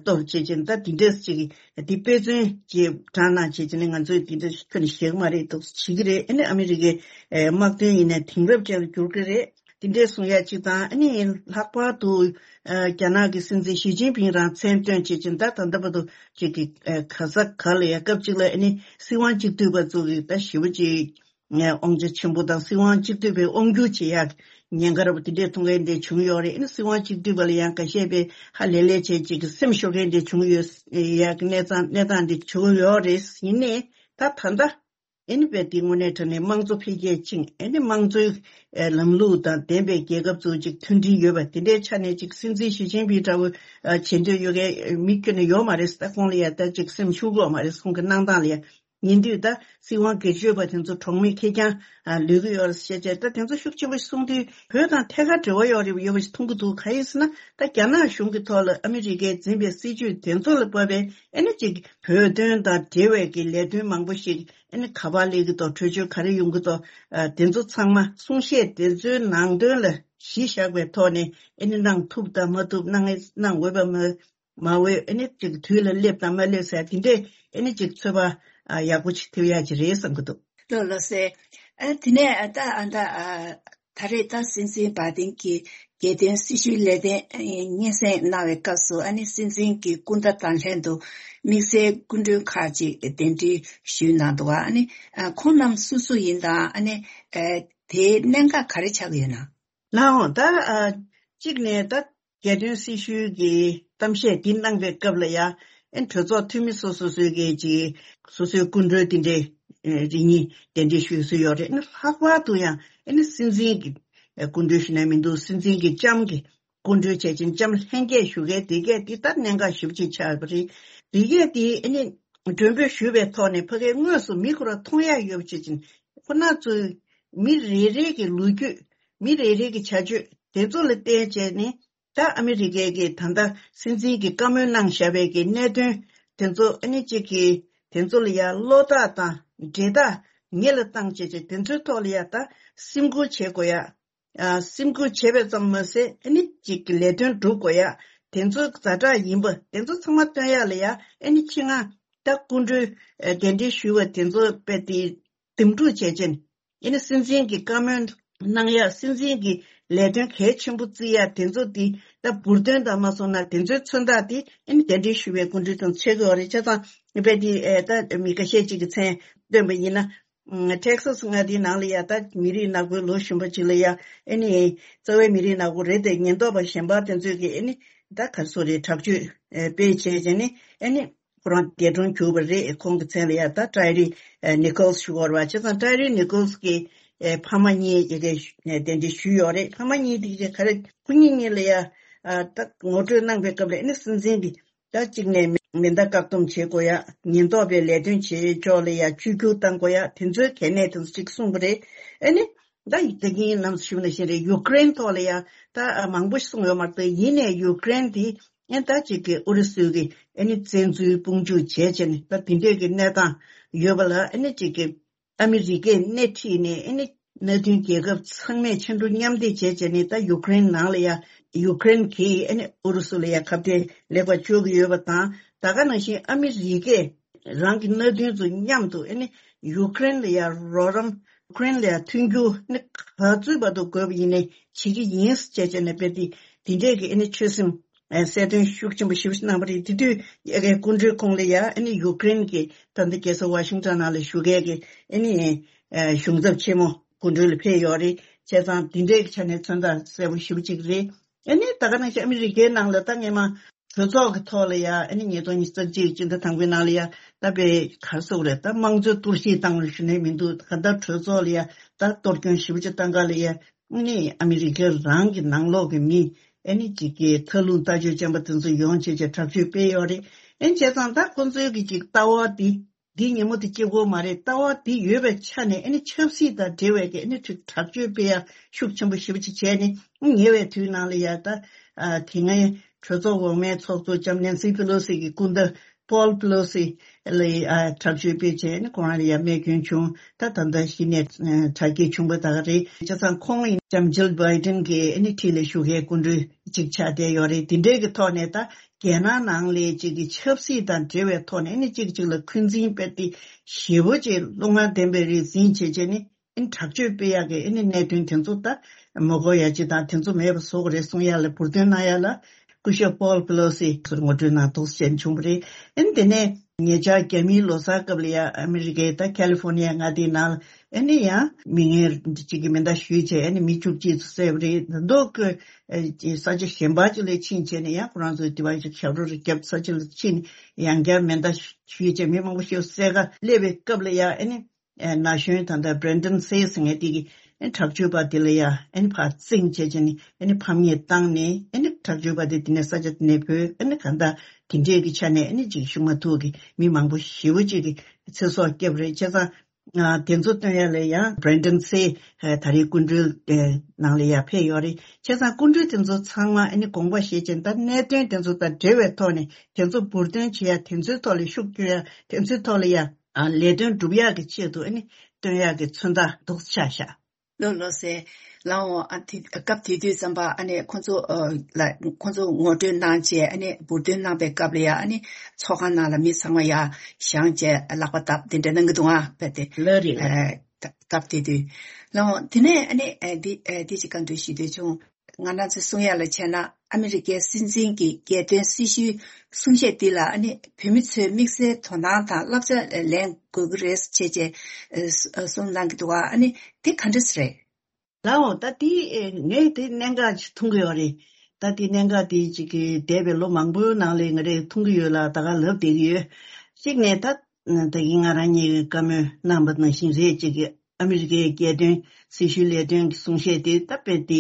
གཏོར་བྱེད་ཅིང་ད་འདི་འདྲས་ཅིག་གི་འདི་དཔེ་མཚོན་གྱི་དྲངས་གནང་བྱེད་ཅིང་ང་ཚོས་འདི་འདྲས་ཁྱོན་ནས་བཞེས་གི་མ་རེད་འདུག་བྱེད་ཀྱི་རེད། ཨ་ནི་ཨ་མི་རི་ཀའི་དམག་དོན་ཡིན་ནའི་དེང་རབས་ཅན་ལ་འགྱུར་གྱི་རེད། དེ་འདྲས་གསུང་ཡ་གཅིག་དང་། ཨ་ནི་ལྷག་པར་དུ་ཨ་རྒྱ་ནག་གི་སྲིད་འཛིན་ཞི་ཅིན་ཕིང་རང་མཚན་བཏོན་བྱེད་ཅིང་། ད་ད་ལྟ་བར་དུ་ཅིག་གི་ཨ་ག་ས་ག་ལ་ཡ་སྐབས་གཅིག་ལ་ཨ་ནི་སྲིད་དབང་གཅིག་སྡུད་པ་ཚོ་གི་ད་ཞེ་པོ་ཅིག་ཨ་དབང་ཆ་ཆེན་པོ་དང་། སྲིད་དབང་གཅིག་སྡུད་པའི་དབང་སྒྱུར་བྱེད་ཡག་ཉེན་ཁ་ར་བ་དེ་འདྲས་མཐོང་མཁན་དེ་བྱུང་ཡོད་རེད། ཨ་ནི་སྲིད་དབང་གཅིག་སྡུད་པ་ལ་ཡང་འགའ་ཤས་པས་ཧ་ལས་ལས་བྱས་ཅིག་གི་སེམས་ཤོར་མཁན་དེ་བྱུང་ཡོད་ཡག་གི་གནས་སྟངས་གནས་སྟངས་དེ་བྱུང་ཡོད་རེད། ཡིན་ནའི་ད་ད་ལྟ་ཨ་ནི་བས་དེ་དངོས་གནས་དྲང་གནས་དམངས་གཙོ་འཕེལ་རྒྱས་ཕྱིན། ཨ་ནི་དམངས་གཙོའི་ཨ་ལམ་ལུགས་དང་ལྡན་པའི་རྒྱལ་ཁབ་ཚོ་ཅིག་མཐུན་སྒྲིལ་ཡོད་པ་དེ་འདྲའི་ཆ་ནས་ཅིག་སྲིད་འཛིན་ཞི་ཅིན་ཕིང་འདྲ་བོ་ཨ་བྱེད་འདོད་ཡོད་མཁན་མི་ཁྱོན་ནས་ཡོད་མ་རེད། ད་ཁོང་ལ་ཡ་ད་ཅིག་སེམས་ཤུགས་ཡོད་མ་རེད། ཁོང་གི་གནང་སྟངས་ལ་ཡ། ཡིན་དུས་ད་སྲིད་དབང་སྒེར་གཅོད་པ་དེ་ཚོ་གྲོགས་མེད་ཁེར་རྐྱང་ཨ་ལུས་ཀྱི་ཡོད་རེད་ཟེར་བྱས། ད་དེ་ཚོ་ཤུགས་ཆེན་པོ་གསུང་དུས་བོད་དང་ཐད་ཀར་འབྲེལ་བ་ཡོད་རེད་ཡོད་པ་ཞིག་མཐོང་གི་འདུག་གང་ཡིན་ཟེར་ན། ད་རྒྱ་ནག་གཞུང་གི་ཐོག་ལ་ཨ་མི་རི་ཀས་འཛིན་པའི་སྲིད་བྱུས་དེ་ཚོ་ལ་བབས་པའི་ཨ་ནི་ཅིག་བོད་དོན་དང་འབྲེལ་བའི་གི་ལས་དོན་མང་པོ་ཞིག་ཨ་ནི་ག་པར་སླེབས་ཀྱི་འདུག་གྲོས་ཆོད་ག་རེ་ཡོང་གི་འདུག་ཨ་དེ་ཚོ་ཚང་མ་གསུང་བཤད་དེ་ཚོའི་ནང་དོན་ལ་གཞི་བཞག་པའི་ཐོག་ནས་ཨ་ནི་གནང་ཐུབ་དང་མ་ཐུབ། གནང་གནང་འོས་པ་མ་མ་འོས། ཨ་ནི་ཅིག་དུས་ལ་སླེབས་དང་མ་སླེབས་ཟེར་དེ་འདྲས་ཨ་ནི་ཅིག་ཚོད་དཔག་ཨ་ཡག་པོ་ཅིག་ཐེབས་ཡག་ཅིག་རེད་བསམ་གྱི་འདུག་ལགས་ལགས་སེ། ཨ་དེ་ནས་ཨ་ད་ཨ་ད་ཨ་ད་རེས་ད་སྲིད་འཛིན་བྷའི་ཏིན་གྱིས་རྒྱལ་དོན་སྲི་ཞུའི་ལས་དོན་ཨ་སྙན་སེང་གནང་བའི་སྐབས་སུ། ཨ་ནི་སྲིད་འཛིན་གྱི་སྐུ་ཟླ་དང་ལྷན་དུ་དམིགས་བསལ་སྐུ་མགྲོན་ཁག་ཅིག་གདན་འདྲེན་ཞུས་གནང་འདུག་ཨ་ནི་ཨ་ཁོང་རྣམས་སུ་སུ་ཡིན་དང་། ཨ་ནི་ཨ་དེའི་གནད་འགག་ག་རེ་ཆགས་ཀྱི་ཡོད་ན། ལགས་འོང་། ད་ཨ་གཅིག་ནས་ད་རྒྱལ་དོན་སྲི་ཞུའི་གི་གཏམ་བཤད་འདི་གནང་པའི་སྐབས་ལ་ཡ། ཨེ་གྲོས་ཚོགས་འཐུས་མི་སོ་སོ་སོའི་གི་ཅིག་སོ་སོའི་སྐུ་མགྲོན་དེ་འདྲའི་ཨེ་རེ་གཉིས་གདན་འདྲེན་ཞུས་སྲོལ་ཡོད་རེད། ཨེ་ལྷག་པར་དུ་ཡང་ཨེ་ནི་སྲིད་འཛིན་གྱི་ཨེ་སྐུ་མགྲོན་ཞུ་ནས་མི་འདུག་སྲིད་འཛིན་གྱི་ལྕམ་གྱི་སྐུ་མགྲོན་བྱས་ཅིང་ལྕམ་ལྷན་རྒྱས་ཞུ་མཁན་དེ་གས་འདི་ལྟར་གནད་འགག་ཞེ་པོ་ཅིག་ཆགས་པ་རེད། དེ་གས་དེ་ཨེ་ནི་མགྲོན་འབོད་ཞུས་པའི་ཐོག་ནས་ཕ་གིའི་དངོས་སུ་མི་ཁོ་ར་མཐོང་ཡག་ཡོད་པ་བྱས་ཅིང་། ཁོ་ན་ཚོས་མི་རེ་རེ་གི་ལོ་རྒྱུས། མི་རེ་རེ་གི་བྱ་སྤྱོད་དེ་ཚོ་ལ་བལྟས་བྱས་ནས། ད་ཨ་མི་རི་ཀའི་གི་ད་ལྟ་སྲིད་འཛིན་གྱི་བཀའ་མོལ་གནང་བཞག་པའི་གི་གནད་དོན་དེ་ཚོ་ཨ་ནི་གཅིག་གི་དེ་ཚོ་ལ་ཡ་བློ་ཐག་དང་འབྲེལ་ཐག་ཉེ་ལ་བཏང་བྱས་བྱས། དེ་ཚོའི་ཐོག་ལ་ཡ་ད་སེམས་ཁུར་བྱེད་དགོས་ཡ། ཨ་སེམས་ཁུར་བྱས་པ་ཙམ་མ་ཟད་ཨ་ནི་གཅིག་གི་ལས་དོན་སྒྲུབ་དགོས་ཡ། དེ་ཚོ་ཛ་དྲག་ཡིན་པ་དེ་ཚོ་ཚང་མ་སྟོན་ཡ་ལ་ཡ། ཨ་ནི་ཆེད་མངགས་ད་སྐུ་མགྲོན་ཨ་གདན་འདྲེན་ཞུས་པ་དེ་ཚོ་དཔེ་དེ་འདེམས་སྒྲུག་བྱས་ཅིང་། ཨེ་ནི་སྲིད་འཛིན་གྱི་བཀའ་མོལ་གནང་ཡ། སྲིད་འཛིན་གྱི་ལས་དོན་གལ་ཆེན་པོ་བརྩི་ཡ་དེ་ཚོ་དེ་ད་འབུར་དོན་དང་མ་སོང་ན་དེ་ཚོའི་མཚོན་རྟགས་དེ་ཨེ་ནི་གདན་འདྲེན་ཞུ་བའི་སྐུ་མགྲོན་དང་ཆགས་ཀྱི་ཡོད་རེད། བྱས་ཙང་དཔེ་དེ་ཨེ་ད་མི་ཁ་ཤས་ཅིག་གི་མཚན་བཏོན་པ་ཡིན་ན། ཨ་ཊེག་སཱས་མངའ་སྡེའི་ནང་ལ་ཡ་ད་མི་རིགས་ནག་པོའི་ལོ་གཞོན་པ་ཅིག་ལ་ཡ། ཨེ་ནི་རྩ་བའི་མི་རིགས་ནག་པོ་རེད་དེ། ཉེན་རྟོག་པ་གཞན་པ་དེ་ཚོས་ཀྱི་ཨེ་ནི་ད་ག་རེ་ཟེར་དགོས་རེད། དྲག་སྤྱོད་ཨེ་སྤེལ་བྱས་བྱས་ནས་ཨེ་ནི། ཁོ་རང་འདས་གྲོངས་གྱུར་པ་རེད། ཁོང་གི་མཚན་ལ་ཡ་ད་ཀྲའི་རི་ཨེ་ནི་ཀོལ་སི་ཞུ་དགོས་རེད་པ། བྱས་ཙང་ཀྲའི་རི་ནི་ཀོལ་སི་གི་ཨེ་ཕ་མ་གཉིས་ཡ་གི་གདན་འདྲེན་ཞུས་ཡོད་རེད། ཕ་མ་གཉིས་དེ་གི་ག་རེ་ཁོ་གཉིས་གཉིས་ལ་ཡ་ཨ་ད་ངོ་སྤྲོད་གནང་པའི་སྐབས་ལ་ཨེ་ནི་སྲིད་འཛིན་གྱི་ད་གཅིག་ནས་མེ་མེ་མདའ་བཀག་སྡོམ་བྱེད་དགོས་ཡ། ཉེན་རྟོག་པའི་ལས་དོན་བྱེད་ཕྱོགས་ལ་ཡ་བཅོས་བསྒྱུར་གཏང་དགོས་ཡ། དེ་ཚོའི་གལ་གནད་དེ་ཚོ་ཅིག་གསུངས་པ་རེད། ཨེ་ནི། ད་ཡིག་ད་གིན་ནམ་ཞུས་ནང་བཞིན་རེད། ཡུ་ཀེ་རེན་ཐོག་ལ་ཡ་ད་ཨ་མང་པོ་ཞིག་གསུངས་ཡོད་མ་རེད། ད་ཡིན་ནའི་ཡུ་ཀེ་རེན་དེ་ཨེ་ད་ཅིག་གི་ཨུ་རུ་སུ་གི་ཨེ་ནི་བཙན་འཛུལ་དཔུང་འཇུག་བྱས་བྱས་ནས་ད་དེ་འདྲས་ཀྱི་གནས་སྟངས་ཡོད་པ་ལ། ཨེ་ནི་ཅིག་གི་ཨ་མི་རི་ཀས་སྣེ་ཁྲིད་ནས་ཨེ་ནི་མནའ་མཐུན་རྒྱལ་ཁབ་ཚང་མས་ཕྱར་གྲུ་མཉམ་འདེགས་བྱས་བྱས་ནས། ད་ཡུ་ཀེ་རེན་ནང་ལ་ཡ་ཡུ་ཀེ་རེན་གྱིས་ཨེ་ནི་ཨུ་རུ་སུ་ལ་ཡ་ཁ་གཏད་ལེགས་པར་གཅོག་གི་ཡོད་པ་དང་། ད་ག་ནང་བཞིན་ཨ་མི་རི་ཀས་རང་གི་མནའ་མཐུན་ཚོ་མཉམ་དུ་ཨེ་ནི་ཡུ་ཀེ་རེན་ལ་ཡ་རོགས་རམ། ཡུ་ཀེ་རེན་ལ་ཡ་མཐུན་འགྱུར་ནི་ག་ཚོད་བར་དུ་དགོས་པ་ཡིན་ནའི་བྱེད་ཀྱི་ཡིན་ཟེར་བྱས་བྱས་ནས། དཔེ་དེ་དེ་འདྲས་ཀྱི་ཨེ་ནི་ཆོད་སེམས་ཨེ་གསལ་སྟོན་ཤུགས་ཆེན་པོ་ཞེ་པོ་ཞིག་གནང་བ་རེད། དེ་དུས་ཡ་གི་སྐུ་མགྲོན་ཁོང་ལ་ཡ་ཨེ་ནི་ཡུ་ཀེ་རེན་གྱི་ད་ལྟ་རྒྱལ་ས་ཝ་ཤིང་ཊོན་ནང་ལ་བཞུགས་མཁན་གྱི་ཨེ་ནི་ཨེ་གཞུང་ཚབ་ཆེན་མོ་སྐུ་མགྲོན་ལ་ཕེབས་ཡོད་རེད། བྱས་ཙང་དེ་འདྲས་ཀྱི་ཆ་ནས་མཚོན་རྟགས་གསལ་པོ་ཞེ་པོ་ཅིག་རེད། ཨེ་ནི་ད་ག་ནང་བཞིན་ཨ་མི་རི་ཀའི་ནང་ལ་ད་སྔས་མ། གྲོས་ཚོགས་ཀྱི་ཐོག་ལ་ཡ་ཨ་ནི་ཉིས་སྟོང་ཉི་ཤུ་རྩ་གཅིག་སྤྱི་ཟླ་དང་པོའི་ནང་ལ་ཡ་ད་དཔེ་ག་རེ་ཟེར་དགོས་རེད། ད་དམངས་གཙོའི་གཏོར་བཤིག་བཏང་བ་ཞུ་ནས་མི་འདུག་ག་ད་གྲོས་ཚོགས་ལ་ཡ་ད་གཏོར་སྐྱོན་ཞེ་པོ་ཅིག་བཏང་ག་ལ་ཡ་ཨ་ནི་ཨ་མི་རི་ཀ་རང་གི་ནང་ལོགས་ཀྱི་མི་ཨ་ནི་ཅིག་གི་མཐའ་ལྷུང་ལྟ་སྤྱོད་ཅན་པ་དེ་ཚོ་ཡོང་བྱས་བྱས་དྲག་སྤྱོད་སྤེལ་ཡོད་རེད། ཨ་ནི་བྱས་ཙང་ད་ཁོང་ཚོའི་གི་ཅིག་ལྟ་བ་དེ། འདི་ཉིན་མོ་དེ་སྐྱེ་སྒོ་མ་རེད། ལྟ་བ་འདི་ཡོད་པའི་ཆ་ནས་ཨ་ནི་ཆབ་སྲིད་དང་འབྲེལ་བའི་གི་ཨ་ནི་ཁྲིག་དྲག་སྤྱོད་སྤེལ་ཡ་ཤུགས་ཆེན་པོ་ཞེ་པོ་ཅིག་བྱས་ནས། ཉེ་བའི་དུས་ནང་ལ་ཡ་ད་ཨ་དེ་སྔའི་གྲོས་ཚོགས་འོག་མའི་ཚོགས་གཙོ་ལྕམ་ནེན་སི་ཕེ་ལོ་སི་གི་སྐུ་ཟླ་པོལ་པེ་ལོ་སི་ལ་ཡ་ཨ་དྲག་སྤྱོད་སྤེལ་བྱས་ནས་ཁོང་རང་ལ་ཡ་རྨས་སྐྱོན་བྱུང་། ད་ད་ལྟ་གཞི་ནས་ཨ་དྲག་སྐྱེད་བྱུང་བ་ད་ག་རེད། བྱས་ཙང་ཁོང་ཡིན་ལྕམ་ཇིལ་བྷའི་ཌེན་གི་ཨ་ནི་འཁྲིས་ལ་བཞུགས་མཁན་སྐུ་མགྲོན་ཅིག་ཆགས་བསྡད་ཡོད་རེད། དེ་འདྲའི་གི་ཐོག་ནས་ད། རྒྱལ་ནང་ནང་ལས་གཅིག་གི་ཆབ་སྲིད་དང་འབྲེལ་བའི་ཐོག་ནས་ནི་གཅིག་གཅིག་ལ་འཁོན་འཛིན་སྤེལ་ཏེ་ཞེ་པོ་ཅིག་བློ་ངན་ལྡན་པའི་རིགས་འཛིན་བྱས་བྱས་ནི་ ཨ་ནི་དྲག་སྤྱོད་སྤེལ་ཡག་གི་ཨ་ནི་གནད་དོན་དེ་ཚོ་ད་མ་གོ་ཡ་ཅིག་དང་དེ་ཚོ་མེད་པ་བཟོ་དགོས་རེད་གསུང་ཡ་ལ་འབུར་འདོན་གནང་ཡ་ལ་སྐུ་ཞབས་པོལ་པེ་ལོ་སི་ཚོར་ངོ་སྤྲོད་གནང་འདུག་ཅེས་བྱུང་བ་རེད། ཨ་ནི་དེ་ནས་ཉེ་ཆར་རྒྱ་མིའི་ལོ་གསར་སྐབས་ལ་ཡ་ཨ་མི་རི་ཀའི་ད་ཁ་ལི་ཧྥོ་ནི་ཡ་མངའ་སྡེའི་ནང་ལ་ཨ་ནི་ཡང་མི་ངན་གཅིག་གིས་མེ་མདའ་གཞུས་བྱས་ཨ་ནི་མི་བཅུ་གཅིག་ཚོ་བསད་པ་རེད། ད་མདོ་དགོས་ས་ཆ་གཞན་པ་ཅིག་ལ་ཕྱིན་བྱས་ནས་ཡང་ཁོ་རང་ཚོའི་དེ་བ་ཞབས་བྲོ་རེ་བརྒྱབ་ས་ཆ་ལ་ཕྱིན་ནས་ཡང་བསྐྱར་མེ་མདའ་གཞུས་བྱས་མི་མང་པོ་ཞིག་བསད་ག་སླེབས་པའི་སྐབས་ལ་ཡ་ཨ་ནི། ན་གཞོན་ད་ལྟ་བྷི་རེན་ཌན་སེ་ཟེར་མཁན་དེ་གིས་ཨ་ནི་དྲག་སྤྱོད་པ་དེ་ལ་ཡ་ཨ་ནི་ཕར་བཙན་བྱས་བྱས་ནས་ཨ་ནི་ཕམ་ཉེས་བཏང་ནས་ཨ་ནི་དྲག་སྤྱོད་པ་དེ་དེ་ནས་ས་ཆ་དེ་ནས་བུད་ཨ་ནི་གང་ལྟར་དེ་འདྲས་ཀྱི་ཆ་ནས་ཨ་ནི་ཅིག་ཤུགས་མ་ཐུག་གི་མི་མང་པོ་ཞེ་པོ་ཅིག་གི་ཚེ་སྲོག་བསྐྱབས་རེད། བྱས་ཙང་དེ་ཚོ་སྟོན་ཡ་ལ་ཡང་བྷི་རེན་ཌན་སེ་ད་རེས་སྐུ་མགྲོན་ནང་ལ་ཡ་ཕེབས་ཡོད་རེད། བྱས་ཙང་སྐུ་མགྲོན་དེ་ཚོ་ཚང་མ་ཨ་ནི་དགོངས་པ་བཞེས་བྱས་ད་གནད་དོན་དེ་ཚོ་དང་འབྲེལ་བའི་ཐོག་ནས་དེ་ཚོ་འབུར་འདོན་བྱེད་ཡ་དེ་ཚོའི་ཐོག་ལ་ཤུགས་སྐྱོན་ཡ་དེ་ཚོའི་ཐོག་ལ་ཡ། ཨ་ལས་དོན་སྒྲུབ་ཡག་གི་ཆེད་དུ་ཨ་ནི་སྟོན་ཡག་གི་མཚོན་རྟགས་འདུག་ཆགས་ཤག་ལགས་ལགས་སེ། ལགས་འོང་། ཨ་དེ་སྐབས་དེ་དུས་ཙམ་པ་ཨ་ནི་ཁོང་ཚོ་ཨ་ལ་ཁོང་ཚོ་ངོ་སྤྲོད་གནང་བྱས་ཨ་ནི་འབུར་འདོན་གནང་པའི་སྐབས་ལ་ཡ་ཨ་ནི་ཚོགས་ཁང་ནང་ལ་མི་ཚང་མ་ཡ་བཞེངས་བྱས་ལག་པ་བརྡབས་དེ་འདྲ་གནང་གི་འདུག་ཨ་དཔེ་དེ། ལགས་རེད་ལགས་རེད། ཨ་སྐབས་དེ་དུས། ལགས་འོང་། དེ་ནས་ཨ་ནི་ཨ་འདི་ཨ་འདི་ཅིག་བཀའ་འདྲི་ཞུ་འདོད་བྱུང་། ང་རང་ཚོས་གསུང་ཡ་ལ་བྱས་ན་ཨ་མི་རི་ཀའི་སྲིད་འཛིན་གྱི་རྒྱལ་དོན་སྲི་ཞུའི་གསུང་བཤད་འདི་ལ་ཨ་ནི་བོད་མི་ཚོས་དམིགས་བསལ་དོ་སྣང་དང་བསླབ་བྱ་ལེན་དགོས་ཀྱི་རེད་ཅེས་བྱས་གསུང་གནང་གི་འདུག་བ། ཨ་ནི་དེ་ག་འདྲ་ཞིག་རེད། ལའོ། ད་དེ་ངས་དེ་གནད་འགག་ཅིག་མཐོང་གི་ཡོད་རེད། ད་དེ་གནད་འགག་དེ་ཅིག་གི་འདས་པའི་ལོ་མང་པོའི་ནང་ལ་ང་རས་མཐོང་གི་ཡོད་ལ་ད་ག་ལབ་བསྡད་ཀྱི་ཡོད། གཅིག་ནས་ད་ད་གིན་ང་རང་གཉིས་ཀྱི་བཀའ་མོལ་གནང་པ་ནང་བཞིན་རེད། ཅིག་གི་ཨ་མི་རི་ཀའི་རྒྱལ་དོན་སྲི་ཞུའི་ལས་དོན་གྱི་གསུང་བཤད་དེ་ད་དཔེ་དེ་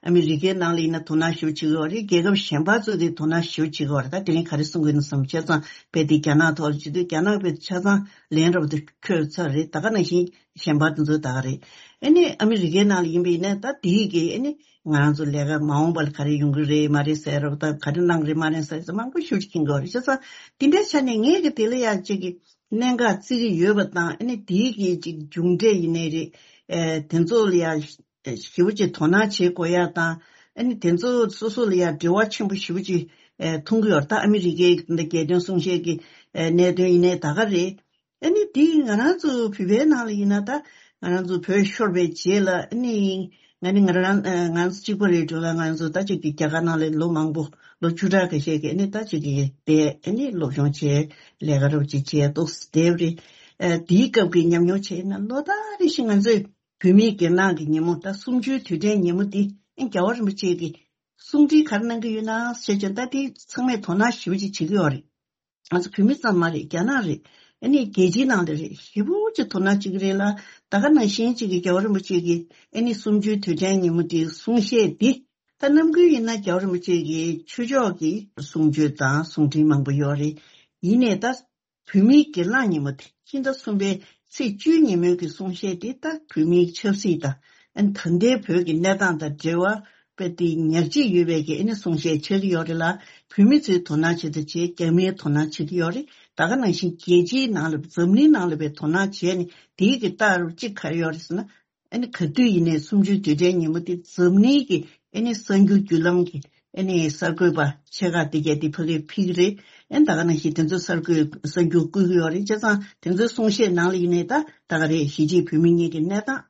ཨ་མི་རི་ཀའི་ནང་ལ་ཡིན་ན་དོ་སྣང་ཞེ་པོ་བྱེད་ཀྱི་ཡོད་རེད། རྒྱལ་ཁབ་གཞན་པ་ཚོས་དེ་དོ་སྣང་ཞེ་པོ་བྱེད་ཀྱི་ཡོད་རེད། ད་དེ་རིང་ག་རེ་གསུང་གི་ཡིན་བསམ་བྱས་ཙང་དཔེ་དེ་རྒྱ་ནག་ཐོག་ལ་བྱེད་དུས་རྒྱ་ནག་དཔེ་ཆ་ཚང་ལན་རབ་ཏུ་འཁོད་ཚར་རེད། ད་ག་ནང་བཞིན་གཞན་པ་དེ་ཚོ་ད་ག་རེད། ཨ་ནི་ཨ་མི་རི་ཀའི་ནང་ལ་ཡིན་པ་ཡིན་ན་ད་དེའི་གི་ཨ་ནི་ང་རང་ཚོ་ལས་ཀ་མ་འོངས་པ་ལ་ག་རེ་ཡོང་གི་རེད་མ་རེད་ཟེར་རབ་ད་ག་རེ་གནང་གི་རེད་མ་རེད་ཟེར་ཚོ་མང་པོ་ཞེ་པོ་ཅིག་མཁྱེན་གྱི་ཡོད་རེད། བྱས་ཙང་དེ་འདྲའི་ཆ་ནས་ངས་གི་དེ་ལ་ཡ་གཅིག་གི་གནད་འགག་བརྩི་གི་ཡོད་པ་དང་ཨ་ནི་དེའི་གི་ཅིག་མཇུག་འབྲས་ཡིན་ནའི་རེད། ཨེ་དེ་ཚོ་ལ་ཡ་ཞེ་པོ་ཅིག་དོ་སྣང་བྱེད་དགོས་ཡ་དང་ཨ་ནི་དེ་ཚོ་སོ་སོ་ལ་ཡ་འབྲེལ་བ་ཆེན་པོ་ཞེ་པོ་ཅིག་ཨེ་མཐོང་གི་ཡོད་རེད། ད་ཨ་མི་རི་ཀའི་འདི་རྒྱལ་དོན་གསུང་བཤད་ཀྱི་ཨེ་གནད་དོན་ཡིན་ནའི་ད་ག་རེད། ཨ་ནི་དེ་ང་རང་ཚོ་བོད་པའི་ནང་ལ་ཡིན་ན་ད་ང་རང་ཚོ་བོད་ཤོར་བའི་རྗེས་ལ་ཨ་ནི་ང་ནི་ང་རང་ཨེ་ང་ཚོ་གཅིག་པ་རེད་འགྲོ་ལ་ང་ཚོ་ད་ཅིག་གི་རྒྱ་གར་ནང་ལ་ལོ་མང་པོ་ལོ་བཅུ་ཕྲག་ཁ་ཤས་ཀྱི་ཨ་ནི་ད་ཅིག་གི་བསྡད་ཨ་ནི་སློབ་སྦྱོང་བྱས་ལས་ཀ་རོབ་ཅིག་བྱས་ཏོག་ཙམ་བསྡད་པ་རེད། ཨ་དེའི་སྐབས་ཀྱི་ཉམས་མྱོང་བྱས་ན་ལོ་ལྟར་རེ་བཞིན་ང་ཚོས་བོད་མིའི་སྒེར་ནང་གི་ཉིན་མོ་ད་གསུམ་བཅུའི་དུས་དྲན་ཉིན་མོ་འདི་ཨ་རྒྱལ་བ་རིན་པོ་ཆེ་གི་གསུང་འཕྲིན་ག་རེ་གནང་གི་ཡོད་ན་ཟེར་བྱས་ད་དེ་ཚང་མས་དོ་སྣང་ཞེ་པོ་ཅིག་བྱེད་ཀྱི་ཡོད་རེད། ང་ཚོ་བོད་མི་ཙམ་མ་རེད། རྒྱ་ནག་རེད། ཨ་ནི་རྒྱལ་སྤྱིའི་ནང་ལ་རེད། ཞེ་པོ་ཅིག་དོ་སྣང་བྱེད་ཀྱི་རེད་ལ། ད་ག་ནང་བཞིན་ཅིག་གི་རྒྱལ་བ་རིན་པོ་ཆེ་གི་ཨ་ནི་གསུམ་བཅུའི་དུས་དྲན་ཉིན་མོ་དེའི་གསུང་བཤད་འདི་ད་རྣམ་ཀུན་ཡིན་ན་རྒྱལ་བ་རིན་པོ་ཆེ་གི་ཆོས་ཕྱོགས་ཀྱི་གསུང་ཆོས་དང་གསུང་འཕྲིན་མང་པོ་ཡོད་རེད། ཡིན་ནའི་ད་བོད་མིའི་སྒེར་ལངས་ཉིན་མོ་དེ་ཕྱི་ཟླ་གསུམ་པའི་ཚེས་བཅུའི་ཉིན་མོའི་གི་གསུང་བཤད་དེ་ད་བོད་མིའི་ཆབ་སྲིད་དང་ཨ་ནི་ད་ལྟའི་བོད་ཀྱི་གནས་སྟངས་དང་འབྲེལ་བ་དཔེ་དེ་ཉག་གཅིག་ཡོད་པའི་གི་ཨ་ནི་གསུང་བཤད་ཆགས་ཀྱི་ཡོད་རེད་ལ། བོད་མི་ཚོའི་དོ་སྣང་བྱེད་དུ་བྱས། རྒྱ་མིའི་དོ་སྣང་བྱེད་ཀྱི་ཡོད་རེད། ད་ག་ནང་བཞིན་རྒྱལ་སྤྱིའི་ནང་ལ་འཛམ་གླིང་ནང་ལ་བའི་དོ་སྣང་བྱས་ནས་དེའི་གི་ལྟ་རུ་གཅིག་ག་རེ་ཡོད་རེད་ཟེར་ན། ཨ་ནི་ག་དུས་ཡིན་ནའི་གསུམ་བཅུའི་དུས་དྲན་ཉིན་མོ་དེ་འཛམ་གླིང་གི་ཨ་ནི་གསར་འགྱུར་བརྒྱུད་ལམ་གྱི་ཨ་ནི་གསར་འགོད་པ་ཆེ་ཁག་དེ་གས་དེ་ཕ་གིར་ཕེབས་ཀྱི་རེད། ཨ་ནི་ད་ག་ནང་བཞིན་དེ་ཚོ་གསར་འགོད་གསར་འགྱུར་བསྐུར་གྱི་ཡོད་རེད། བྱས་ཙང་དེ་ཚོའི་གསུང་བཤད་ནང་ལ་ཡིན་ནའི་ད་ད་ག་རེད། གཞིས་བྱེས་བོད་མི་གཉིས་ཀྱི་གནས་སྟངས།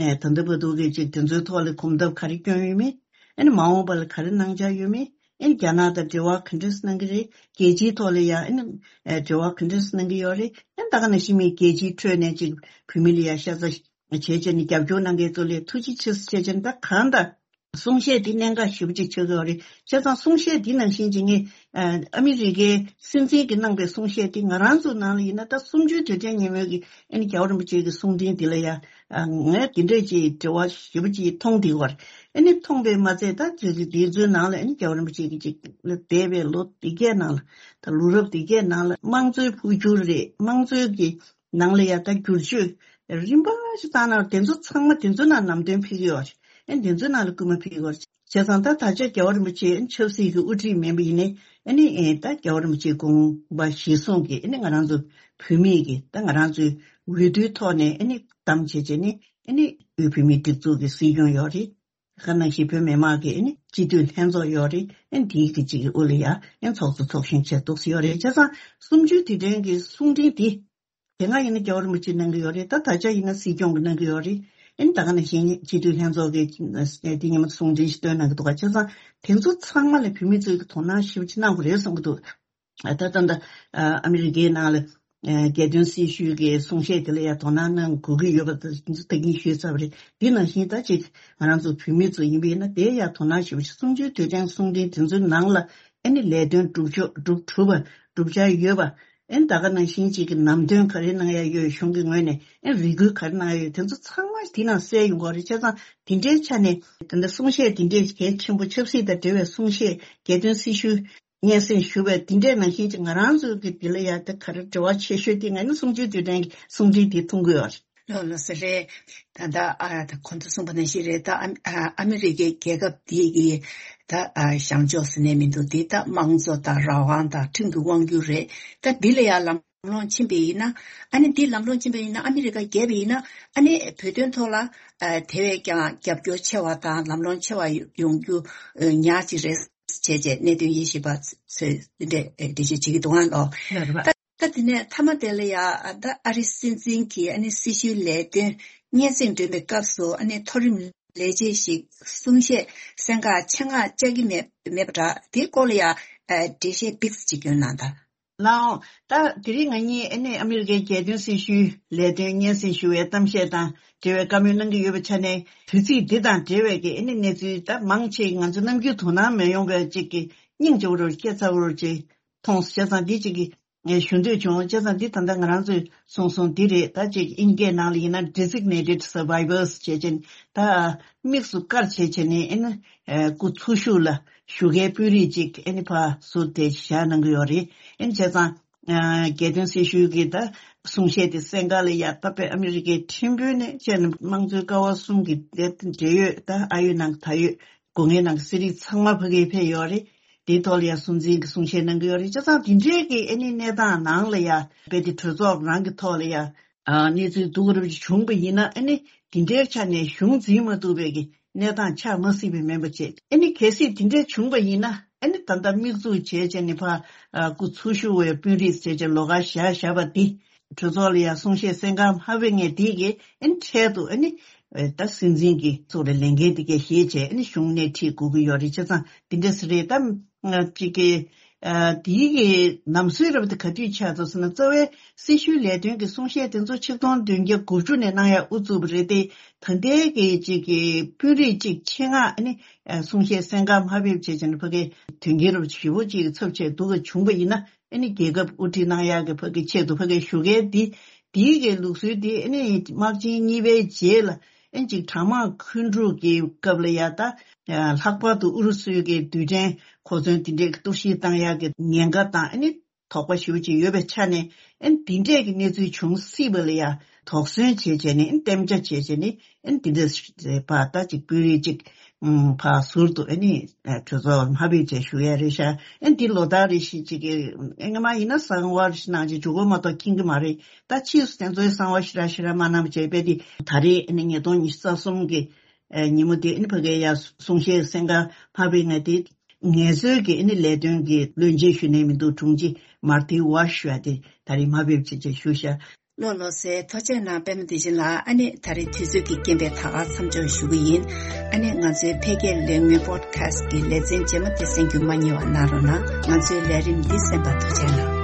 ཨེ་ད་ལྟ་བར་དུ་གི་ཅིག་དེ་ཚོའི་ཐོག་ལ་གོམ་སྟབས་ག་རེ་བསྐྱོན་ཡོད་མེད། ཨ་ནི་མ་འོངས་པ་ལ་ག་རེ་གནང་འཆར་ཡོད་མེད། ཨ་ནི་རྒྱ་ནག་དང་འབྲེལ་བ་ག་འདྲས་གནང་གི་རེད། རྒྱལ་སྤྱིའི་ཐོག་ལ་ཡང་ཨ་ནི་ཨེ་འབྲེལ་བ་ག་འདྲས་གནང་གི་ཡོད་རེད། ཨ་ནི་ད་ག་ནང་བཞིན་མི་རྒྱལ་སྤྱིའི་ཁྲོད་ནས་ཅིག་བོད་མི་ལ་ཡང་ཤ་ཚ་བྱས་བྱས་ནས་རྒྱབ་སྐྱོར་གནང་མཁན་ཚོ་ལ་ཐུགས་རྗེ་ཆེ་ཟེར་བྱས་བྱས་ནས་ད་གང་ལྟར་གསུང་བཤད་འདི་གནད་འགག་ཞེ་པོ་ཅིག་ཆགས་ཀྱི་ཡོད་རེད། བྱས་ཙང་གསུང་བཤད་འདི་ནང་བཞིན་ཅིག་ངས་ཨ་ཨ་མི་རི་ཀའི་སྲིད་འཛིན་གྱིས་གནང་པའི་གསུང་བཤད་འདི་ང་རང་ཚོའི་ནང་ལ་ཡིན་ན་ད་གསུམ་བཅུའི་དུས་དྲན་ཉིན་མོའི་གི་ཨ་ནི་རྒྱལ་བ་རིན་པོ་ཆེ་གི་གསུང་འཕྲིན་འདི་ལ་ཡང་ཨ་ངས་འདི་འདྲས་ཀྱི་འབྲེལ་བ་ཞེ་པོ་ཅིག་མཐོང་བསྡད་ཡོད་རེད། ཨ་ནི་མཐོང་པས་མ་ཚད་ད་དེ་དེ་ཚོའི་ནང་ལ་ཨ་ནི་རྒྱལ་བ་རིན་པོ་ཆེ་གི་ཅིག་འདས་པའི་ལོ་འདི་གའི་ནང་ལ་ད་ལོ་རབས་འདི་གའི་ནང་ལ་དམངས་གཙོའི་འཕོ་འགྱུར་རེད། དམངས་གཙོའི་གི་ནང་ལ་ཡང་ད་བསྒྱུར་བཅོས་རིམ་པ་ཞིག་བཏང་ན་དེ་ཚོ་ཚང་མ་དེ་ཚོ་ནང་ནམ་དོན་ཕེབས་ཀྱི་ཡོད་རེད། ཨ་ནི་དེ་ཚོའི་ནང་ལ་སྐུལ་མ་ཕེབས་ཀྱི་ཡོད་རེད། བྱས་ཙང་ད་ད་ཆ་རྒྱལ་བ་རིན་པོ་ཆེ་ཨ་ནི་ཆབ་སྲིད་ཀྱི་དབུ་ཁྲིད་མིན་པ་ཡིན་ནའི་ཨ་ནི་ཨེ་ད་རྒྱལ་བ་རིན་པོ་ཆེའི་དགོངས་པ་གཞིར་བཟུང་གིས་ཨ་ནི་ང་རང་ཚོ་བོད་མིས་ཀྱི་ད་ང་རང་ཚོའི་འོས་བསྡུའི་ཐོག་ནས་ཨ་ནི་བདམས་བྱས་བྱས་ནས་ཨ་ནི་དབུས་བོད་མིའི་སྒྲིག་འཛུགས་ཀྱི་སྲིད་སྐྱོང་ཡོད་རེད། ཁ་ནང་བཞིན་བོད་མི་མང་གི་ཨ་ནི་སྤྱི་འཐུས་ལྷན་ཚོགས་ཡོད་རེད། ཨ་ནི་དེའི་གི་གཅིག་གི་དབུ་ལ་ཡ་ཨ་ནི་ཚོགས་གཙོ་ཚོགས་གཞོན་བྱས་འདུག་སེ་ཡོད་རེད། བྱས་ཙང་གསུམ་བཅུའི་དུས་དྲན་གྱི་གསུང་འཕྲིན་འདི་དེ་སྔ་ཡིན་ན་རྒྱལ་བ་རིན་པོ་ཆེས་གནང་གི་ཡོད་རེད། ད་ད་ཆ་ཡིན་ན་སྲིད་སྐྱོང་གིས་གནང་གི་ཡོད་རེད། ཨེ་ད་ག་ནང་བཞིན་སྤྱི་འཐུས་ལྷན་ཚོགས་ཀྱི་འདི་ཉི་མ་གསུང་འཕྲིན་ཞིག་བཏོན་གནང་གི་འདུག་ག་བྱས་ཙང་དེ་ཚོ་ཚང་མ་ལ་བོད་མི་ཚོས་ཀྱི་དོ་སྣང་ཞེ་པོ་ཅིག་གནང་དགོས་རེད་བསམ་གྱི་འདུག་ད་ལྟ་ད་ཨ་མི་རི་ཀའི་ནང་ལ་རྒྱལ་དོན་སྲི་ཞུའི་གི་གསུང་བཤད་དེ་ལ་ཡང་དོ་སྣང་གནང་དགོས་ཀྱི་ཡོད་པ་ད་ད་གིན་ཞུས་ཚར་བ་རེད། འདི་ནང་བཞིན་ད་ཅིག་ང་རང་ཚོ་བོད་མི་ཚོ་ཡིན་པ་ཡིན་ན་དེ་ཡང་དོ་སྣང་ཞེ་པོ་ཅིག་གསུམ་བཅུའི་དུས་དྲན་གསུང་འཕྲིན་དེ་ཚོའི་ནང་ལ་ཨེ་ནི་ལས་དོན་སྒྲུབ་ཕྱོགས་སྒྲུབ་ཐུབ་པ་སྒྲུབ་འཆར་ཡོད་པ། ཨེ་ད་ག་ནང་བཞིན་གཅིག་གི་ནམ་དོན་ག་རེ་གནང་ཡ་ཡོད། གཞུང་གི་ངོས་ནས་ཨེ་རེ་སྐུལ་ག་རེ་གནང་ཡ་ཡོད། དེ་ཚོ་ཚང་མ་དེ་ནང་གསལ་ཡོང་གི་རེད། བྱས་ཙང་དེ་འདྲའི་ཆ་ནས་ད་ལྟ་གསུང་བཤད་དེ་འདྲའི་གལ་ཆེན་པོ་ཆབ་སྲིད་དང་འབྲེལ་བའི་གསུང་བཤད་རྒྱལ་དོན་སྲི་ཞུ་སྙན་སེང་ཞུ་བའི་དེ་འདྲའི་ནང་བཞིན་གཅིག་ང་རང་ཚོ་གི་དེ་ལ་ཡ་ད་ག་རེ་འབྲེལ་བ་ཆེ་ཤོས་དེ་ང་ནི་གསུམ་བཅུའི་དུས་དྲན་གྱི་གསུང་འཕྲིན་དེ་མཐོང་གི་ཡོད་རེད། ལགས་ལགས་སོ་རེད། ད་ལྟ་ཨ་ད་གོང་དུ་གསུངས་པ་ནང་བཞིན་རེད། ད་ཨ་ཨ་ཨ་མི་རི་ཀའི་རྒྱལ་ཁབ་འདི་གི་ད་ཨ་བྱང་ཕྱོགས་ཟེར་ནས་མི་འདུག་འདི་ད་དམངས་གཙོ་དང་རང་དབང་དང་ཁྲིམས་ཀྱི་དབང་སྒྱུར་རེད། ད་འདི་ལ་ཡང་ལམ་ལྷོང་ཕྱིན་པ་ཡིན་ན་ཨ་ནི་འདི་ལམ་ལྷོང་ཕྱིན་པ་ཡིན་ན་ཨ་མི་རི་ཀ་རྒྱལ་བ་ཡིན་ན་ཨ་ནི་བོད་དོན་ཐོག་ལ་ཨ་དེ་བས་ཀྱང་རྒྱབ་སྐྱོར་ཆེ་བ་དང་ལམ་ལྷོང་ཆེ་བ་ཡོང་རྒྱུ་ཨ་ཉག་ཅིག་རེད་བྱས་བྱས་གནད་དོན་དབྱེ་ཞིབ་པ་ཚོས་འདི་འདྲས་འགྲེལ་བརྗོད་བྱེད་ཀྱི་འདུག་ཨང་ལོ། ལགས་རེད་པ། ད་ད་དེ་ནས་མཐའ་མ་དེ་ལ་ཡ་ད་ཨ་རི་སྲིད་འཛིན་གྱིས་ཨ་ནི་སྲི་ཞུའི་ལས་དོན་སྙན་སེང་སྒྲོན་པའི་སྐབས་སུ་ཨ་ནི་མཐོ་རིམ་ལས་བྱེད་ཞིག་གསུང་བཤད་གསན་ཁག་ཆེད་མངགས་བཅར་གྱི་མེད་མེད་པ་འདྲ། དེའི་སྐོར་ལ་ཡ་འགྲེལ་བཤད་ཏོག་ཙམ་ཅིག་སྐྱོན་གནང་དང་། ལགས་འོང་། ད་དེ་རིང་ང་གཉིས་ཨ་ནི་ཨ་མི་རི་ཀའི་རྒྱལ་དོན་སྲི་ཞུའི་ལས་དོན་སྙན་སེང་ཞུ་བའི་གཏམ་བཤད་དང་འབྲེལ་བའི་བཀའ་མོལ་གནང་གི་ཡོད་པའི་ཆ་ནས་དུས་ཚིགས་འདི་དང་འབྲེལ་བའི་གི་ཨ་ནི་གནས་ཚུལ་ད་མང་ཆེ་ང་ཚོ་ནམ་རྒྱུན་དོ་སྣང་མི་ཡོང་བའི་ཅིག་གི་སྙིང་རྗེ་བོ་རུ་སྐྱེ་ཚ་བོ་རུ་ཅིག་མཐོང་སོང་། བྱས་ཙང་འདི་ཅིག་གི་ངས་ཞུ་འདོད་བྱུང་། བྱས་ཙང་འདི་ད་ལྟ་ང་རང་ཚོས་གསུངས་སོང་འདི་རེད། ད་ཅིག་དབྱིན་སྐད་ནང་ལ་ཡིན་ན་designated survivors་བྱས་ཅན་ད་དམིགས་སུ་བཀར་བྱས་བྱས་ནས་ཨེ་ན་སྐུ་འཚོ་བཞུགས་ལ་བཞུགས་མཁན་དཔོན་རིགས་ཅིག་ཨེ་ནི་ཕར་ཟུར་དེ་བཞག་གནང་གི་ཡོད་རེད། ཨེ་ནི་བྱས་ཙང་རྒྱལ་དོན་སྲི་ཞུའི་གི་ད་གསུང་བཤད་དེ་གསན་ག་ལ་ཡ་ད་དཔེ་ཨ་མི་རི་ཀའི་ཁྲིམས་དཔོན་ནས་བྱས་ནས་དམངས་གཙོའི་ཀ་བ་གསུམ་གི་འབྲེལ་ཡོད་ད་ཨ་ཡོད་ནང་ད་ཡོད། སྒོ་ངའི་ནང་གི་གསེར་ཡིག་ཚང་མ་ཕ་གིར་ཕེབས་ཡོད་རེད། དེའི་ཐོག་ལ་ཡང་སྲུང་འཛིན་གྱི་གསུང་བཤད་གནང་གི་ཡོད་རེད། བྱས་ཙང་དེ་འདྲའི་གི་ཨེ་ནི་གནས་སྟངས་ནང་ལ་ཡ་དཔེ་དེ་གྲོས་ཚོགས་རང་གི་ཐོག་ལ་ཡ་ཨ་གནས་ཚུལ་སྡུག་རུབ་ཅིག་བྱུང་པ་ཡིན་ན་ཨེ་ནི་དེ་འདྲའི་ཆ་ནས་གཞུང་འཛིན་མ་ཐུབ་པའི་གི་གནས་སྟངས་ཆགས་མ་སྲིད་པའི་མིན་པ་བྱས། ཨེ་ནི་གལ་སྲིད་དེ་འདྲའི་བྱུང་པ་ཡིན་ན་ཨེ་ནི་ད་ལྟ་དམིགས་འཛུགས་བྱས་བྱས་ནས་ཕར་ཨ་སྐུ་འཚོ་བཞུགས་པའི་དཔོན་རིགས་བྱས་བྱས་ལོགས་ཀ་བཞག་བཞག་པ་འདི། གྲོས་ཚོགས་ལ་ཡང་གསུང་བཤད་གསན་ག་མ་ཕེབས་མཁན་དེ་གིས་ཨེ་ནི་འཕྲལ་དུ་ཨེ་ནི་ད་སྲིད་འཛིན་གྱི་ཚོགས་རའི་ལས་འགན་དེ་གས་བཞེས་བྱས་ཨེ་ནི་གཞུང་སྣེ་ཁྲིད་དགོས་ཀྱི་ཡོད་རེད། བྱས་ཙང་དེ་འདྲ་ཟེར་རེད། ད་ཅིག་གི་དེའི་གི་ལམ་སྲོལ་རབ་དེ་ག་དུས་ཆགས་ཐུབ་ཟེར་ན་རྩ་བའི་སྲི་ཞུའི་ལས་དོན་གྱི་གསུང་བཤད་དེ་ཚོ་ཆིག་སྟོང་བདུན་བརྒྱ་དགུ་བཅུ་ནས་གནང་ཡ་དབུ་བཙུགས་པ་རེད་དེ། ད་ལྟའི་གི་ཅིག་གི་དཔོན་རིགས་ཅིག་ཆེད་མངགས་ཨེ་ནི་གསུང་བཤད་གསན་ག་མ་ཕེབས་བྱས་བྱས་ནས་ཕ་གི་དོན་རྐྱེན་རབ་ཞེ་པོ་ཅིག་ཚབས་ཆེ་འདུག་ག་བྱུང་པ་ཡིན་ན། ཨ་ནི་རྒྱལ་ཁབ་དབུ་ཁྲིད་གནང་ཡག་གི་ཕ་གི་ཆེད་དུ་ཕ་གི་ཞུ་མཁན་འདི་འདིའི་གི་ལུགས་སྲོལ་འདི་ཨ་ནི་དམག་ཆེན་གཉིས་པའི་རྗེས་ལ་ཨ་ནི་ཅིག་གྲང་དམག་འཁོན་འཁྲུག་གི་སྐབས་ལ་ཡ་ད་ལྷག་པར་དུ་ཨུ་རུ་སུའི་གི་རྡུལ་ཕྲན་གོ་མཚོན་དེ་འདྲའི་གི་གཏོར་བཤིག་བཏང་ཡག་གི་ཉེན་ཁ་དང་ཨ་ནི་དོགས་པ་ཞེ་པོ་ཅིག་ཡོད་པའི་ཆ་ནས་ཨ་ནི་འདི་འདྲའི་གི་གནས་ཚུལ་བྱུང་སྲིད་པ་ལ་ཡ་དོགས་ཟོན་བྱས་བྱས་ནས་ཨ་ནི་གཏན་འཇགས་བྱས་བྱས་ནས་ཨ་ནི་འདི་འདྲ་ཕར་ད་ཅིག་དཔོན་རིགས་ཅིག་ཕར་ཟུར་དུ་ཨ་ནི་གྲོས་ཚོགས་མ་ཕེབས་བྱས་བཞུགས་ཡ་རེད་ཤག་ཨ་ནི་འདི་ལོ་ལྟར་རེ་བཞིན་ཅིག་གི་ཨ་སྔ་མ་ཡིན་ན་གསང་བ་རེ་བཞིན་གནང་བྱས་འཇུག་གོ་མ་གཏོགས་མཁྱེན་གི་མ་རེད། ད་ཕྱིས་སུ་དེ་ཚོའི་གསང་བ་ཞེ་དྲག་ཞེ་དྲག་མ་གནང་བྱས་པས་དེ་ད་རེས་ཨ་ནི་ཉིས་སྟོང་ཉི་ཤུ་རྩ་གསུམ་གི་ཉིན་མོ་དེ་ཨ་ནི་ཕ་གིར་ཡ་གསུང་བཤད་གསན་ག་མ་ཕེབས་ང་དེ་ངལ་རྩོལ་གྱི་ཨ་ནི་ལས་དོན་གྱི་བློན་ཆེན་ཞུ་ནས་མི་འདུག་དྲུང་ཆེ་མར་ཏི་ཝ་ཤ་ཞུ་ཡ་དེ་ད་རེས་མ་ཕེབས་བྱས་བྱས་བཞུགས་ཤག་ལོ་ལོ་སེ་ཐུགས་རྗེ་གནང་པད་མ་བདེ་ཆེན་ལགས། ཨ་ནི་ད་རེས་དུས་ཚོད་ཀྱི་རྐྱེན་པས་ད་ག་མཚམས་འཇོག་ཞུ་གི་ཡིན། ཨ་ནི་ང་ཚོའི་འཕེལ་རྒྱས་ལས་མི་པོ་ཌི་ཁ་སི་ཊི་གི་ལེ་ཚན་རྗེས་མ་དེ་གསན་རྒྱུ་མ་བསྙེལ་བ་གནང་རོགས་གནང་། ང་ཚོའི་ལས་རིམ་འདི་གསན་པར་ཐུགས་རྗེ་གནང་།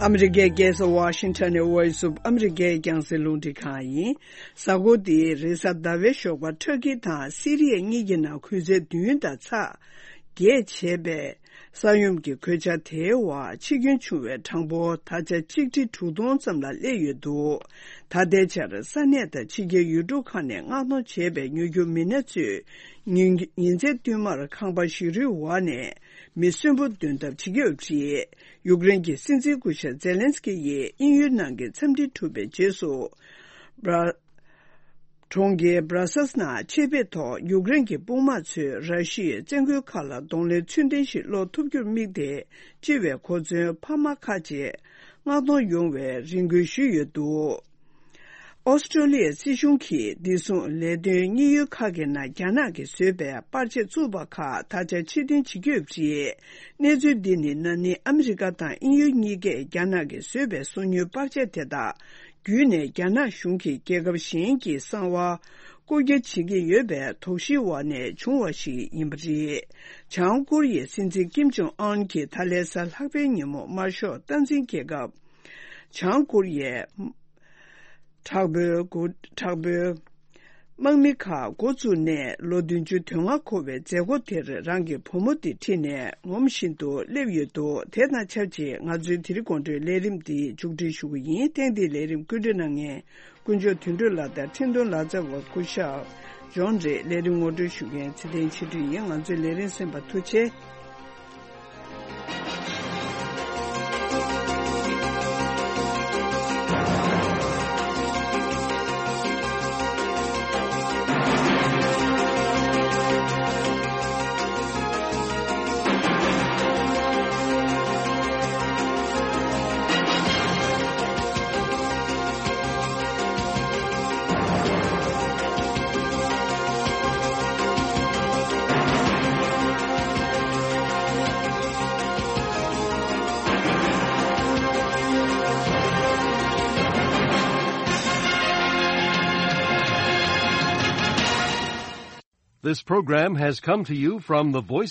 ཨ་མི་རི་ཀའི་རྒྱལ་ས་ཝ་ཤིང་ཊོན་ནས་Voice of America་རྒྱང་སྲིང་རླུང་འཕྲིན་ཁང་ཡིན། གཟའ་འཁོར་འདིའི་རེས་གཟའ་ཟླ་བའི་ཞོགས་པར་ཊར་ཀི་དང་སི་རི་ཡ་གཉིས་ཀྱི་ནང་འཁོན་འཛིན་བདུན་དང་ཚེག་བརྒྱད་བྱས་པའི་ས་ཡོམ་གྱི་གོད་ཆག་དེའི་འོག་འཆི་སྐྱོན་བྱུང་བའི་གྲངས་འབོར་ད་ཆ་ཆིག་ཁྲི་དྲུག་སྟོང་ཙམ་ལ་སླེབས་ཡོད་འདུག་ད་ལྟའི་ཆར་ས་གནས་དང་ཕྱི་རྒྱལ་ཡུལ་གྲུ་ཁག་ནས་མངགས་གཏོང་བྱས་པའི་ཉོ་རྒྱུ་མི་སྣ་ཚོས་ཉིན་ཉིན་མཚན་བསྟུད་མར་ཁང་པ་ཞིག་རུའི་འོག་ནས་མི་གསོན་པོ་འདོན་ཐབས་བྱེད་ཀྱི་ཡོད་པ་རེད། ཡུཀ་རེན་གྱི་སྲིད་འཛིན་སྐུ་ཞབས་ཛེ་ལན་སི་ཀི་ཡིས་དབྱིན་ཡུལ་ནང་གི་འཚམས་འདྲི་གྲུབ་པའི་རྗེས་སུ། གྲོང་ཁྱེར་Brussels་ནང་ཆེད་ཕེབས་ཐོག་ཡུཀ་རེན་གྱི་དཔུང་དམག་ཚོས་ར་ཤི་ཡའི་བཙན་རྒོལ་ཁག་ལ་གདོང་ལེན་ཚུལ་ལྡན་ཞིག་སློག་ཐུབ་རྒྱུར་དམིགས་ཏེ། སྤྱི་པའི་གོ་མཚོན་འཕར་མ་ཁག་ཅིག་མངགས་གཏོང་ཡོང་བའི་རེ་སྐུལ་ཞུས་ཡོད་འདུག་ཨོ་སི་ཀྲོ་ལི་ཡའི་སྲིད་གཞུང་གིས་བདེ་སྲུང་ལས་དོན་དངོས་ཡོད་ཁག་གི་ནང་རྒྱ་ནག་གིས་བཟོས་པའི་པར་ཆས་བཙུགས་པ་ཁག་ད་ཆ་ཕྱིར་འཐེན་བྱེད་ཀྱི་ཡོད་པ་རེད། གནས་ཚུལ་འདི་ནི་ན་ནིང་ཨ་མི་རི་ཀ་དང་དབྱིན་ཡུལ་གཉིས་ཀས་རྒྱ་ནག་གིས་བཟོས་པའི་སོ་ཉུལ་པར་ཆས་དེ་དག་བརྒྱུད་ནས་རྒྱ་ནག་གཞུང་གིས་རྒྱལ་ཁབ་གཞན་གྱི་གསང་བ་རྐུ་རྒྱག་བྱེད་ཀྱི་ཡོད་པའི་དོགས་གཞིའི་འོག་ནས་བྱུང་བ་ཞིག་ཡིན་པ་རེད། བྱང་ཀོ་རི་ཡའི་སྲིད་འཛིན་ཀིམ་ཇོང་ཨན་གྱིས་ད་ལན་གཟའ་ལྷག་པའི་ཉིན་མོ་དམར་ཤོག་སྟངས་འཛིན་རྒྱལ་ཁབ་བྱང་ཀོ་རི་ཡའི་དྲག་པོའི་འགོ་དྲག་པོའི་དམག་མི་ཁག་འགོ་བཙུགས་ནས་ལོ་བདུན་ཅུ་དོན་ལྔ་འཁོར་བའི་མཛད་སྒོ་དེར་རང་གི་བུ་མོ་དེ་ཁྲིད་ནས་ངོམ་བཞིན་དུ་སླེབས་ཡོད་འདུག་དེ་དང་ཆབས་ཅིག་ང་ཚོའི་དེ་རིང་དགོང་དྲོའི་ལས་རིམ་འདི་མཇུག་སྒྲིལ་ཞུ་གི་ཡིན། ཐེངས་འདིའི་ལས་རིམ་བཀོད་སྒྲིག་གནང་མཁན་དཀོན་མཆོག་དོན་གྲུབ་ལགས་དང་འཕྲིན་གཏོང་ལག་རྩལ་བ་སྐུ་ཞབས་ཇོན་རེད། ལས་རིམ་ངོ་སྤྲོད་ཞུ་མཁན་ཚེ་བརྟན་ཆོས་སྒྲོན་ཡིན། ང་ཚོའི་ལས་རིམ་གསན་པར་ཐུགས་རྗེ་ཆེ། This program has come to you from the Voice